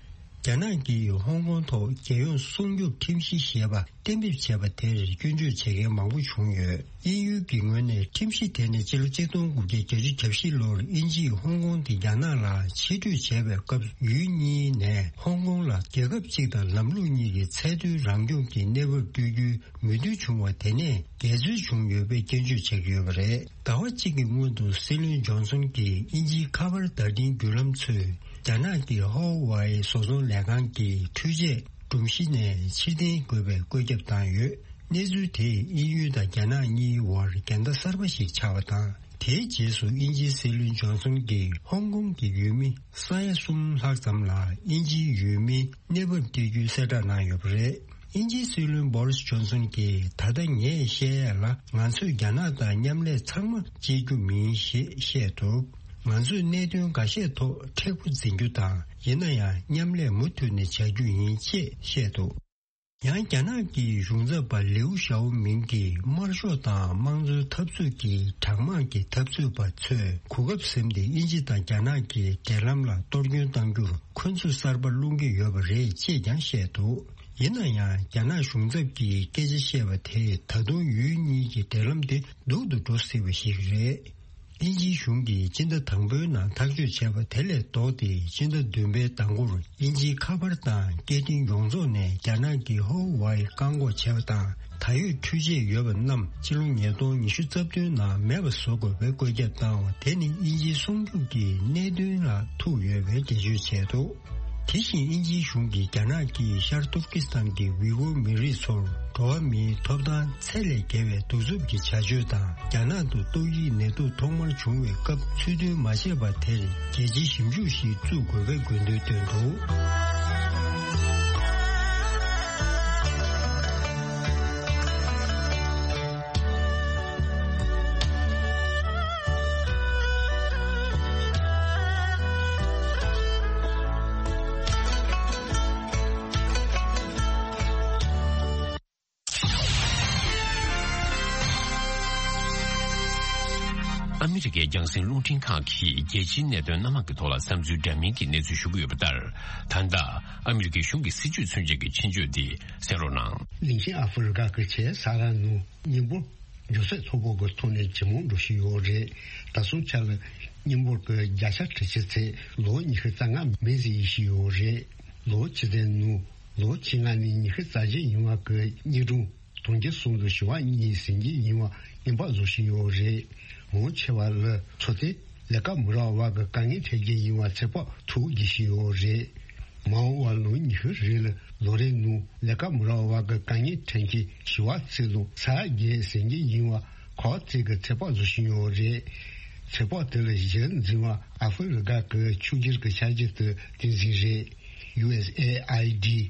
རྒྱ་ནག་གིས་ཧོང་ཀོང་ཐོག་རྒྱལ་ཡོངས་སྲུང་སྐྱོབ་ཁྲིམས་གཞི་ཞེས་པ་གཏན་འབེབས་བྱས་པ་དེར་སྐྱོན་བརྗོད་བྱེད་མཁན་མང་པོ་བྱུང་ཡོད། དབྱིན་ཡུལ་གྱི་ངོས་ནས་ཁྲིམས་གཞི་དེ་ནི་སྤྱི་ལོ་ཆིག་སྟོང་དགུ་བརྒྱ་བརྒྱད་ཅུ་གྱ་བཞི་ལོར་དབྱིན་ཇིས་ཧོང་ཀོང་དེ་རྒྱ་ནག་ལ་ཕྱིར་སྤྲོད་བྱས་པའི་སྐབས། ཡུལ་གཉིས་ནས་ཧོང་ཀོང་ལ་རྒྱལ་ཁབ་གཅིག་དང་ལམ་ལུགས་གཉིས་ཀྱི་ཚད་མཐོའི་རང་སྐྱོང་གི་གནས་བབ་སྤྲོད་རྒྱུའི་མོས་མཐུན་བྱུང་བ་དེ་ནས་འགལ་འཛོལ་བྱུང་ཡོད་པའི་སྐྱོན་བརྗོད་བྱེད་ཀྱི་ཡོད་པ་རེད། ཟླ་བ་གཅིག་གི་སྔོན་དུ་སྲིད་བློན་ཇོན་སོན་གྱིས་དབྱིན་ཇིའི་ཁ་པར་བརྡ་འཕྲིན་བརྒྱུད་ལམ་ཚོས་རྒྱ་ནག་གི་ཧོ་ཝའེ་བཟོ་ཚོང་ལས་ཁང་གི་འཕྲུལ་ཆས་སྒྲོམ་གཞི་ནས་ཕྱིར་འཐེན་དགོས་པའི་བཀོད་ཁྱབ་བཏང་ཡོད། གནས་ཚུལ་དེས་དབྱིན་ཡུལ་དང་རྒྱ་ནག་གཉིས་དབར་འགལ་ཟླ་གསར་པ་ཞིག་ཆགས་པ་དང་། དེའི་རྗེས་སུ་དབྱིན་ཇིའི་སྲིད་བློན་ཇོན་སོན་གྱིས་ཧོང་ཀོང་གི་ཡུལ་མི་ས་ཡ་གསུམ་ལྷག་ཙམ་ལ་དབྱིན་ཇིའི་ཡུལ་མིའི་གནས་བབ་སྤྲད་རྒྱུའི་གསལ་བསྒྲགས་གནང་ཡོད་པ་རེད། དབྱིན་ཇིའི་སྲིད་བློན་བོ་རིས་ཇོན་སོན་གྱིས། ད་ལྟ་ངས་བཤད་ཡས་ལ། ང་ཚོས་རྒྱ་ནག་དང་མཉམ་ལས་ཚང་མ་བྱེད་རྒྱུ་མིན་ཞེས་བཤད་འདུག་ང་ཚོས་གནད་དོན་འགའ་ཤས་ཐོག་མཁྲེགས་པོ་འཛིན་རྒྱུ་དང་། ཡིན་ན་ཡང་མཉམ་ལས་མུ་མཐུད་ནས་བྱ་རྒྱུ་ཡིན་ཅེས་བཤད་འདུག་ཡང་རྒྱ་ནག་གི་གཞུང་ཚབ་པ་ལིའུ་ཞའོ་མིང་གིས། དམར་ཤོག་དང་དམངས་གཙོའི་འཐབ་རྩོད་ཀྱི་གྲང་དམག་གི་འཐབ་རྩོད་པ་ཚོས་གོ་སྐབས་ཟིན་ཏེ། དབྱིན་ཇི་དང་རྒྱ་ནག་གི་འབྲེལ་ལམ་ལ་གཏོར་སྐྱོན་གཏང་རྒྱུར་འཁོན་འཛུགས་གསར་པ་སློང་གི་ཡོད་པ་རེད་ཅེས་ཀྱང་བཤད་འདུག་ཡིན་ན་ཡང་། རྒྱ་ནག་གཞུང་ཚབ་ཀྱིས་སྐད་ཆ་བཤད་པ་དེས། ད་དུང་ཡུལ་གཉིས་ཀྱི་འབྲེལ་ལམ་དེ་སྡུག་ཏུ་འགྲོ་སྲིད་པ་ཞིག་རེད། དབྱིན་ཇིའི་གཞུང་གིས་སྤྱི་ཟླ་དང་པོའི་ནང་ཐག་གཅོད་བྱས་པ་དེ་ལས་ལྡོག་སྟེ། སྤྱི་ཟླ་བདུན་པའི་ཟླ་འགོར་དབྱིན་ཇིའི་ཁ་པར་དང་སྐད་འཕྲིན་ཡོངས་རྫོགས་ནས་རྒྱ་ནག་གི་ཧོ་ཝའེ་བཀག་འགོག་བྱས་པ་དང་། ད་ཡོད་འཕྲུལ་ཆས་ཡོད་པ་རྣམས་ཕྱི་ལོ་ཉིས་སྟོང་ཉི་ཤུ་རྩ་བདུན་ནང་མེད་པ་བཟོ་དགོས་པའི་བཀོད་ཁྱབ་བཏང་བ་དེ་ནི་དབྱིན་ཇིའི་སྲུང་སྐྱོབ་ཀྱི་གནད་དོན་ལ་ཐུག་ཡོད་པའི་འགྲེལ་བརྗོད་བྱས་འདུག་དེ་བཞིན་དབྱིན་ཇིའི་གཞུང་གིས་རྒྱ་ནག་གིས་ཤར་ཏུར་ཀི་སི་ཐན་གྱི་ཝི་གོ་མི་རིགས་ཚོར་འགྲོ་བ་མིའི་ཐོབ་ཐང་ཚད་ལས་བརྒལ་བའི་གདུག་རྩུབ་ཀྱི་བྱ་སྤྱོད་དང་། རྒྱ་ནག་ཏུ་ཏོག་དབྱིབས་ནད་དུག་ཐོག་མར་བྱུང་བའི་སྐབས་ཚུལ་མཐུན་མ་བྱས་པ་དེར་རྒྱལ་སྤྱིའི་ཞིབ་འཇུག་ཞིག་བཙུགས་དགོས་པའི་དགོས་འདུན་བཏོན་འདུག་ཨ་མི་རི་ཀའི་རྒྱང་སྲིང་རླུང་འཕྲིན་ཁང་གིས་རྒྱལ་སྤྱིའི་གནད་དོན་སྣ་མང་གི་ཐོག་ལ་བསམ་ཚུལ་འདྲ་མིན་གྱི་གནས་ཚུལ་ཞུ་གི་ཡོད་པ་ལྟར། ད་ལྟ་ཨ་མི་རི་ཀའི་གཞུང་གི་སྲིད་བྱུས་མཚོན་བྱེད་ཀྱི་མཆན་བརྗོད་འདི་གསན་རོགས་གནང་། གླིང་ཆེན་ཨ་ཧྥེ་རི་ཀ་གི་ཆེས་ས་ར་ནང་མཉམ་འབོར་མགྱོགས་ཚད་མཐོ་པོ་གི་ཐོག་ནས་ཇེ་མང་འགྲོ་བཞིན་ཡོད་རེད། ད་སོང་ཆ་ལ་མཉམ་འབོར་གྱི་བརྒྱ་ཆ་དྲུག་ཅུ་ཚད་ལོ་ཉི་ཤུ་རྩ་ལྔ་མིན་ཟིན་བཞིན་ཡོད་རེད། ལོ་ཆུ་ཚོད་ནང་ལོ་ཆེ་ལྔ་ནས་ཉི་ཤུ་རྩ་བཞི་ཡིན་པ་གི་གཉིས་གྲོང་དུང་ཕྱུར་གསུམ་དང་བཞི་བ་གཉིས་ཟིན་གྱི་ཡིན་པ་སྙན་པ་བཟོ་བཞིན་ཡོད་རེད། མང་ཆེ་བ་ལ་འཚོ་རྟེན་ལས་ཀ་མི་རག་པ་གི་དཀའ་ངལ་འཕྲད་ཀྱི་ཡིན་པ་ཚོད་དཔག་ཐུབ་བསྡད་བཞིན་ཡོད་རེད། མ་འོངས་པ་ལོ་ཉི་ཤུ་རིང་ལ་ལོ་རེའི་ནང་ལས་ཀ་མི་རག་པ་གི་དཀའ་ངལ་འཕྲད་མཁན་བཞི་བ་ཚོ་ལ་ས་ཡ་བརྒྱད་ཟིན་གྱི་ཡིན་པ་ཁག་ཅིག་གིས་ཚོད་དཔག་བཟོ་བཞིན་ཡོད་རེད། ཚོད་དཔག་དེ་ལ་གཞི་འཛིན་པ་ཨ་ཧྥེ་རི་ཀ་གི་ཕྱུག་འགྱུར་གྱི་འཆར་གཞི་དེ་བསྟན་འཛིན་རེད། ཡུ་ཨེས་ཨེ་ཨའི་ཌི།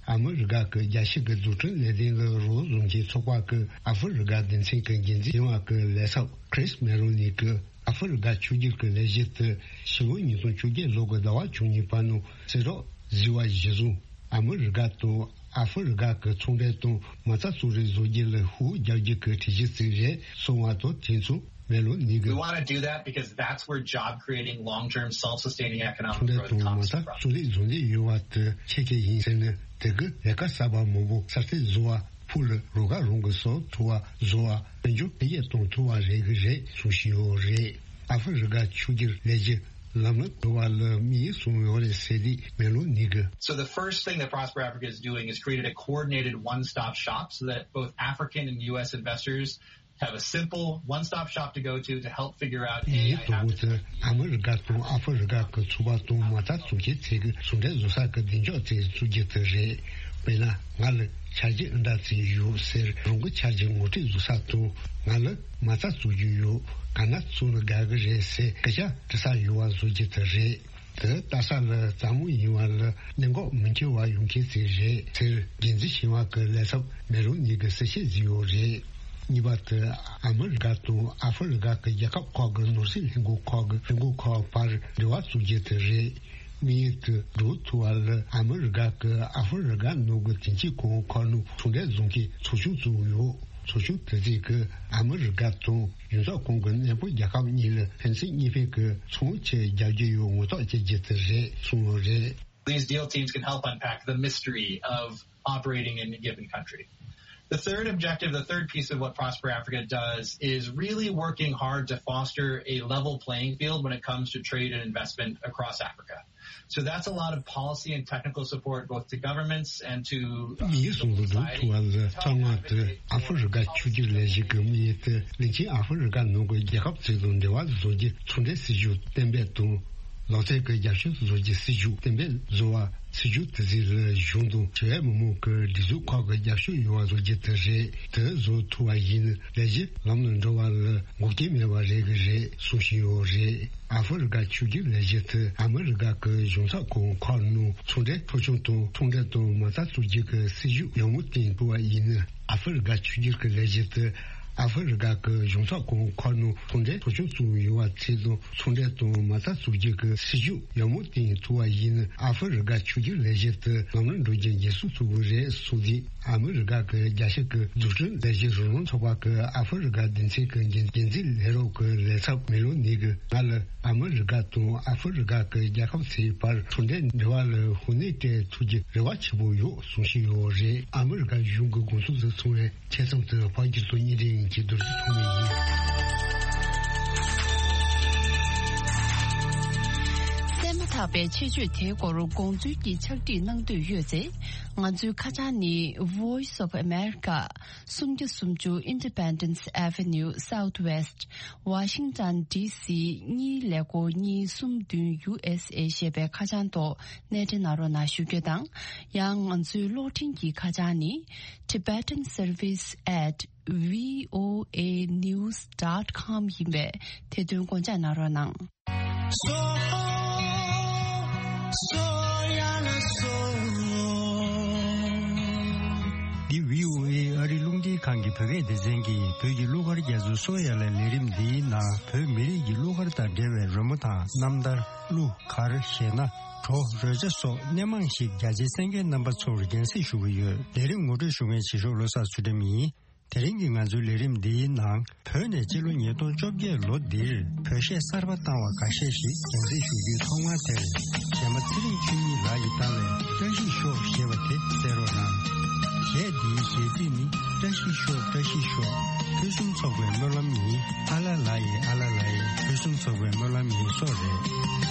ཨ་མི་རི་ཀ་གི་རྒྱལ་སྤྱི་གི་འཛུགས་སྐྲུན་ལས་དོན་ལ་རོགས་བཟོ་མཁན་ཚོགས་པ་གི་ཨ་ཧྥེ་རི་ཀ་སྡེ་ཚན་གི་འགན་འཛིན་ཡིན་པ་གི་ལས་ཚབ་ཁྲིས་མེ་རོ་ནི་གི་ཨ་ཧྥེ་རི་ཀ་ཕྱུག་འགྱུར་གྱི་ལས་གཞི་དེ་ཕྱི་ལོ་ཉིས་སྟོང་བཅོ་བརྒྱད་ལོ་གི་ཟླ་བ་བཅུ་གཉིས་པ་ནང་གསལ་བསྒྲགས་བཟོས་པ་གཞིར་བཟུང་། ཨ་མི་རི་ཀ་དང་ཨ་ཧྥེ་རི་ཀ་གི་ཚོང་འབྲེལ་དང་མ་རྩ་གཙོ་རིགས་བཟོ་རྒྱུ་ལ་ཤུགས་རྒྱག་རྒྱུ་གི་གྲོས་གཞི་བརྩིས་རེད་གསུངས་པ་དང་དེ་མཚུངས་མེ་ལོ་ནི་གི། We want to do that because that's where job creating, long term, self sustaining economic growth comes from. ཚོང་འབྲེལ་དང་མ་རྩ་གཙོ་རིགས་བཟོ་འདོད་ཡོད་པ་དེ་ཁྱེད་ཀྱི་ཡིན་ཟེར་ནས་དེ་གི་ལས་ཀ་གསར་པ་མང་པོ་གསར་གཏོད་བཟོ་བ། ཕུགས་ལ་རོགས་ཁ་རང་གི་སོ་ཐུ་བ་བཟོ་བ་དཔལ་འབྱོར་འཕེལ་རྒྱས་གཏོང་ཐུབ་པ་རེད་གི་རེད་གསུངས་བཞིན་ཡོད་རེད། ཨ་ཧྥེ་རི་ཀ་ཕྱུག་འགྱུར་ལས་གཞི་ལམ་ལ་འགྲོ་བ་ལ་དམིགས་ཡུལ་བཟུང་ཡོད་རེད་ཟེར་དུས་མེ་ལོ་ནི་གི། So the first thing that Prosper Africa is doing is created a coordinated one-stop shop so that both African and U S investors have a simple one-stop shop to go to to help figure out, A, I have this idea. ཨ་མི་རི་ཀ་དང་ཨ་ཧྥེ་རི་ཀ་གི་ཚོང་པ་དང་མ་རྩ་འཛུགས་མཁན་ཚོས་ཀྱི་ཟུང་འབྲེལ་བཟོ་ས་གི་གདེང་འཇོག་དེ་བཙུགས་རྒྱུ་དེ་རེད། དཔེར་ན་ང་ལ་འཆར་གཞི་འདི་འདྲ་ཅིག་ཡོད་ཟེར། རང་གི་འཆར་གཞི་ངོ་སྤྲོད་བཟོ་ས་དང་ང་ལ་མ་རྩ་བཙུགས་རྒྱུ་ཡོད། ག་ན་བཙུགས་ན་དགའ་གི་རེད་ཟེར་སྐད་ཆ་དྲི་ས་ཡོད་པ་བཟོ་རྒྱུ་དེ་རེད། དེ་ལྟ་ས་ལ་རྩ་མོ་ཡིན་པ་ལ་གནད་འགག་མི་འཁྱོལ་བ་ཡོང་མཁན་ཅིག་རེད་ཟེར། འགན་འཛིན་ཞིང་བ་གི་ལས་ཚབ་མེ་རོ་ནི་གི་གསལ་བཤད་བཟོས་ཡོད་རེད། གཉིས་པ་དེ་ཨ་མི་རི་ཀ་དང་ཨ་ཧྥེ་རི་ཀ་གི་རྒྱལ་ཁབ་ཁག་གི་ནོར་སྲིད་ལྷན་ཁང་ཁག་གི་ལྷན་ཁང་ཁག་བར་འབྲེལ་བ་བཙུགས་རྒྱུ་དེ་རེད། དམིགས་ཡུལ་དེ་འགྲུབ་ཐུབ་པ་ལ་ཨ་མི་རི་ཀ་གི་ཨ་ཧྥེ་རི་ཀ་ནང་གི་དེང་ཕྱིན་གོང་ཁག་ནང་ཚོང་འབྲེལ་བཟོ་མཁན་ཚོགས་ཆུང་བཙུགས་ཡོད། ཚོགས་ཆུང་དེ་ཚོས་ཀྱིས་ཨ་མི་རི་ཀ་དང་གཞུང་ཚབ་ཁང་གི་གནས་སྤོ་རྒྱལ་ཁབ་གཉིས་ལ་ཕན་ཚུན་གཉིས་ཕན་གྱི་ཚོང་ཆེད་རྒྱག་རྒྱུ་ཡོད་ངོ་ཐོག་བྱེད་རྒྱུ་དེ་རེད་གསུངས་ཡོད་རེད། These deal teams can help unpack the mystery of operating in a given country. The third objective, the third piece of what Prosper Africa does is really working hard to foster a level playing field when it comes to trade and investment across Africa. So that's a lot of policy and technical support both to governments and to, uh, མིའི་གཞུང་ལུགས་འགྲོ་ཐུབ་པ་ལ་ཐོག་མ་དེ་ཨ་ཧྥེ་རི་ཀ་ཕྱུག་འགྱུར་ལས་གཞི་གི་དམིགས་ཡུལ་དེ་གླིང་ཆེན་ཨ་ཧྥེ་རི་ཀ་ནང་གི་རྒྱལ་ཁབ་ཚོ་དང་འབྲེལ་བ་བཟོ་རྒྱུ་ཚོང་འབྲེལ་སྲིད་ཇུས་གཏན་འབེབས་དང་། ལག་རྩལ་གྱི་རྒྱབ་སྐྱོར་བཟོ་རྒྱུ་སྲིད་ཇུས་གཏན་འབེབས་བཟོ་བ། སྲིད་ཇུས་དེ་ཚོ་ལ་གཞུང་དང་ཞི་བའི་མི་མང་གི་སྒྲིག་འཛུགས་ཁག་གི་རྒྱབ་སྐྱོར་ཡོང་བ་བཟོ་རྒྱུ་དེ་རེད། དེ་བཟོ་ཐུབ་པ་ཡིན་ན་ལས་གཞི་ལམ་ལ་འགྲོ་བ་ལ་འགོག་རྐྱེན་མེད་པ་རེད་གི་རེད་གསུངས་བཞིན་ཡོད་རེད། ཨ་ཧྥེ་རི་ཀ་ཕྱུག་འགྱུར་ལས་གཞི་དེ་ཨ་མི་རི་ཀ་གི་གཞུང་ཚབ་ཁང་ཁག་ནང་ཚོང་འབྲེལ་ཚོགས་ཆུང་དང་ཚོང་འབྲེལ་དང་མ་རྩ་བཙུགས་རྒྱུ་གི་སྲིད་ཇུས་ཡག་མོ་བཏིང་ཐུབ་པ་ཡིན་ན། ཨ་ཧྥེ་རི་ཀ་ཕྱུག་འགྱུར་གྱི་ལས་གཞི་དེ་ཨ་ཧྥེ་རི་ཀ་གི་གཞུང་ཚབ་ཁང་ཁག་ནང་ཚོང་འབྲེལ་ཚོགས་ཆུང་བཙུགས་ཡོད་པ་ཚོ་དང་ཚོང་འབྲེལ་དང་མ་རྩ་བཙུགས་རྒྱུ་གི་སྲིད་ཇུས་ཡག་མོ་བཏིང་ཐུབ་པ་ཡིན་ན། ཨ་ཧྥེ་རི་ཀ་ཕྱུག་འགྱུར་ལས་གཞི་དེ་ལམ་ལ་འགྲོ་རྒྱུ་འགན་སྲུང་ཐུབ་ཀྱི་རེད་གསུངས་ཏེ། ཨ་མི་རི་ཀ་གི་རྒྱལ་སྤྱི་གི་འཛུགས་སྐྲུན་ལས་གཞི་རོགས་རམ་ཚོགས་པ་གི་ཨ་ཧྥེ་རི་ཀ་སྡེ་ཚན་གི་འགན་འཛིན་ལས་རོགས་གི་ལས་ཚབ་མེ་ལོ་ནི་གི་ང་ལ་ཨ་མི་རི་ཀ་དང་ཨ་ཧྥེ་རི་ཀ་གི་རྒྱལ་ཁབ་ཚོའི་བར་ཚོང་འབྲེལ་འབྲེལ་བ་ལ་ཤུགས་སྣོན་སྤྲད་ཐུབ་རྒྱུ་རེ་བ་ཆེན་པོ་ཡོད་གསུངས་བཞིན་ཡོད་རེད། ཨ་མི་རི་ཀ་གཞུང་གི་དགོངས་ཚུལ་དེ་གསུངས་པའི་ཆེད་རྩོམ་དེ་ཕ་གི་ཚོ་གཉིས་རིང་གི་རྡོ་རྗེ་ཐོགས་མེད་ཡིན། གསན་མ་ཐག་པའི་ཆེད་བརྗོད་དེའི་སྐོར་དགོངས་ཚུལ་གྱི་ཕྱག་བྲིས་གནང་འདོད་ཡོད་ཚེ། ང་ཚོའི་ཁ་བྱང་ནི། Voice of America། སུམ་བརྒྱ་སུམ་ཅུ་Independence Avenue Southwest། Washington D C གཉིས་ཀླད་ཀོར་གཉིས་གསུམ་བདུན། U S A ཞེས་པའི་ཁ་བྱང་ཐོག་སྣེ་འདྲེན་གནང་རོགས་གནང་ཞུ་རྒྱུ་དང་། ཡང་ང་ཚོའི་གློག་འཕྲིན་གྱི་ཁ་བྱང་ནི། Tibetan Service at V O A news dot com ཡིན་པས་དེ་དོན་དགོངས་འཇགས་གནང་རོགས་གནང་། འདི་V O A ཨ་རི་རླུང་འཕྲིན་ཁང་གི་བོད་སྐད་སྡེ་ཚན་གྱིས་བོད་ཀྱི་གླུ་གར་རྒྱ་མཚོ་སོ་ཡ་ལ་ལས་རིམ་འདིའི་ནང་བོད་མི་རིགས་ཀྱི་གླུ་གར་དང་འབྲེལ་བའི་རོལ་མོ་དང་རྣམ་ཐར། གླུ་གར་གཞས་སྣ། བྲོ། རོལ་ཆ་སོགས་སྣེ་མང་ཞིག་རྒྱ་ཆེའི་གསན་མཁན་རྣམ་པ་ཚོར་རྒྱང་སྲིང་ཞུ་གི་ཡོད། ལས་རིམ་ངོ་སྤྲོད་ཞུ་མཁན་བྱེད་ཤོག་བློ་བཟང་ཚུལ་ཁྲིམས་ཡིན། དེ་རིང་གི་ང་ཚོའི་ལས་རིམ་འདིའི་ནང་། བོད་ནས་སྤྱི་ལོ་ཉིས་སྟོང་བཅོ་བརྒྱད་ལོ་འདིར་བོད་གཞས་གསར་པ་བཏང་བ་འགའ་ཤས་ཤིག་རྒྱང་སྲིང་ཞུ་རྒྱུའི་ཐོག་མར་དེར། གཞས་མ་ཚེ་རིང་ཆོས་ཉིད་ལགས་ཀྱིས་བཏང་བའི་བཀྲ་ཤིས་ཤོག་ཞེས་པ་དེ་གསན་རོགས་གནང་། གཞས་འདིའི་གཞས་ཚིག་ནི། བཀྲ་ཤིས་ཤོག་བཀྲ་ཤིས་ཤོག་ཕུན་སུམ་ཚོགས་པའི་སྨོན་ལམ་ཡིན། ཨ་ལ་ལ་ཡེ་ཨ་ལ་ལ་ཡེ། ཕུན་སུམ་ཚོགས་པའི་སྨོན་ལམ་ཡིན་སོགས་རེད།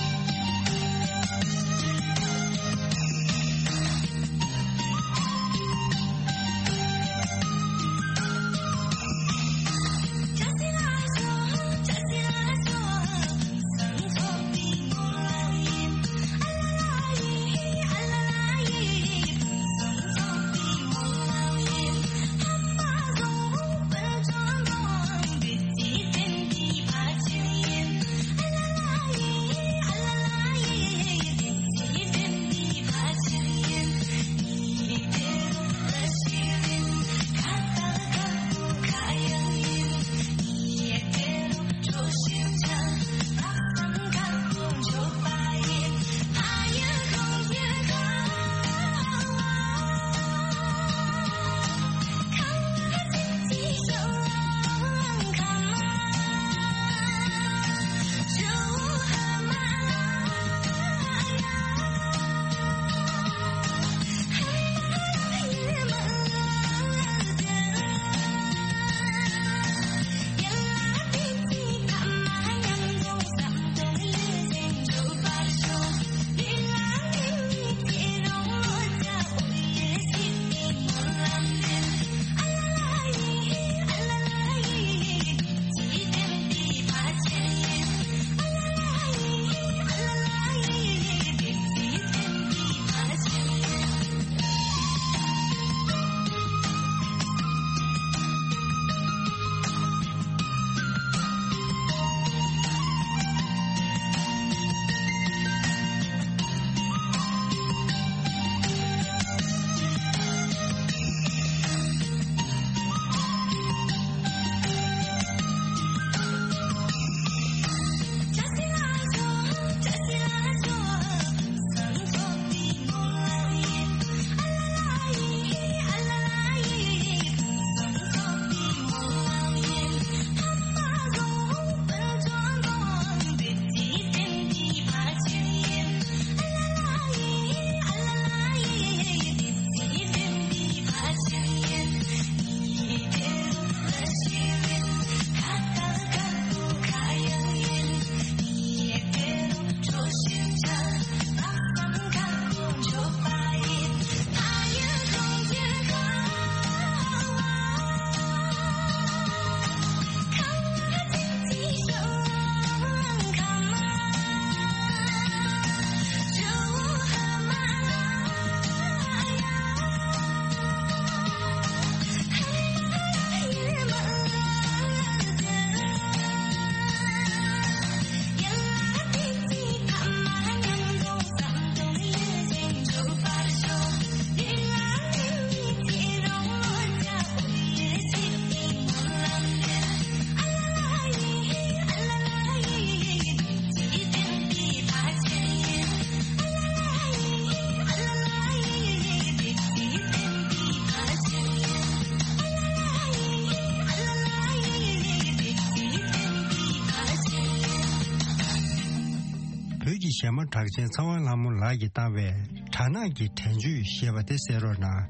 བོད་ཀྱི་གཞས་མ་གྲགས་ཅན་ཚེ་དབང་ལྷ་མོ་ལགས་ཀྱིས་བཏང་བའི་སྦྲ་ནག་གི་དྲན་གཅོད་ཞེས་པ་དེ་གསན་རོགས་གནང་།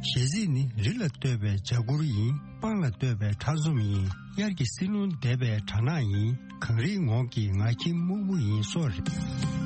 གཞས་ཚིག་ནི། རི་ལ་བསྟོད་པའི་འཇའ་གུར་ཡིན། སྤང་ལ་བསྟོད་པའི་ཁྲག་འཛོམས་ཡིན། དབྱར་གྱི་བསིལ་རླུང་འདེབས་པའི་སྦྲ་ནག་ཡིན། གངས་རིའི་ངོགས་ཀྱི་ངར་འཁྱམས་སྨུག་པོ་ཡིན་སོགས་རེད།